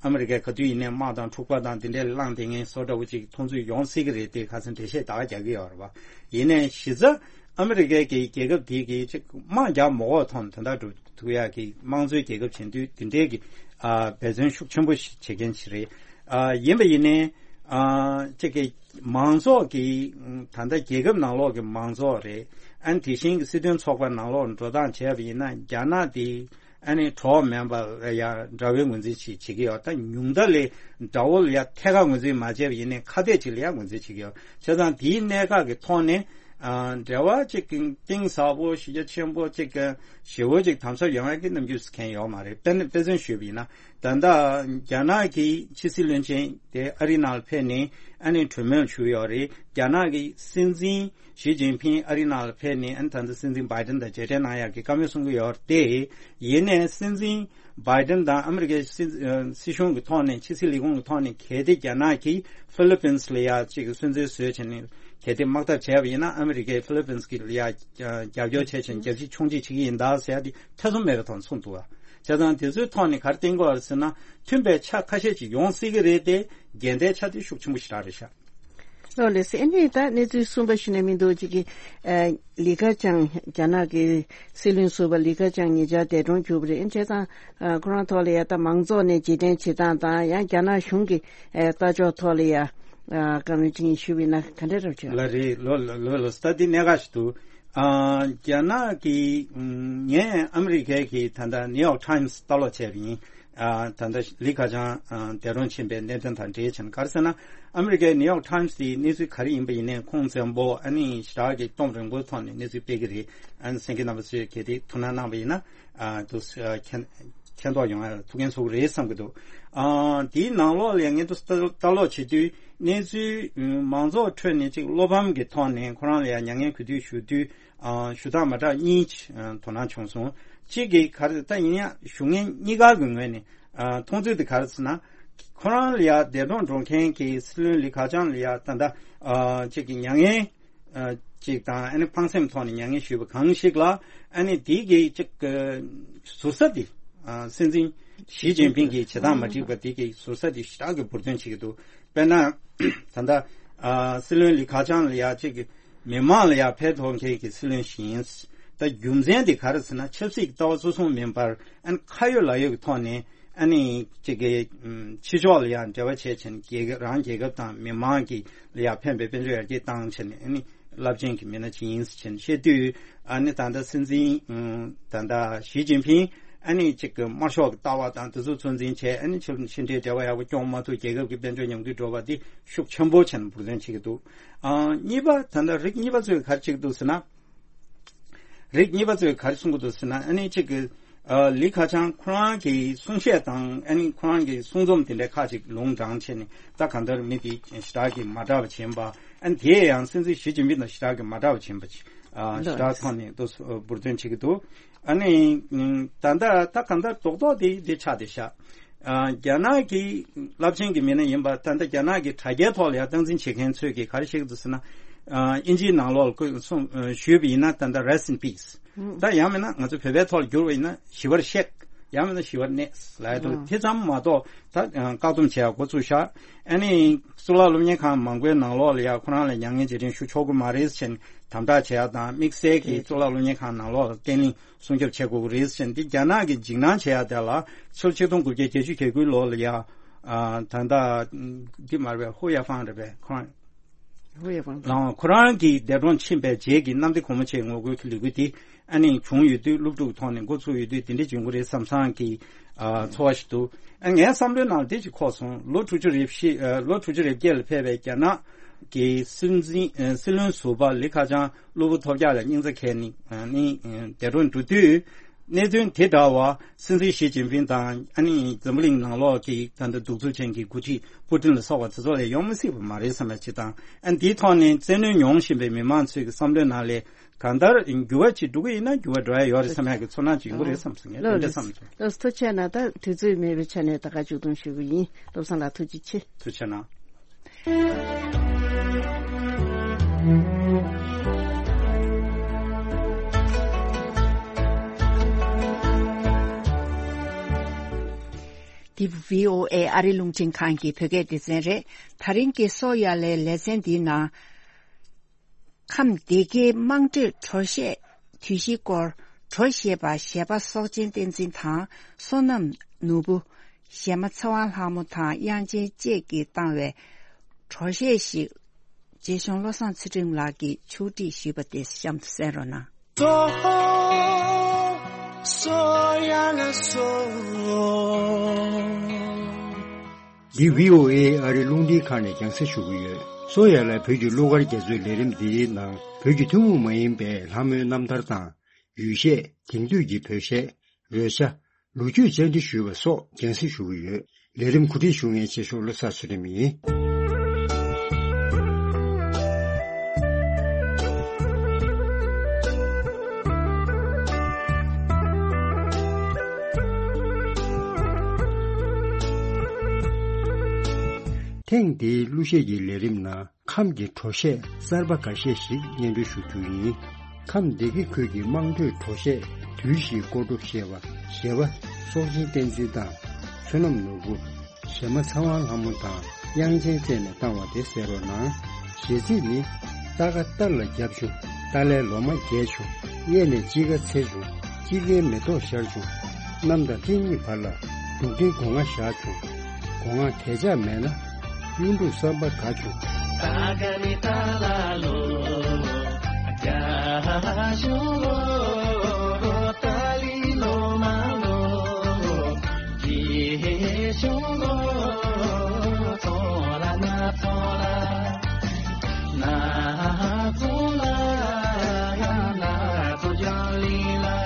ཨ་མི་རི་ཀས་ག་དུས་ཡིན་ནའི་དམག་དང་འཁྲུག་པ་དང་དེ་འདྲའི་ལངས་བསྡད་མཁན་བཟོ་འདྲ་བོ་ཅིག་མཐོང་ཚུལ་ཡོང་སྲིད་ཀྱི་རེད། དེ་ཁ་སང་འགྲེལ་བཤད་ད་ག་རྒྱག་གི་ཡོད་རེད་པ། ཡིན་ནའི་གཞི་རྩ་ཨ་མི་རི་ཀའི་གི་རྒྱལ་ཁབ་དེ་གི་ཅིག་དམག་རྒྱག་མ་དགོས་ཐོག་ནས་དོན་དག་སྒྲུབ་ཐུབ་ཡག་གི་དམངས་གཙོའི་རྒྱལ་ཁབ་བྱེད་དུས་དེ་འདྲའི་གི་ཨ་འབད་བརྩོན་ཤུགས་ཆེན་པོ་ཞིག་བྱེད་མཁན་ཞིག་རེད། ཨ་ཡིན་པ་ཡིན་ནའི་ཨ་ཅིག་གི་མང་ཚོགས་ཀྱི་ད་ལྟ་རྒྱལ་ཁབ་ནང་ལོགས་ཀྱི་མང་ཚོགས་རེད། ཨ་ནི་དེ་བཞིན་གྱི་སྲིད་དོན་ཚོགས་པ་ནང་ལོགས་འགྲོ་སྟངས་བྱས་པ་ཡིན་ན་རྒྱ་ནག་དེ་ཨ་ནི་གྲོགས་མིན་པ་ལ་ཡང་འདྲ་བའི་ངོས་འཛིན་ཞིག་བྱེད་ཀྱི་ཡོད། ད་ཉུང་མཐའ་ལས་དགྲ་བོ་ལ་ཡང་ཐད་ཀར་ངོས་འཛིན་མ་བྱས་པ་ཡིན་ནའི་ཁ་གཏད་ཅིག་ལ་ཡང་ངོས་འཛིན་བྱེད་ཀྱི་ཡོད། བྱས་ཙང་དེའི་གནད་འགག་གི་ཐོག་ནས་ཨ་འབྲེལ་བ་ཅིག་གཏིང་ཟབ་པོ་གཞི་རྒྱ་ཆེན་པོ་ཅིག་ཞེ་བོ་ཅིག་དམ་ཟབ་ཡོང་ཡག་གི་རྣམ་འགྱུར་མཁན་ཡོད་མ་རེད། དཔེ་དཔེ་མཚོན་ཞུས་པ་ཡིན་ན་ད་ལྟ་རྒྱ་ནག་གི་ཕྱི་སྲིད་བློན་ཆེན་དེ་ཨ་རི་ནང་ལ་ཕེབས་ནས་ཨ་ནི་གྲོས་མོལ་ཞུས་ཡོད་རེད། རྒྱ་ནག་གི་སྲིད་འཛིན་ཞི་ཅིན་ཕིང་ཨ་རི་ནང་ལ་ཕེབས་ནས་ཨ་ནི་ད་ལྟ་སྲིད་འཛིན་བྷའི་ཏན་དང་མཇལ་འཕྲད་གནང་ཡག་གི་བཀའ་མོལ་གསུང་གི་ཡོད་རེད། དེ་ཡིན་ནའི་སྲིད་འཛིན་བྷའི་ཏན་དང་ཨ་མི་རི་ཀའི་སྲིད་ཨ་སྲིད་གཞུང་གི་ཐོག་ནས་ཕྱི་སྲིད་ལས་ཁུངས་ཀྱི་ཐོག་ནས་གལ་ཏེ་རྒྱ་ནག་གིས་ཧྥི་ལི་པིན་ལ་ཡ་གཅིག་གི་སུན་གཙེར་བཟོས་བྱས་ནས་གལ་ཏེ་དམག་འཐབ་བྱས་པ་ཡིན་ན་ཨ་མི་རི་ཀས་ཧྥི་ལི་པིན་གྱི་ལ་ཡ་རྒྱབ་སྐྱོར་བྱས་བྱས་ནས་རྒྱབ་གཅིག་མཆོང་གཅིག་བྱེད་ཀྱི་ཡིན་ད་ཟེར་ཡ་དེ་ཐེ་ཚོམ་མེད་པའི་ཐོག་ནས་གསུངས་འདུག་བ། བྱས་ཙང་དེ་ཚོའི་ཐོག་ནས་ག་རེ་བསྟན་དགོས་རེད་ཟེར་ན་མཐུན་པའི་ཆ་ཁ་ཤས་ཅིག་ཡོང་སྲིད་ཀྱི་རེད་དེ་འགལ་ཟླའི་ཆ་དེ་ཤུགས་ཆེན་པོ་ཞེ་དྲག་རེད་ཤག་ལགས་ལགས་སེ། ཨ་ནི་ད་གནས་ཚུལ་གསུམ་པ་ཞུ་ན་མི་འདུག་ཅིག་གི་ཨ་ལི་ཁ་ཆང་རྒྱ་ནག་གི་སྲིད་བློན་ཟུར་པ་ལི་ཁ་ཆང་ཉེ་ཆར་འདས་གྲོངས་གྱུར་པ་རེད། ཨ་ནི་བྱས་ཙང་ཨ་ཁོ་རང་ཐོག་ལ་ཡ་ད་མང་ཚོགས་ནས་རྗེས་དྲན་བྱེད་སྟངས་དང་ཡང་རྒྱ་ནག་གཞུང་གི་ཨ་ལྟ་ཕྱོགས་ཐོག་ལ་ཡ་ཨ་བཀའ་མོལ་ཅིག་ཞུས་པ་ཡིན་ན་ག་འདྲ་རེད་བྱུང་། ལགས་རེད། ལོ་ལོ་ལོ་ལོ་ད་འདི་གནད་འགག་ཞིག་འདུག་ཨ་རྒྱ་ནག་གི་ངས་ཨ་མི་རི་ཀའི་གི་ད་ལྟ་ནིའུ་ཡོག་ཊའིམ་སི་ལྟ་ཀློག་བྱས་པ་ཡིན། ཨ་ད་ལྟ་ལི་ཁ་ཆང་ཨ་འདས་གྲོངས་ཕྱིན་པའི་གནད་དོན་དང་འབྲེལ་བྱས་ནས་ག་རེ་ཟེར་ན། ཨ་མི་རི་ཀའི་ནིའུ་ཡོག་ཊའིམ་སི་དེ་གནས་ཚུལ་ག་རེ་ཡིན་པ་ཡིན་ནའི་ཁུངས་བཙན་པོ་ཨ་ནི་ཞེ་དྲག་གི་སྟོབས་རིང་པོའི་ཐོག་ནས་གནས་ཚུལ་སྤེལ་གྱི་རེད། ཨ་ནི་གསན་མཁན་རྣམ་པ་ཚོས་གལ་ཏེ་ཐུགས་སྣང་གནང་བ་ཡིན་ན་ཨ་འདུག་སེ་ཨ་མཁྱེན་མཁྱེན་རྟོགས་ཡོང་ཡ་ཐུགས་ཕན་གསོས་ཀྱི་རེད་བསམ་གྱི་འདུག་ཨ་དེའི་ནང་ལོགས་ལ་ཡང་ངས་འདུག་སེ་ལྟ་ལོག་བྱེད་དུས་གནས་ཚུལ་མང་ཚོགས་ཁྲོད་ནས་ཅིག་བློ་ཕམ་གྱི་ཐོག་ནས་ཁོ་རང་ལ་ཡང་མྱ་ངན་གུས་འདུད་ཞུ་དུས། ཨ་ཞུ་སྟངས་མ་འདྲ་གཉིས་ཨ་དོ་སྣང་བྱུང་སོང་། གཅིག་གིས་ག་རེ་ད་ཡིན་ཡང་ཞུ་མཁན་གཉིས་ཀ་གི་ངོས་ནས་ཨ་མཐོང་ཚུལ་དེ་ག་རེ་ཟེར་ན། ཁོ་རང་ལ་ཡ་འདས་གྲོངས་འགྲོ་མཁན་གྱི་སྲིད་བློན་ལི་ཁ་ཆང་ལ་ཡ་ད་ལྟ་ཨ་གཅིག་གི་མྱ་ངན་ཨ་གཅིག་དང་ཨ་ནི་ཕངས་སེམས་ཐོག་ནས་མྱ་ངན་ཞུས་པ་གང་ཞིག་ལ་ཨ་ནི་དེ་གི་གཅིག་གི་ཟུར་ཟ་དེ་ཨ་སྲིད་འཛིན་ཞི་ཅིན་ཕིང་གི་བྱེད་སྟངས་མ་འགྲིག་པ་དེ་གི་ཟུར་ཟ་དེ་ཞེ་དྲག་གི་འབུར་འདོན་བྱེད་ཀྱི་འདུག་དཔེར་ན། ད་ལྟ་ཨ་སྲིད་བློན་ལི་ཁ་ཆང་ལ་ཡ་གཅིག་གི་མི་མང་ལ་ཡ་ཕན་ཐོགས་མཁན་གྱི་སྲིད་བློན་ཞིག་ཡིན། ད་རྒྱུ་མཚན་དེ་ག་རེ་ཟེར་ན་ཆབ་སྲིད་ཀྱི་ལྟ་བ་གཙོ་བཟུང་མིན་པར་ཨ་ནི་ཁ་ཡོད་ལག་ཡོད་ཀྱི་ཐོག་ནས་ཨ་ནི་གཅིག་གི་ཕྱི་ཕྱོགས་ལ་ཡ་འབྲེལ་བ་བྱས་བྱས་ནས་རྒྱལ་ཁབ་རང་རྒྱལ་ཁབ་དང་མི་མང་གི་ལ་ཡ་ཕན་པའི་དཔལ་འབྱོར་ཡར་རྒྱས་བཏང་བྱས་ནས་ཨ་ནི་རླབས་ཆེན་གྱི་མི་སྣ་ཅིག་ཡིན་ཟེར་བྱས་ནས་བཤད་དུས་ཨ་ནི་ད་ལྟ་སྲིད་འཛིན་ད་ལྟ་ཞི་ཅིན་ཕིང་ཨ་ནི་གཅིག་གི་དམར་ཤོག་གི་ལྟ་བ་དང་དེ་ཚོ་ཚོད་འཛིན་བྱས་ཨ་ནི་ཕྱི་ཕྱི་འབྲེལ་འབྲེལ་བ་ཡག་པོ་སྐྱོང་མ་ཐུབ། རྒྱལ་ཁབ་ཀྱི་དཔལ་འབྱོར་ཉམས་རྒུད་འགྲོ་བ་འདི་ཤུགས་ཆེན་པོ་བྱས་ནས་འབུར་འདོན་བྱེད་ཀྱི་འདུག་ཨ་གཉིས་པ་ད་ལྟ་རིགས་གཉིས་པ་ཚོས་ག་རེ་བྱེད་ཀྱི་འདུག་ཟེར་ན། རིགས་གཉིས་པ་ཚོས་ག་རེ་གསུང་གི་འདུག་ཟེར་ན་ཨ་ནི་གཅིག་གི་ཨ་ལི་ཁ་ཆང་ཁོ་རང་གི་གསུང་བཤད་དང་ཨ་ནི་ཁོ་རང་གི་གསུང་རྩོམ་དེ་འདྲའི་ཁག་ཅིག་ལུང་དྲངས་བྱས་ནས་ད་གང་ལྟར་མི་དེ་ཞེ་དྲག་གི་མ་འདྲ་བ་བྱིན་པ་ཨ་ནི་དེ་ཡང་སྲིད་འཛིན་ཞི་ཅིན་ཕིང་དང་ཞེ་དྲག་གི་མ་འདྲ་བ་བྱིན་པ་ཅིག་ཨ་ཞེ་དྲག་ཐོག་ནས་འདུག་འབུར་འདོན་བྱེད་ཀྱི་འདུག་ཨ་ནི་ད་ལྟ་ད་གང་ལྟར་རྡོག་རྡོག་དེ་དེ་ཆགས་བསྡད་ཤག་ཨ་རྒྱ་ནག་གི་རླབས་ཆེན་གྱི་མི་སྣ་ཡིན་པ་ད་ལྟ་རྒྱ་ནག་གི་དྲ་རྒྱའི་ཐོག་ལ་ཡང་སྟངས་འཛིན་བྱེད་མཁན་ཚོས་ཀྱིས་ག་རེ་བཤད་ཀྱི་འདུག་ཟེར་ན། ཨ་དབྱིན་ཇིའི་ནང་ལོགས་ལ་གསུང་ཨ་ཞུས་པ་ཡིན་ན་ད་ལྟ་Rest in Peace། ཨང་། ད་ཡང་མིན་ན་ང་ཚོ་བོད་པའི་ཐོག་ལ་བསྒྱུར་བ་ཡིན་ན་ཞི་བར་གཤེགས། ཡང་མིན་ན་ཞི་བར་གནས་ལབ་ཡ་འདུག་ཨང་། དེ་ཙམ་མ་གཏོགས་ད་ཨ་བཀག་སྡོམ་བྱེད་ཡ་འགོ་བཙུགས་ཤག་ཨ་ནི་གཙུག་ལག་སློབ་གཉེར་ཁང་མང་པོའི་ནང་ལོགས་ལ་ཡ་ཁོ་རང་ལ་མྱ་ངན་རྗེས་དྲན་ཞུ་ཆོག་གི་མ་རེད་ཟེར་ནས་དམ་དྲག་བྱེད་ཡ་དང་དམིགས་བསལ་གྱིས་གཙུག་ལག་སློབ་གཉེར་ཁང་ནང་ལོགས་ལ་བརྟན་ལྷིང་སྲུང་སྐྱོབ་བྱེད་དགོས་ཀྱི་རེད་ཟེར་ནས་འདི་རྒྱ་ནག་གིས་འཇིགས་སྣང་བྱེད་ཡ་དེ་ལ་ཕྱི་ལོ་ཆིག་སྟོང་དགུ་བརྒྱ་བརྒྱད་ཅུ་གྱ་དགུའི་ལོ་ལ་ཡ་ཨ་ད་ལྟ་འདི་མ་རེད་པས། ཧུ་ཡ་ཧྥང་རེད་པས། ཁོ་རང་ཧུ་ཡ་ཧྥང་ལའང་ཁོ་རང་གི་འདས་གྲོངས་ཕྱིན་པའི་རྗེས་ཀྱི་གནམ་བདེ་སྒོ་མོ་ཆེའི་ངོ་རྒོལ་གྱི་ལས་འགུལ་འདི་ཨ་ནི་བྱུང་ཡོད་དུས་སློབ་ཕྲུག་ཐོག་ནས་འགོ་ཚུགས་ཡོད་དུས་འདི་འདྲ་བྱུང་གི་རེད་བསམ་བསམ་གྱི་ཨ་ཚོར་བ་ཞིག་འདུག་ཨ་ངའི་བསམ་བློའི་ནང་འདི་ཅིག་འཁོར་སོང་། ལོ་དྲུག་ཅུ་རེ་བཞི་ཨ་ལོ་དྲུག་ཅུ་རེ་བརྒྱད་ལ་ཕེབས་པའི་རྒྱ་ནག་གི་སྲིད་འཛིན་ཨ་སྲིད་བློན་ཟུར་པ་ལི་ཁ་ཆང་གློ་བུར་ཐོལ་རྒྱག་ལ་སྙིང་རྩ་འཁེལ་ནས་ཨ་ནི་ཨ་འདས་གྲོངས་འགྲོ་དུས། གནད་དོན་དེ་འདྲ་བ་སྲིད་འཛིན་ཞི་ཅིན་ཕིང་དང་ཨ་ནི་འཛམ་བུ་གླིང་ནང་ལོགས་ཀྱི་ད་ལྟ་གདུག་རྩུབ་ཅན་གྱི་འགོ་ཁྲིད་པུ་ཏིན་ལ་སོགས་པ་དེ་ཚོ་ལ་ཡོང་མི་སྲིད་པ་མ་རེད་བསམ་ཡ་ཅིག་དང་། ཨ་ནི་དེའི་ཐོག་ནས་བཙན་གནོན་མྱོང་བཞིན་པའི་མི་མང་ཚོའི་གི་བསམ་བློའི་ནང་ལ་གང་ལྟར་འགྱུར་བ་ཅིག་འགྲོ་གི་ཡིན་ན་འགྱུར་བ་འགྲོ་ཡ་ཡོད་རེད་བསམ་ཡ་གི་ཚོར་སྣང་ཅིག་ཡོང་གི་རེད་བསམ་སོང་། ངས་དེ་འདྲ་བསམ་སོང་། ལགས་སོ། ཐུགས་རྗེ་གནང་། ད་དུས་ཚོད་མེད་པའི་ཆ་ནས་ད་ག་མཇུག་སྡོམ་ཞུ་གི་ཡིན། བློ་བཟང་ལགས་ཐུགས་རྗེ་ཆེ། ཐུགས་རྗེ་གནང་། འདི་བྷི་ཨོ་ཨེ་ཨ་རི་རླུང་འཕྲིན་ཁང་གི་བོད་སྐད་སྡེ་ཚན་རེད། ད་རིང་གི་སོ་ཡ་ལའི་ལེ་ཚན་འདིའི་ནང་། ཁམས་སྡེ་དགེའི་དམངས་ཁྲོད་དྲོ་གཤེད་དུས་བཞིའི་སྐོར། དྲོ་གཤེད་པ་གཞས་པ་སྲོག་ཆེན་བསྟན་འཛིན་དང་། བསོད་ནམས་ནོར་བུ། གཞས་མ་ཚེ་དབང་ལྷ་མོ་དང་དབྱངས་ཅན་བཅས་ཀྱིས་བཏང་བའི་དྲོ་གཤེད་ཞིག་རྗེ་གཞུང་བློ་བཟང་ཚུལ་ཁྲིམས་ལགས་ཀྱིས་ཕྱོགས་སྒྲིག་ཞུས་པ་དེ་གཤམ་དུ་གསན་རོགས་གནང་། སོ། སོ་ཡ་ལ་སོ། འདི་བྷི་ཨོ་ཨེ་ཨ་རི་རླུང་འཕྲིན་ཁང་ནས་རྒྱང་སྲིང་ཞུ་གི་ཡོད། སོ་ཡ་ལ་བོད་ཀྱི་གླུ་གར་རྒྱ་མཚོའི་ལས་རིམ་འདིའི་ནང་བོད་ཀྱི་ཐུན་མོང་མ་ཡིན་པའི་ལྷ་མོའི་རྣམ་ཐར་དང་། ཡུལ་གཞས། དེང་དུས་ཀྱི་བོད་གཞས། རོལ་ཆ། ལོ་རྒྱུས་བཅར་འདྲི་ཞུས་པ་སོགས་རྒྱང་སྲིང་ཞུ་གི་ཡོད། ལས་རིམ་གོ་སྒྲིག་ཞུ་མཁན་རྗེ་གཞུང་བློ་བཟང་ཚུལ་ཁྲིམས་ཡིན། ཐེངས་འདིའི་གླུ་གཞས་ཀྱི་ལས་རིམ་ནང་། ཁམས་ཀྱི་དྲོ་གཤེད་གསར་པ་འགའ་ཤས་ཤིག་སྙན་སྒྲོན་ཞུ་རྒྱུ་ཡིན། ཁམས་སྡེ་དགེ་ཁུལ་གྱི་དམངས་ཁྲོད་དྲོ་གཤེད་དུས་བཞིའི་སྐོར་དྲོ་གཤེད་པ་གཞས་པ་སྲོག་ཆེན་བསྟན་འཛིན་དང་། བསོད་ནམས་ནོར་བུ། གཞས་མ་ཚེ་དབང་ལྷ་མོ་དང་དབྱངས་ཅན་བཅས་ནས་བཏང་བ་དེ་གསན་རོགས་གནང་། གཞས་ཚིག་ནི། རྟ་ཁ་སྟར་ལ་བརྒྱབ་བྱུང་། ཏཱ་ལའི་ལོ་མ་རྒྱས་བྱུང་། གཡས་ནས་དཔྱིད་ཀ་འཚེར་བྱུང་། དཔྱིད་ཀའི་མེ་ཏོག་ཤར་བྱུང་། གནམ་དང་སྤྲིན་གཉིས་བར་ལ། འབྲུག་སྒྲའི་སྒོ་ང་བཞག་བྱུང་། སྒོ་ང་གས་ཆག་མེད་ན། གཡུ་འབྲུག་བསམ་པ་དགའ་བྱུང་། ཏཱ་ག་ནི་ཏཱ་ལ་ལོ། རྒྱ་གཞུང་ལོ། ཏཱ་ལི་ལོ་མ་ལོ། རྗེ་གཞུང་ལོ། ཚོ་ལ་ན་ཚོ་ལ། ན་ཚོ་ལ། ན་ཚོ་རྒྱ་ལི་ལ།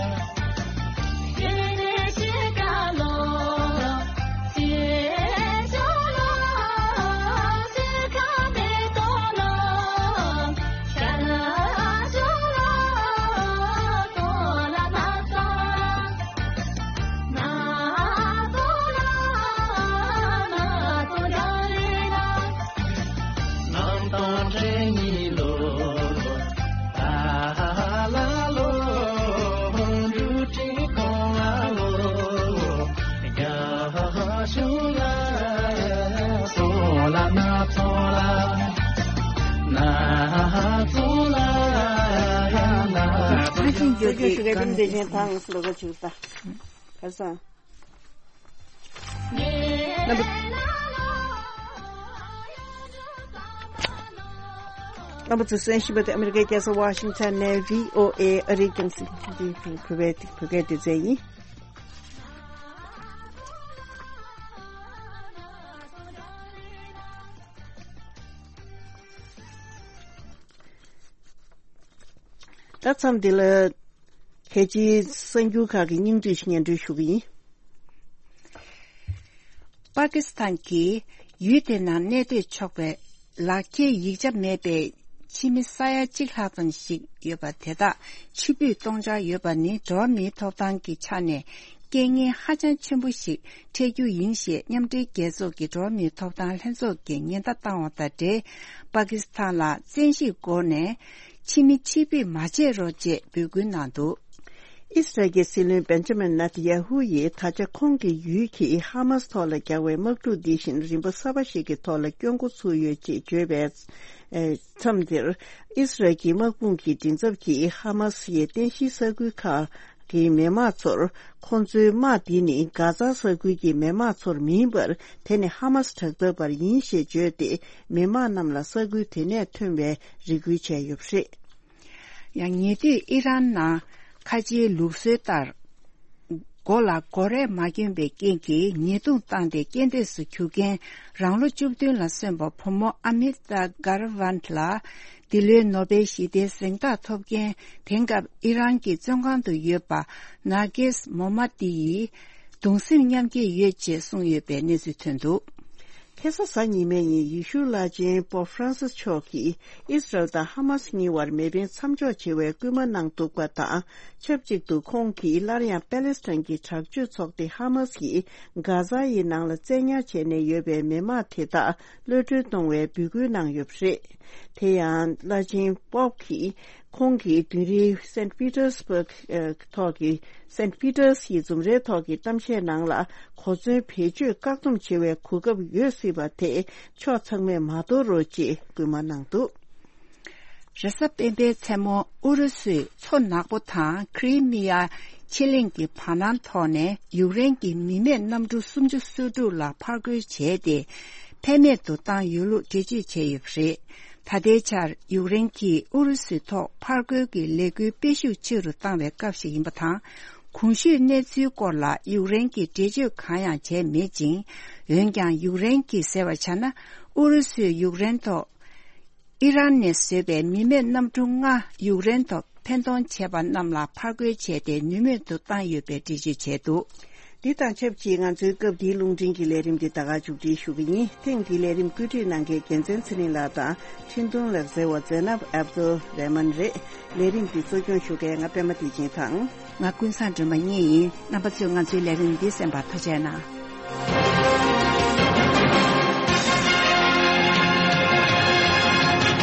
རྣམ་པ་ཚོས་གསན་བཞིན་པ་དེ་ཨ་མི་རི་ཀའི་རྒྱལ་ས་ཝ་ཤིང་ཊོན་ནས་བྷི་ཨོ་ཨེ་ཨ་རིའི་རྒྱང་སྲིང་བོད་པའི་བོད་སྐད་སྡེ་ཚན་ཡིན། ད་མཚམས་འདི་ལ། གལ་ཆེའི་གསར་འགྱུར་ཁག་གི་སྙིང་བསྡུས་ཤིག་སྙན་སྒྲོན་ཞུ་གི་ཡིན། པ་ཀི་སི་ཐན་གྱིས་ཡུལ་དེ་ནང་གནས་སྡོད་ཆོག་པའི་ལག་འཁྱེར་ཡིག་ཆ་མེད་པའི་ཕྱི་མི་ས་ཡ་གཅིག་ལྷག་ཙམ་ཞིག་ཡོད་པ་དེ་དག་ཕྱིར་འབུད་གཏོང་འཆར་ཡོད་པ་ནི་འགྲོ་བ་མིའི་ཐོབ་ཐང་གི་ཆ་ནས་རྐྱེན་ངན་ཧ་ཅང་ཆེན་པོ་ཞིག་འཕྲད་རྒྱུ་ཡིན་ཞེས་མཉམ་འབྲེལ་རྒྱལ་ཚོགས་ཀྱི་འགྲོ་བ་མིའི་ཐོབ་ཐང་ལྷན་ཚོགས་ཀྱིས་ཉེན་བརྡ་བཏང་བ་དང་འབྲེལ། པ་ཀི་སི་ཐན་ལ་བཙན་ཤེད་སྒོ་ནས། ཕྱི་མི་ཕྱིར་འབུད་མ་བྱེད་རོགས་ཅེས་འབོད་སྐུལ་གནང་འདུག། ཨིས་རལ་གྱི་སྲིད་བློན་བེན་ཇ་མིན་ནེ་ཐན་ཡ་ཧུ་ཡིས་ད་ཆ་ཁོང་གི་ཡུལ་གྱིས་ཧ་མཱས་ཐོག་ལ་རྒྱག་པའི་དམག་འཁྲུག་འདི་བཞིན་རིམ་པ་གསར་པ་ཞིག་གི་ཐོག་ལ་སྐྱོད་འགོ་ཚུགས་ཡོད་ཅེས་བརྗོད་པའི་མཚམས་འདིར། ཨིས་རལ་གྱི་དམག་དཔུང་གི་མགྲིན་ཚབ་ཀྱིས་ཧ་མཱས་ཡི་རྟེན་གཞིའི་ས་ཁུལ་ཁག་གི་མི་དམངས་ཚོར། ཁོང་ཚོའི་དམག་འདི་ནི་གྷ་ཛ་ས་ཁུལ་གྱི་མི་དམངས་ཚོར་མིན་པར། དེ་ནི་ཧ་མཱས་དྲག་འཐབ་པར་ཡིན་ཞེས་བརྗོད་དེ། མི་དམངས་རྣམས་ལ་ས་ཁུལ་དེ་ནས་ཐོན་པའི་རེ་སྐུལ་བྱས་ཡོད་པ་རེད། ཡང་ཉེ་དུས་ཨི་རན་ནང་ཁ་ཆེའི་ལུགས་སྲོལ་ལྟར། མགོ་ལ་མགོ་རས་མ་གྱོན་པའི་རྐྱེན་གྱིས་ཉེས་རྡུང་བཏང་སྟེ་རྐྱེན་འདས་སུ་གྱུར་མཁན་རང་ལོ་བཅུ་བདུན་ལ་སོན་པ་བུ་མོ་ཨ་མི་ཏཱ་གྷ་ར་ཝན་ལ། འདི་ལོའི་ནོ་བེལ་ཞི་བདེའི་གཟེངས་རྟགས་ཐོབ་མཁན་དེང་སྐབས་ཨི་རན་གྱི་བཙོན་ཁང་དུ་ཡོད་པ་ནར་གེས་མོ་མ་ཏི་ཡིས་གདུང་སེམས་མཉམ་སྐྱེད་ཡོད་ཅེས་གསུངས་ཡོད་པའི་གནས་ཚུལ་ཐོན་འདུག། ཁ་སང་གཟའ་ཉི་མའི་ཉིན་ཡེ་ཤུའི་བླ་ཆེན་པོབ་ཧྥ་རན་སིས་མཆོག་གིས་ཨིས་རལ་དང་ཧ་མཱས་གཉིས་བར་མེ་འཕེན་མཚམས་འཇོག་བྱེད་པའི་སྐུལ་མ་གནང་འདུག་པ་དང་། ཆབས་ཅིག་ཏུ་ཁོང་གིས་སླར་ཡང་པེ་ལེ་སི་ཐན་གྱི་དྲག་སྤྱོད་ཚོགས་སྡེ་ཧ་མཱས་ཀྱིས་གྷ་ཛ་ཡི་ནང་ལ་བཙན་ཉར་བྱས་ནས་ཡོད་པའི་མི་དམངས་དེ་དག་གློད་གྲོལ་གཏོང་བའི་འབོད་སྐུལ་གནང་ཡོད་པ་རེད། དེ་ཡང་བླ་ཆེན་པོབ་ཀྱིས། ཁོང་གིས་དུས་རིང་Saint Petersburg་ཐོག་གི་Saint Peter's་ཡི་འཛོམས་རའི་ཐོག་གི་གཏམ་བཤད་ནང་ལ། གོ་མཚོན་བེད་སྤྱོད་བཀག་སྡོམ་བྱེད་པའི་གོ་སྐབས་ཡོད་སྲིད་པ་དེ་ཕྱོགས་ཚང་མས་མ་དོར་རོགས་ཅེས་སྐུལ་མ་གནང་འདུག། རེས་གཟའ་སྤེན་པའི་མཚན་མོ་ཨུ་རུ་སུས་མཚོ་ནག་པོ་དང་ཁི་རི་མི་ཡ་ཕྱེད་གླིང་གི་བར་སྣང་ཐོག་ནས་ཡུཀ་རེན་གྱི་མི་མེད་གནམ་གྲུ་སུམ་ཅུ་སོ་དྲུག་ལ་ཕར་རྒོལ་བྱས་ཏེ། ཕན་མེད་དུ་བཏང་ཡོད་ལུགས་འགྲེལ་བརྗོད་བྱས་ཡོད་པ་རེད། ད་ལྟའི་ཆར་ཡུཀ་རེན་གྱིས་ཨུ་རུ་སུའི་ཐོག་ཕར་རྒོལ་གྱི་ལས་འགུལ་སྤེལ་ཤུགས་ཆེ་རུ་བཏང་བའི་སྐབས་ཤིག་ཡིན་པ་དང་། གོང་ཞུས་གནས་ཚུལ་སྐོར་ལ་ཡུཀ་རེན་གྱིས་འགྲེལ་བརྗོད་གང་ཡང་བྱས་མེད་ཅིང་། འོན་ཀྱང་ཡུཀ་རེན་གྱིས་ཟེར་བ་ཆ་ན། ཨུ་རུ་སུས་ཡུཀ་རེན་ཐོག་ཨི་རན་ནས་བཟོས་པའི་མི་མེད་གནམ་གྲུ་ལྔ་ཡུཀ་རེན་ཐོག་འཕེན་གཏོང་བྱས་པ་རྣམས་ལ་ཕར་རྒོལ་བྱས་ཏེ་ནུས་མེད་དུ་བཏང་ཡོད་པའི་འགྲེལ་བརྗོད་བྱས་འདུག། འདི་དང་ཆབས་ཅིག་ང་ཚོའི་སྐབས་འདིའི་རླུང་འཕྲིན་གྱི་ལས་རིམ་འདི་ད་ག་མཇུག་སྒྲིལ་ཞུ་གི་ཡིན། ཐེངས་འདིའི་ལས་རིམ་བཀོད་སྒྲིག་གནང་མཁན་རྒྱལ་མཚན་ཚེ་རིང་ལགས་དང་འཕྲིན་གཏོང་ལག་རྩལ་བ་ཛེ་ནབ་ཨབ་དུལ་རེ་མན་རེད། ལས་རིམ་འདི་གཙོ་སྐྱོང་ཞུ་མཁན་ང་པད་མ་བདེ་ཆེན་དང་། ང་ཀུན་བཟང་སྒྲོལ་མ་གཉིས་ཡིན། རྣམ་པ་ཚོས་ང་ཚོའི་ལས་རིམ་འདི་གསན་པར་ཐུགས་རྗེ་གནང་།